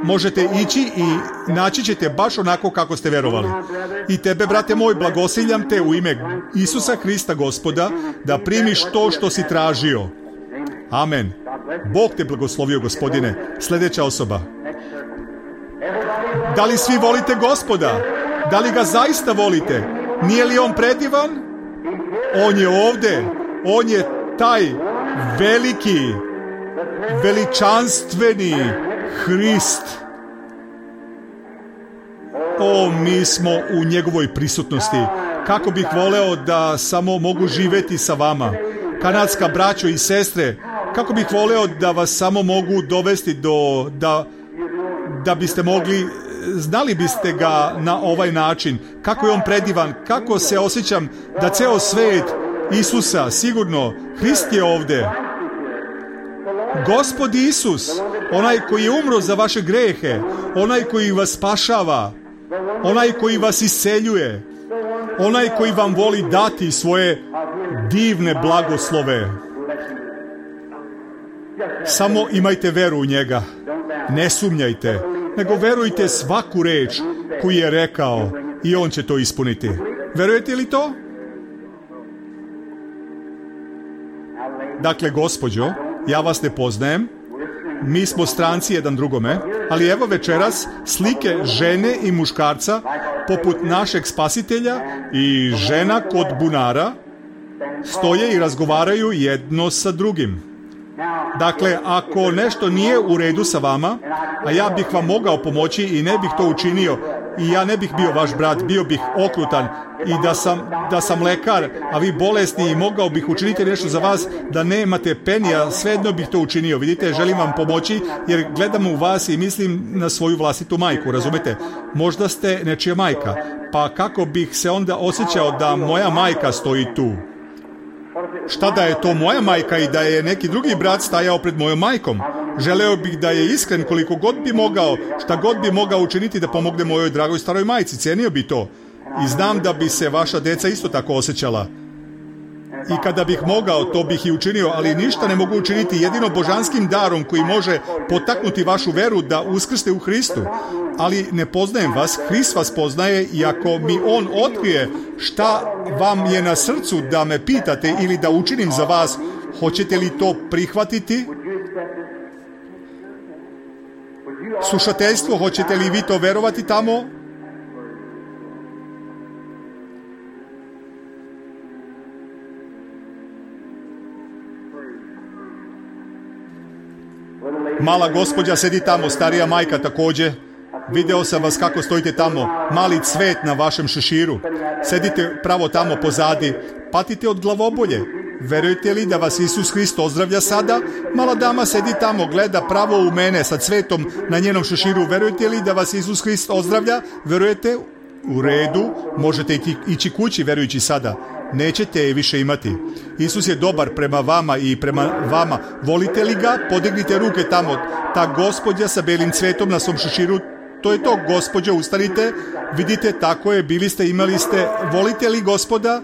Možete ići i naći ćete baš onako kako ste verovali. I tebe, brate moj, blagosiljam te u ime Isusa Hrista Gospoda da primiš to što si tražio. Amen. Bog te blagoslovio, gospodine. Sljedeća osoba. Da li svi volite Gospoda? Da li ga zaista volite? Nije li on predivan? On je ovdje. On je taj veliki, veličanstveni Hrist. O, mi smo u njegovoj prisutnosti. Kako bih voleo da samo mogu živjeti sa vama. Kanadska braćo i sestre, kako bih voleo da vas samo mogu dovesti da biste mogli znali biste ga na ovaj način, kako je on predivan, kako se osjećam da ceo svet Isusa, sigurno, Hrist je ovde. Gospod Isus, onaj koji je umro za vaše grehe, onaj koji vas spašava, onaj koji vas isceljuje, onaj koji vam voli dati svoje divne blagoslove. Samo imajte veru u njega. Ne sumnjajte, nego verujte svaku reč koju je rekao i on će to ispuniti. Verujete li to? Dakle, gospođo, ja vas ne poznajem, mi smo stranci jedan drugome, ali evo večeras slike žene i muškarca poput našeg spasitelja i žena kod bunara stoje i razgovaraju jedno sa drugim. Dakle, ako nešto nije u redu sa vama, a ja bih vam mogao pomoći i ne bih to učinio, i ja ne bih bio vaš brat, bio bih okrutan, i da sam lekar, a vi bolesni, i mogao bih učiniti nešto za vas da nemate penija, svejedno bih to učinio. Vidite, želim vam pomoći jer gledam u vas i mislim na svoju vlastitu majku, razumete? Možda ste nečija majka, pa kako bih se onda osjećao da moja majka stoji tu? Šta da je to moja majka i da je neki drugi brat stajao pred mojom majkom? Želeo bih da je iskren koliko god bi mogao, šta god bi mogao učiniti da pomogne mojoj dragoj staroj majci, cijenio bi to. I znam da bi se vaša deca isto tako osjećala. I kada bih mogao, to bih i učinio, ali ništa ne mogu učiniti jedino božanskim darom koji može potaknuti vašu veru da uskrste u Hristu. Ali ne poznajem vas, Hrist vas poznaje, i ako mi on otkrije šta vam je na srcu da me pitate ili da učinim za vas, hoćete li to prihvatiti? Slušateljstvo, hoćete li vi to verovati tamo? Mala gospođa sedi tamo, starija majka također. Video sam vas kako stojite tamo, mali cvet na vašem šeširu. Sedite pravo tamo pozadi, patite od glavobolje. Verujete li da vas Isus Hrist ozdravlja sada? Mala dama sedi tamo, gleda pravo u mene sa cvetom na njenom šeširu. Verujete li da vas Isus Hrist ozdravlja? Verujete? U redu, možete ići kući verujući sada. Nećete je više imati. Isus je dobar prema vama i prema vama. Volite li ga? Podignite ruke tamo. Ta gospođa sa belim cvetom na svom šeširu, to je to, gospođo, ustanite. Vidite, tako je, bili ste, imali ste. Volite li Gospoda?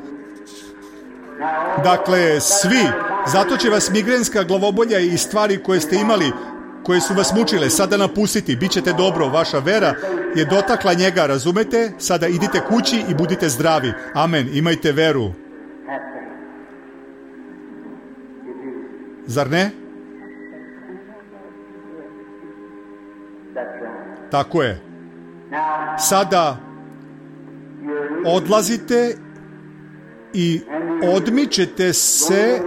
Dakle, svi. Zato će vas migrenska glavobolja i stvari koje ste imali, koje su vas mučile, sada napustiti. Bićete dobro. Vaša vera je dotakla njega, razumete? Sada idite kući i budite zdravi. Amen. Imajte veru. Zar ne? Tako je. Sada odlazite i odmičete se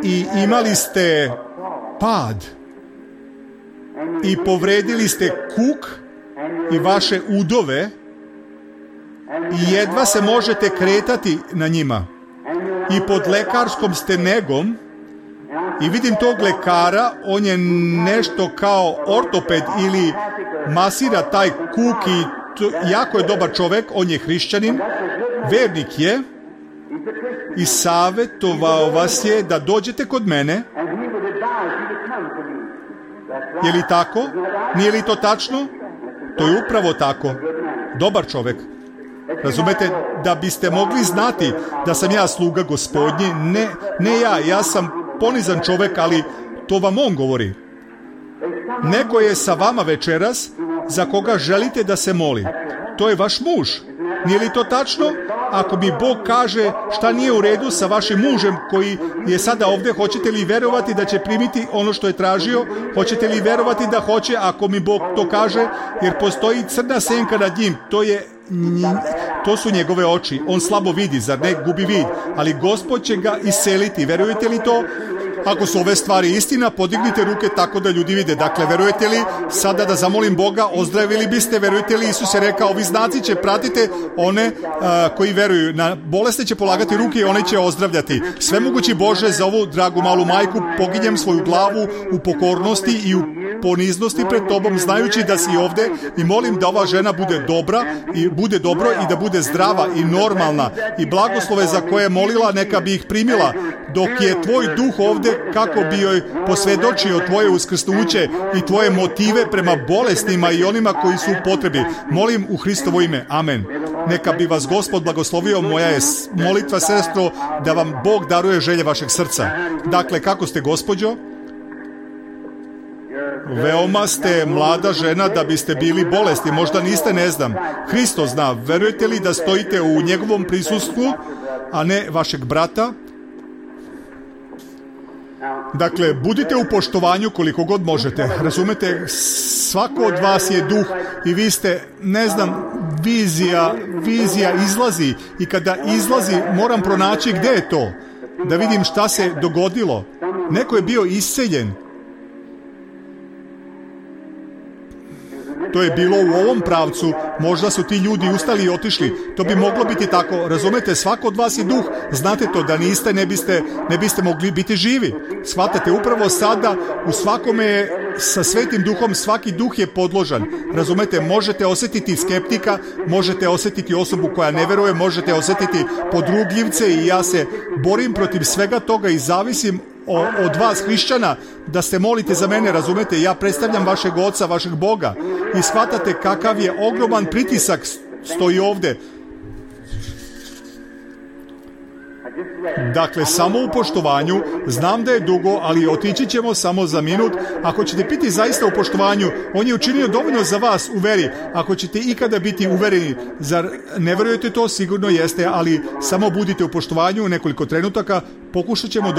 i imali ste pad i povredili ste kuk i vaše udove i jedva se možete kretati na njima i pod lekarskom ste negom. I vidim tog lekara, on je nešto kao ortoped ili masira taj kuk i jako je dobar čovjek, on je hrišćanin, vernik je i savjetovao vas je da dođete kod mene. Je li tako? Nije li to tačno? To je upravo tako. Dobar čovjek. Razumete, da biste mogli znati da sam ja sluga Gospodnji, ne ja sam ponizan čovjek, ali to vam on govori. Neko je sa vama večeras za koga želite da se moli. To je vaš muž. Nije li to tačno? Ako mi Bog kaže šta nije u redu sa vašim mužem koji je sada ovdje, hoćete li verovati da će primiti ono što je tražio? Hoćete li verovati da hoće ako mi Bog to kaže? Jer postoji crna senka nad njim. To su njegove oči. On slabo vidi, zar ne? Gubi vid. Ali Gospod će ga isceliti. Verujete li to? Ako su ove stvari istina, podignite ruke tako da ljudi vide. Dakle, verujete li sada da zamolim Boga, ozdravili biste? Verujete li? Isus je rekao, ovi znaci će pratiti one koji veruju. Na bolesne će polagati ruke i one će ozdravljati. Svemogući Bože, za ovu dragu malu majku poginjem svoju glavu u pokornosti i u poniznosti pred tobom, znajući da si ovde, i molim da ova žena bude dobra i bude dobro i da bude zdrava i normalna, i blagoslove za koje je molila neka bi ih primila dok je tvoj duh ovde, kako bi joj posvedočio tvoje uskrsnuće i tvoje motive prema bolestima i onima koji su u potrebi. Molim u Hristovo ime. Amen. Neka bi vas Gospod blagoslovio. Moja je molitva, sestro, da vam Bog daruje želje vašeg srca. Dakle, kako ste, gospođo? Veoma ste mlada žena da biste bili bolesni. Možda niste, ne znam. Hristo zna. Verujete li da stojite u njegovom prisustvu, a ne vašeg brata? Dakle, budite u poštovanju koliko god možete. Razumete, svako od vas je duh i vi ste, ne znam, vizija izlazi, i kada izlazi moram pronaći gde je to, da vidim šta se dogodilo. Neko je bio isceljen. To je bilo u ovom pravcu, možda su ti ljudi ustali i otišli. To bi moglo biti tako. Razumete, svako od vas je duh. Znate to, da niste, ne biste mogli biti živi. Shvatate, upravo sada u svakome je sa Svetim Duhom, svaki duh je podložan. Razumete, možete osjetiti skeptika, možete osjetiti osobu koja ne veruje, možete osjetiti podrugljivce, i ja se borim protiv svega toga i zavisim od vas, hrišćana, da se molite za mene. Razumete, ja predstavljam vašeg Oca, vašeg Boga, i shvatate kakav je ogroman pritisak stoji ovde. Dakle, samo u poštovanju. Znam da je dugo, ali otići ćemo samo za minut. Ako ćete biti zaista u poštovanju, on je učinio dovoljno za vas u veri. Ako ćete ikada biti uvereni, zar ne verujete to? Sigurno jeste, ali samo budite u poštovanju u nekoliko trenutaka. Pokušat ćemo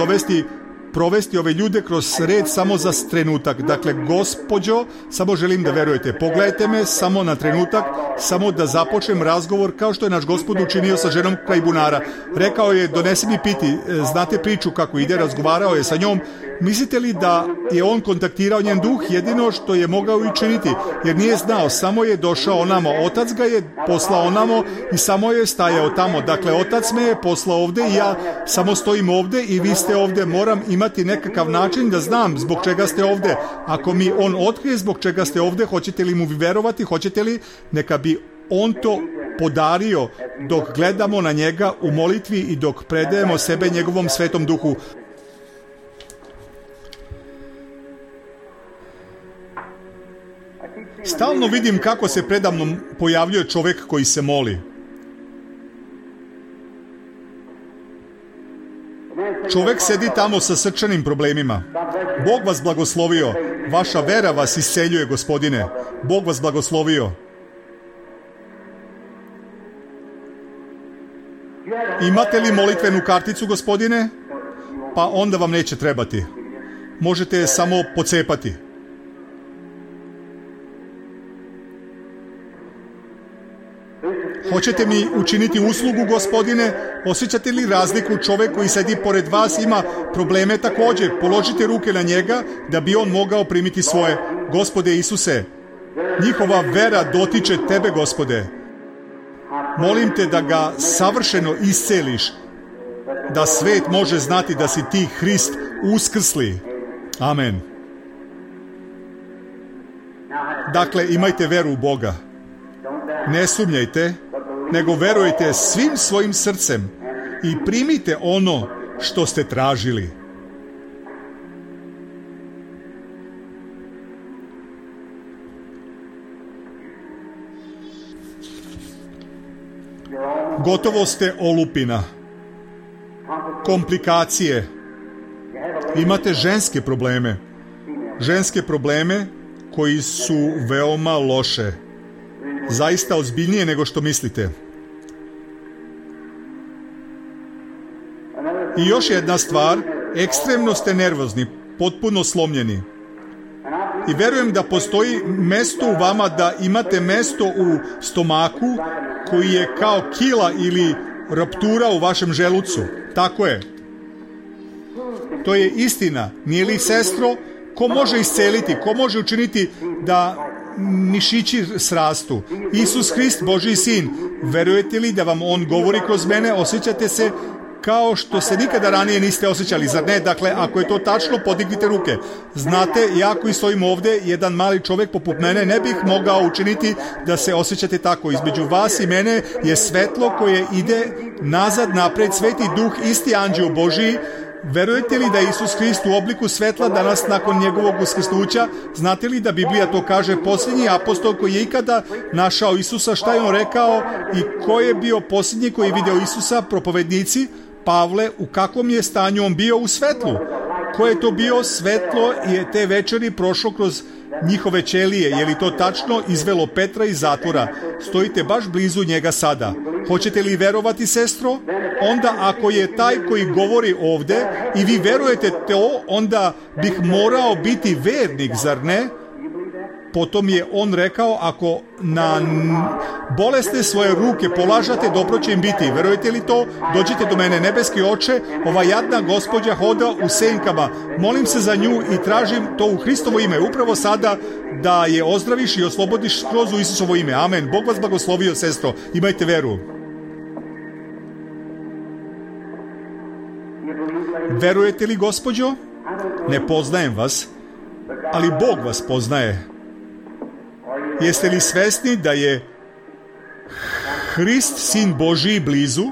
provesti ove ljude kroz red samo za trenutak. Dakle, gospođo, samo želim da verujete. Pogledajte me samo na trenutak, samo da započnem razgovor kao što je naš Gospod učinio sa ženom kraj bunara. Rekao je, donesi mi piti. Znate priču kako ide, razgovarao je sa njom. Mislite li da je on kontaktirao njen duh? Jedino što je mogao učiniti, jer nije znao, samo je došao onamo. Otac ga je poslao onamo i samo je stajao tamo. Dakle, Otac me je poslao ovde i ja samo stojim ovde i vi ste ovde. Moram imati nekakav način da znam zbog čega ste ovde. Ako mi on otkrije zbog čega ste ovde, hoćete li mu verovati? Hoćete li? Neka bi on to podario dok gledamo na njega u molitvi i dok predajemo sebe njegovom Svetom Duhu. Stalno vidim kako se predamnom pojavljuje čovjek koji se moli. Čovjek sedi tamo sa srčanim problemima. Bog vas blagoslovio. Vaša vera vas isceljuje, Gospodine. Bog vas blagoslovio. Imate li molitvenu karticu, Gospodine? Pa onda vam neće trebati. Možete je samo pocepati. Hoćete mi učiniti uslugu, Gospodine? Osjećate li razliku? Čovjek koji sedi pored vas ima probleme također. Položite ruke na njega da bi on mogao primiti svoje. Gospode Isuse, njihova vera dotiče tebe, Gospode. Molim te da ga savršeno isceliš, da svet može znati da si ti Hrist uskrsli. Amen. Dakle, imajte veru u Boga. Ne sumnjajte, nego verujte svim svojim srcem i primite ono što ste tražili. Gotovo ste olupina. Komplikacije. Imate ženske probleme. Ženske probleme koji su veoma loše. Zaista ozbiljnije nego što mislite. I još jedna stvar, ekstremno ste nervozni, potpuno slomljeni. I verujem da postoji mesto u vama, da imate mesto u stomaku koji je kao kila ili ruptura u vašem želucu. Tako je. To je istina. Nije li, sestro? Ko može isceliti? Ko može učiniti da mišići srastu? Isus Hrist, Božji sin. Verujete li da vam on govori kroz mene? Osjećate se kao što se nikada ranije niste osjećali, zar ne? Dakle, ako je to tačno, podignite ruke. Znate, ja koji stojim ovdje, jedan mali čovjek poput mene, ne bih mogao učiniti da se osjećate tako. Između vas i mene je svetlo koje ide nazad, napred, Sveti Duh, isti anđeo Božiji. Verujete li da je Isus Hrist u obliku svetla danas nakon njegovog uskrsnuća? Znate li da Biblija to kaže? Posljednji apostol koji je ikada našao Isusa, šta je on rekao i ko je bio posljednji koji je video Isusa? Propovednici. Pavle, u kakvom je stanju on bio? U svetlu. Ko je to bio? Svetlo je te večeri prošlo kroz njihove ćelije. Je li to tačno? Izvelo Petra iz zatvora. Stojite baš blizu njega sada. Hoćete li verovati, sestro? Onda ako je taj koji govori ovdje i vi verujete to, onda bih morao biti vernik, zar ne? Potom je on rekao, ako na bolesne svoje ruke polažate, dobro će im biti. Verujete li to? Dođite do mene, nebeski oče, ova jadna gospođa hoda u senkama. Molim se za nju i tražim to u Hristovo ime, upravo sada, da je ozdraviš i oslobodiš skroz u Isusovo ime. Amen. Bog vas blagoslovio, sestro. Imajte veru. Verujete li, gospođo? Ne poznajem vas, ali Bog vas poznaje. Jeste li svesni da je Hrist, Sin Božiji, blizu?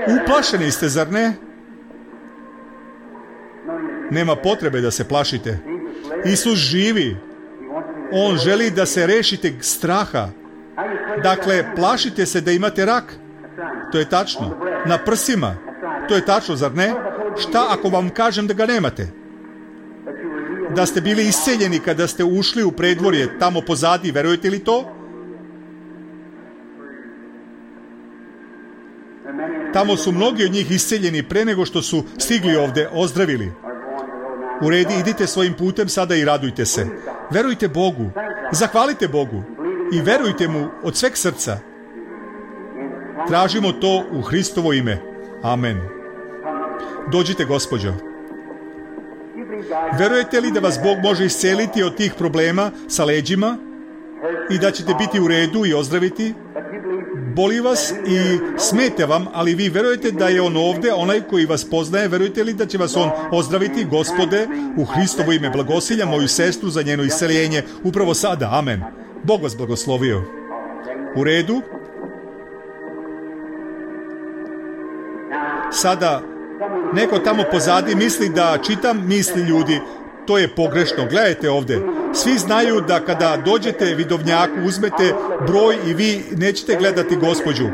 Uplašeni ste, zar ne? Nema potrebe da se plašite. Isus živi. On želi da se rešite straha. Dakle, plašite se da imate rak. To je tačno. Na prsima. To je tačno, zar ne? Šta ako vam kažem da ga nemate? Da ste bili isceljeni kada ste ušli u predvorje, tamo pozadi, verujete li to? Tamo su mnogi od njih isceljeni pre nego što su stigli ovdje, ozdravili. U redi, idite svojim putem sada i radujte se. Verujte Bogu, zahvalite Bogu i verujte mu od sveg srca. Tražimo to u Hristovo ime. Amen. Dođite, gospođo. Verujete li da vas Bog može isceliti od tih problema sa leđima i da ćete biti u redu i ozdraviti? Boli vas i smete vam, ali vi verujete da je on ovdje, onaj koji vas poznaje. Verujete li da će vas on ozdraviti? Gospode, u Hristovo ime blagosiljam moju sestru za njeno isceljenje upravo sada. Amen. Bog vas blagoslovio. U redu? Sada neko tamo pozadi misli da čitam misli ljudi. To je pogrešno. Gledajte ovdje. Svi znaju da kada dođete vidovnjaku, uzmete broj i vi nećete gledati gospođu.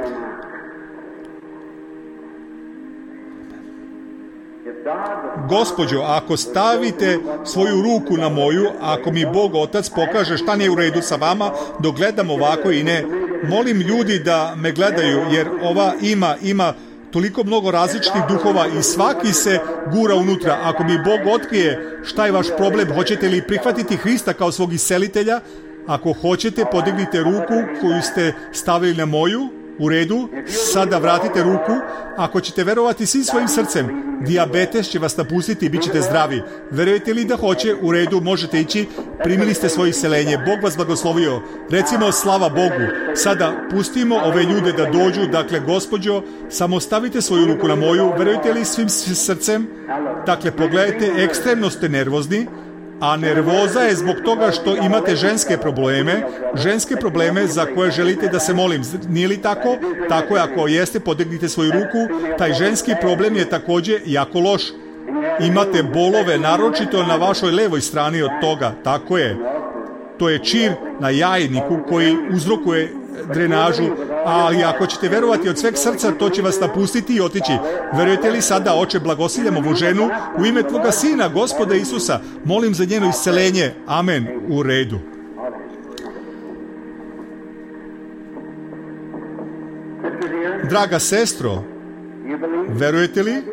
Gospođo, ako stavite svoju ruku na moju, ako mi Bog Otac pokaže šta nije u redu sa vama, dok gledam ovako i ne, molim ljudi da me gledaju, jer ova ima toliko mnogo različitih duhova i svaki se gura unutra. Ako mi Bog otkrije šta je vaš problem, hoćete li prihvatiti Hrista kao svog iscelitelja? Ako hoćete, podignite ruku koju ste stavili na moju. U redu, sada vratite ruku. Ako ćete verovati svim svojim srcem, dijabetes će vas napustiti i bit ćete zdravi. Verujete li da hoće? U redu, možete ići. Primili ste svoje isceljenje. Bog vas blagoslovio. Recimo slava Bogu. Sada pustimo ove ljude da dođu. Dakle, gospođo, samo stavite svoju ruku na moju. Verujete li svim srcem? Dakle, pogledajte, ekstremno ste nervozni. A nervoza je zbog toga što imate ženske probleme za koje želite da se molim. Nije li tako? Tako je, ako jeste, podignite svoju ruku. Taj ženski problem je također jako loš. Imate bolove, naročito na vašoj levoj strani od toga. Tako je. To je čir na jajniku koji uzrokuje drenažu, ali ako ćete verovati od sveg srca, to će vas napustiti i otići. Verujete li sada, Oče, blagosiljam ovu ženu u ime Tvoga Sina, Gospoda Isusa, molim za njeno isceljenje. Amen. U redu. Draga sestro, verujete li?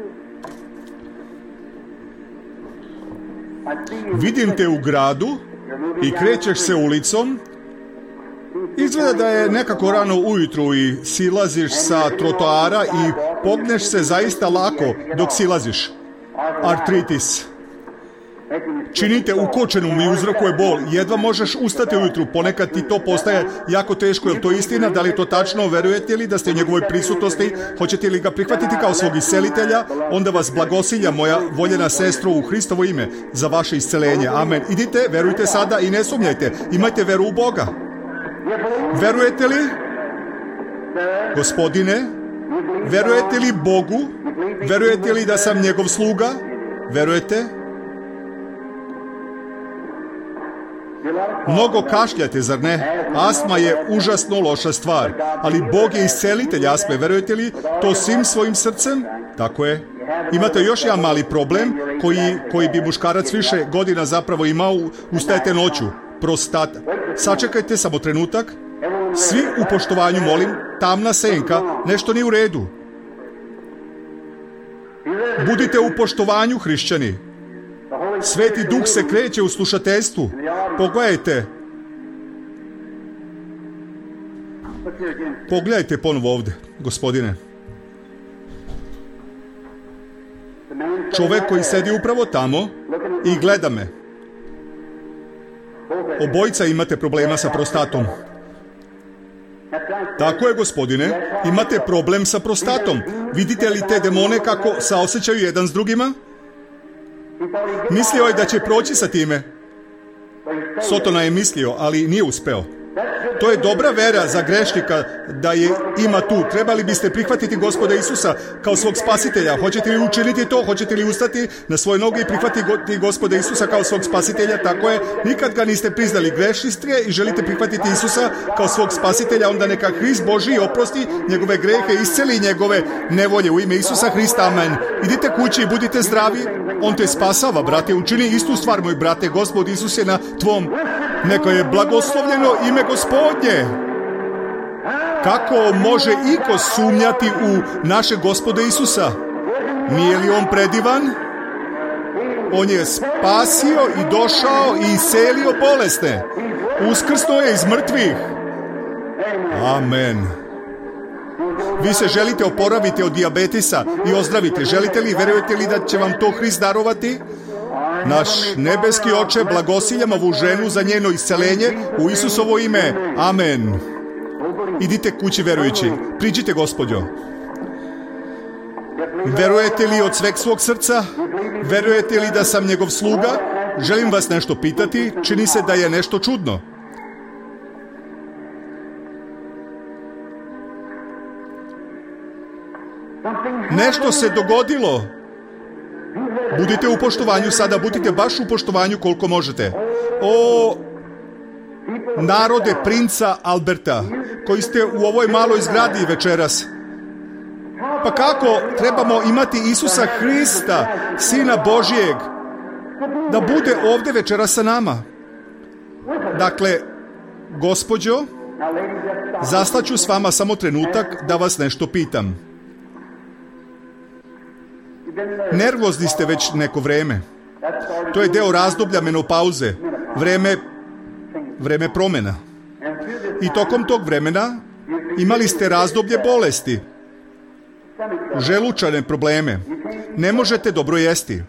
Vidim te u gradu i krećeš se ulicom. Izgleda da je nekako rano ujutru i silaziš sa trotoara i pogneš se zaista lako dok silaziš. Artritis. činite ukočenom i uzrokuje bol. Jedva možeš ustati ujutru, ponekad ti to postaje jako teško. Je li to istina? Da li je to tačno? Verujete li da ste u njegovoj prisutnosti? Hoćete li ga prihvatiti kao svog iscelitelja? Onda vas blagosilja, moja voljena sestro, u Hristovo ime za vaše iscelenje. Amen. Idite, verujte sada i ne sumnjajte. Imajte veru u Boga. Verujete li, Gospodine? Verujete li Bogu? Verujete li da sam njegov sluga? Verujete? Mnogo kašljate, zar ne? Astma je užasno loša stvar, ali Bog je iscelitelj astme. Verujete li to svim svojim srcem? Tako je. Imate još jedan mali problem koji bi muškarac više godina zapravo imao. Ustajete noću. Prostata. Sačekajte samo trenutak. Svi u poštovanju, molim. Tamna senka. Nešto nije u redu. Budite u poštovanju, hrišćani. Sveti Duh se kreće u slušateljstvu. Pogledajte. Pogledajte ponovo ovdje, Gospodine. Čovjek koji sedi upravo tamo i gleda me. Obojica imate problema sa prostatom. Tako je, Gospodine. Imate problem sa prostatom. Vidite li te demone kako saosjećaju jedan s drugima? Mislio je da će proći sa time. Sotona je mislio, ali nije uspeo. To je dobra vera za grešnika da je ima tu. Trebali biste prihvatiti Gospoda Isusa kao svog spasitelja. Hoćete li učiniti to? Hoćete li ustati na svoje noge i prihvatiti Gospoda Isusa kao svog spasitelja? Tako je. Nikad ga niste priznali. Grešni ste i želite prihvatiti Isusa kao svog spasitelja. Onda neka Hrist Božji oprosti njegove grehe, isceli njegove nevolje u ime Isusa Hrista. Amen. Idite kući i budite zdravi. On te spasava, brate. Učini istu stvar, moj brate. Gospod Isus je na tvom. Neka je blagoslovljeno ime Gospodnje. Kako može iko sumnjati u naše Gospoda Isusa? Nije li on predivan? On je spasio i došao i iscelio bolesne. Uskrsnuo je iz mrtvih. Amen. Vi se želite oporaviti od dijabetesa i ozdraviti. Želite li, verujete li da će vam to Hrist darovati? Naš nebeski Oče, blagosiljam ovu ženu za njeno iscelenje u Isusovo ime. Amen. Idite kući verujući. Priđite, Gospodjo. Verujete li od sveg svog srca? Verujete li da sam njegov sluga? Želim vas nešto pitati. Čini se da je nešto čudno. Nešto se dogodilo. Budite u poštovanju sada, budite baš u poštovanju koliko možete. O, narode princa Alberta, koji ste u ovoj maloj zgradi večeras. Pa kako trebamo imati Isusa Hrista, Sina Božijeg, da bude ovdje večeras sa nama? Dakle, gospođo, zastaću s vama samo trenutak da vas nešto pitam. Nervozni ste već neko vreme. To je deo razdoblja menopauze, vreme promjena. I tokom tog vremena imali ste razdoblje bolesti, želučane probleme. Ne možete dobro jesti.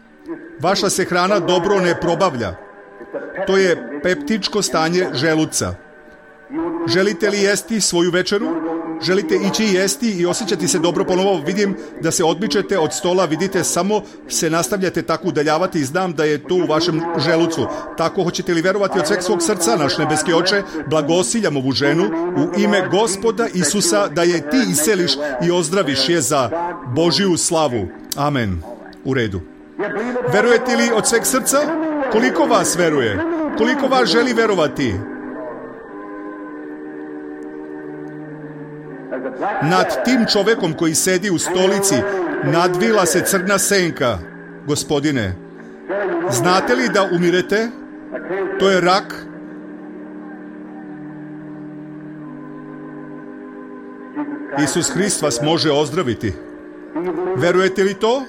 Vaša se hrana dobro ne probavlja. To je peptičko stanje želuca. Želite li jesti svoju večeru? Želite ići jesti i osjećati se dobro ponovo? Vidim da se odmičete od stola, vidite, samo se nastavljate tako udaljavati i znam da je to u vašem želucu. Tako hoćete li verovati od sveg svog srca, naš nebeski Oče, blagosiljam ovu ženu u ime Gospoda Isusa da je ti isceliš i ozdraviš je za Božju slavu. Amen. U redu. Verujete li od sveg srca? Koliko vas veruje? Koliko vas želi verovati? Nad tim čovjekom koji sedi u stolici nadvila se crna senka. Gospodine, znate li da umirete? To je rak. Isus Hrist vas može ozdraviti. Verujete li to?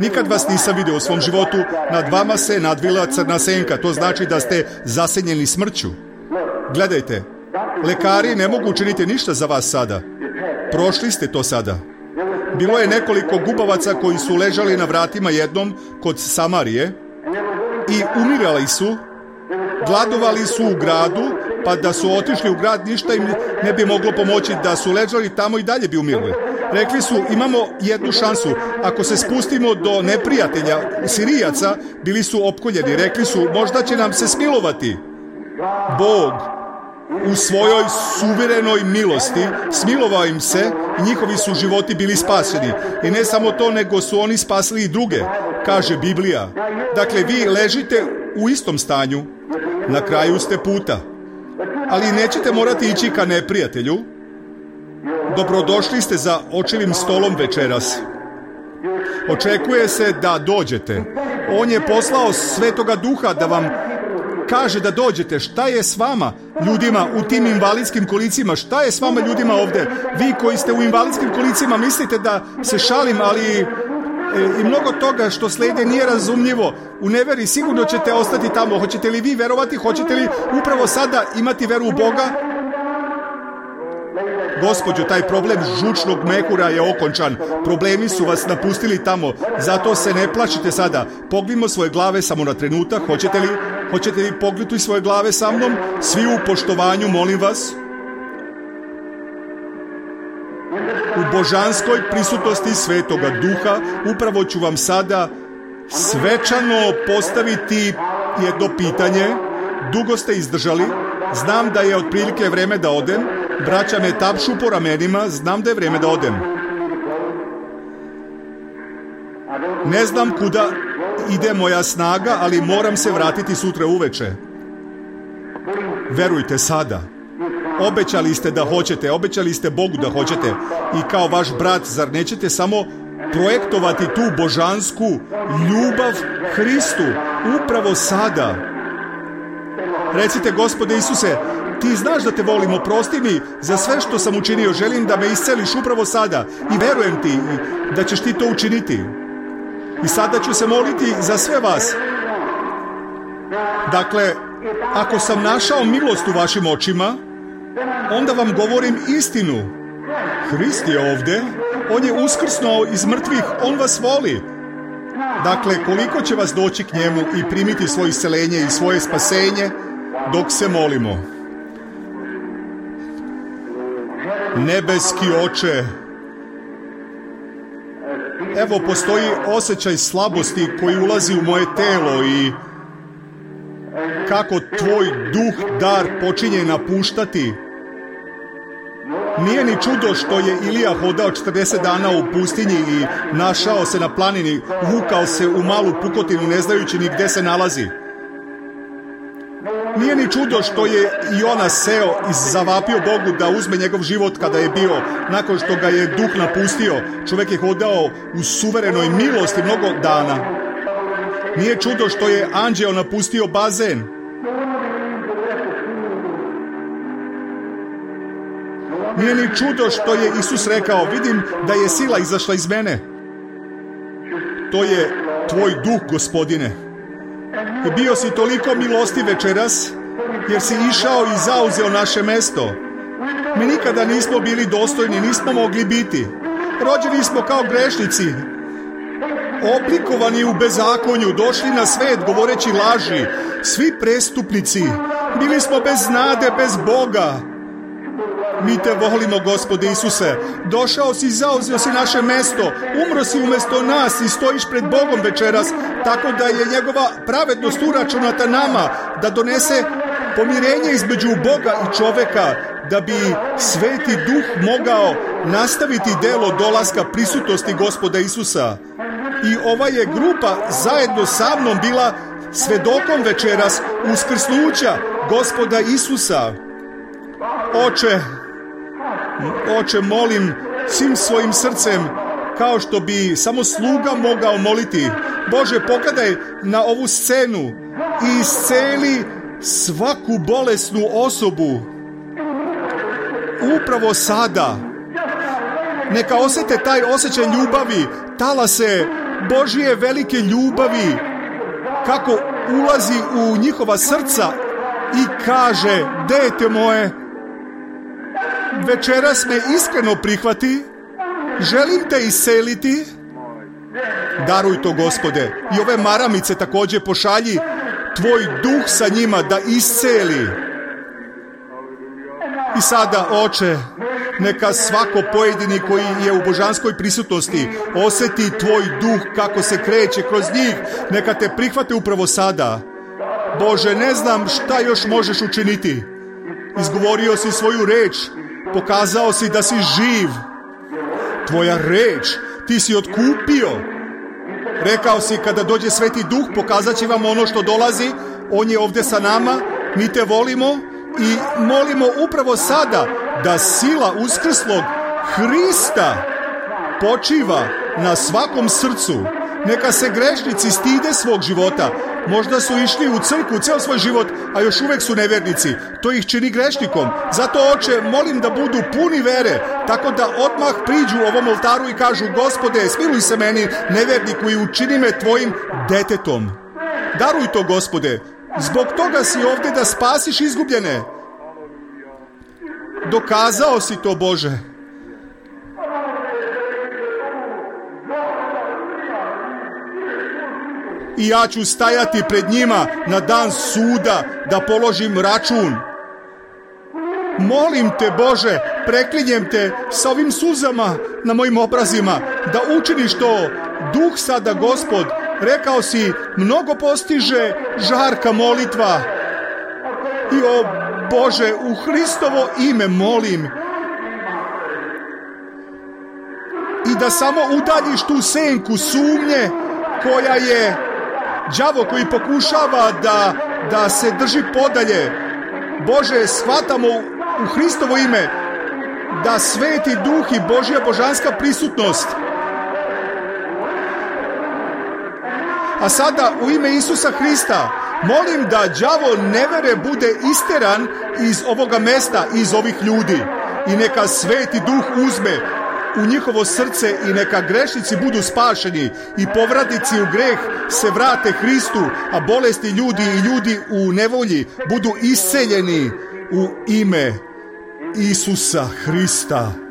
Nikad vas nisam vidio u svom životu. Nad vama se nadvila crna senka. To znači da ste zasenjeni smrću. Gledajte, lekari ne mogu učiniti ništa za vas sada. Prošli ste to sada. Bilo je nekoliko gubavaca koji su ležali na vratima jednom kod Samarije i umirali su, gladovali su u gradu, pa da su otišli u grad ništa im ne bi moglo pomoći, da su ležali tamo i dalje bi umirali. Rekli su, imamo jednu šansu, ako se spustimo do neprijatelja, Sirijaca, bili su opkoljeni, rekli su, možda će nam se smilovati. Bog u svojoj suverenoj milosti smilovao im se i njihovi su životi bili spašeni. I ne samo to, nego su oni spasili i druge, kaže Biblija. Dakle, vi ležite u istom stanju, na kraju ste puta. Ali nećete morati ići ka neprijatelju. Dobrodošli ste za očevim stolom večeras. Očekuje se da dođete. On je poslao Svetoga Duha da vam kaže da dođete. Šta je s vama, ljudima u tim invalidskim kolicima? Šta je s vama, ljudima ovdje? Vi koji ste u invalidskim kolicima mislite da se šalim, ali i mnogo toga što slijede nije razumljivo. U neveri sigurno ćete ostati tamo. Hoćete li vi verovati? Hoćete li upravo sada imati veru u Boga? Gospođo, taj problem žučnog mehura je okončan. Problemi su vas napustili tamo. Zato se ne plašite sada. Pognimo svoje glave samo na trenutak. Hoćete li pognuti svoje glave sa mnom? Svi u poštovanju, molim vas. U božanskoj prisutnosti Svetoga Duha upravo ću vam sada svečano postaviti jedno pitanje. Dugo ste izdržali. Znam da je otprilike vreme da odem. Braća me tapšu po ramenima. Znam da je vreme da odem. Ne znam kuda ide moja snaga, ali moram se vratiti sutra uveče. Verujte sada. Obećali ste da hoćete, obećali ste Bogu da hoćete. I kao vaš brat, zar nećete samo projektovati tu božansku ljubav Hristu upravo sada? Recite, Gospode Isuse, ti znaš da te volim, oprosti mi za sve što sam učinio, želim da me isceliš upravo sada i verujem ti da ćeš ti to učiniti. I sada ću se moliti za sve vas. Dakle, ako sam našao milost u vašim očima, onda vam govorim istinu. Hrist je ovdje, on je uskrsnuo iz mrtvih, on vas voli. Dakle, koliko će vas doći k njemu i primiti svoje isceljenje i svoje spasenje dok se molimo. Nebeski Oče, evo postoji osjećaj slabosti koji ulazi u moje telo i kako tvoj duh dar počinje napuštati. Nije ni čudo što je Ilija hodao 40 dana u pustinji i našao se na planini, vukao se u malu pukotinu ne znajući ni gdje se nalazi. Nije ni čudo što je Jona seo i zavapio Bogu da uzme njegov život kada je bio, nakon što ga je duh napustio. Čovjek je hodao u suverenoj milosti mnogo dana. Nije čudo što je anđeo napustio bazen. Nije ni čudo što je Isus rekao, vidim da je sila izašla iz mene. To je tvoj duh, Gospodine. I bio si toliko milosti večeras, jer si išao i zauzeo naše mesto. Mi nikada nismo bili dostojni, nismo mogli biti. Rođeni smo kao grešnici, oblikovani u bezakonju, došli na svet govoreći laži, svi prestupnici. Bili smo bez nade, bez Boga. Mi te volimo, Gospode Isuse. Došao si i zauzeo si naše mesto. Umro si umjesto nas i stojiš pred Bogom večeras, tako da je njegova pravednost uračunata nama, da donese pomirenje između Boga i čoveka, da bi Sveti Duh mogao nastaviti delo dolaska prisutnosti Gospoda Isusa. I ova je grupa zajedno sa mnom bila svedokom večeras uskrsnuća Gospoda Isusa. Oče, molim svim svojim srcem, kao što bi samo sluga mogao moliti. Bože, pogledaj na ovu scenu i isceli svaku bolesnu osobu. Upravo sada. Neka osjete taj osjećaj ljubavi, talase Božje velike ljubavi, kako ulazi u njihova srca i kaže, dete moje, večeras me iskreno prihvati, želim te isceliti. Daruj to, Gospode. I ove maramice također pošalji tvoj duh sa njima da isceli. I sada, Oče, neka svako pojedini koji je u božanskoj prisutnosti osjeti tvoj duh kako se kreće kroz njih. Neka te prihvate upravo sada. Bože, ne znam šta još možeš učiniti. Izgovorio si svoju reč. Pokazao si da si živ. Tvoja reč, ti si otkupio. Rekao si, kada dođe Sveti Duh, pokazat će vam ono što dolazi. On je ovdje sa nama, mi te volimo i molimo upravo sada da sila uskrslog Hrista počiva na svakom srcu. Neka se grešnici stide svog života. Možda su išli u crkvu ceo svoj život, a još uvek su nevjernici. To ih čini grešnikom. Zato, Oče, molim da budu puni vere, tako da odmah priđu ovom oltaru i kažu: Gospode, smiluj se meni, nevjerniku, i učini me tvojim detetom. Daruj to, Gospode. Zbog toga si ovdje da spasiš izgubljene. Dokazao si to, Bože. I ja ću stajati pred njima na dan suda da položim račun. Molim te, Bože, preklinjem te sa ovim suzama na mojim obrazima da učiniš to. Duh sada, Gospod, rekao si, mnogo postiže žarka molitva. I o Bože, u Hristovo ime molim. I da samo udaljiš tu senku sumnje koja je đavo koji pokušava da se drži podalje. Bože, shvatamo u Hristovo ime da Sveti Duh i Božja božanska prisutnost. A sada u ime Isusa Hrista molim da đavo nevere bude isteran iz ovoga mesta, iz ovih ljudi. I neka Sveti Duh uzme u njihovo srce i neka grešnici budu spašeni i povratnici u greh se vrate Hristu, a bolesti ljudi i ljudi u nevolji budu isceljeni u ime Isusa Hrista.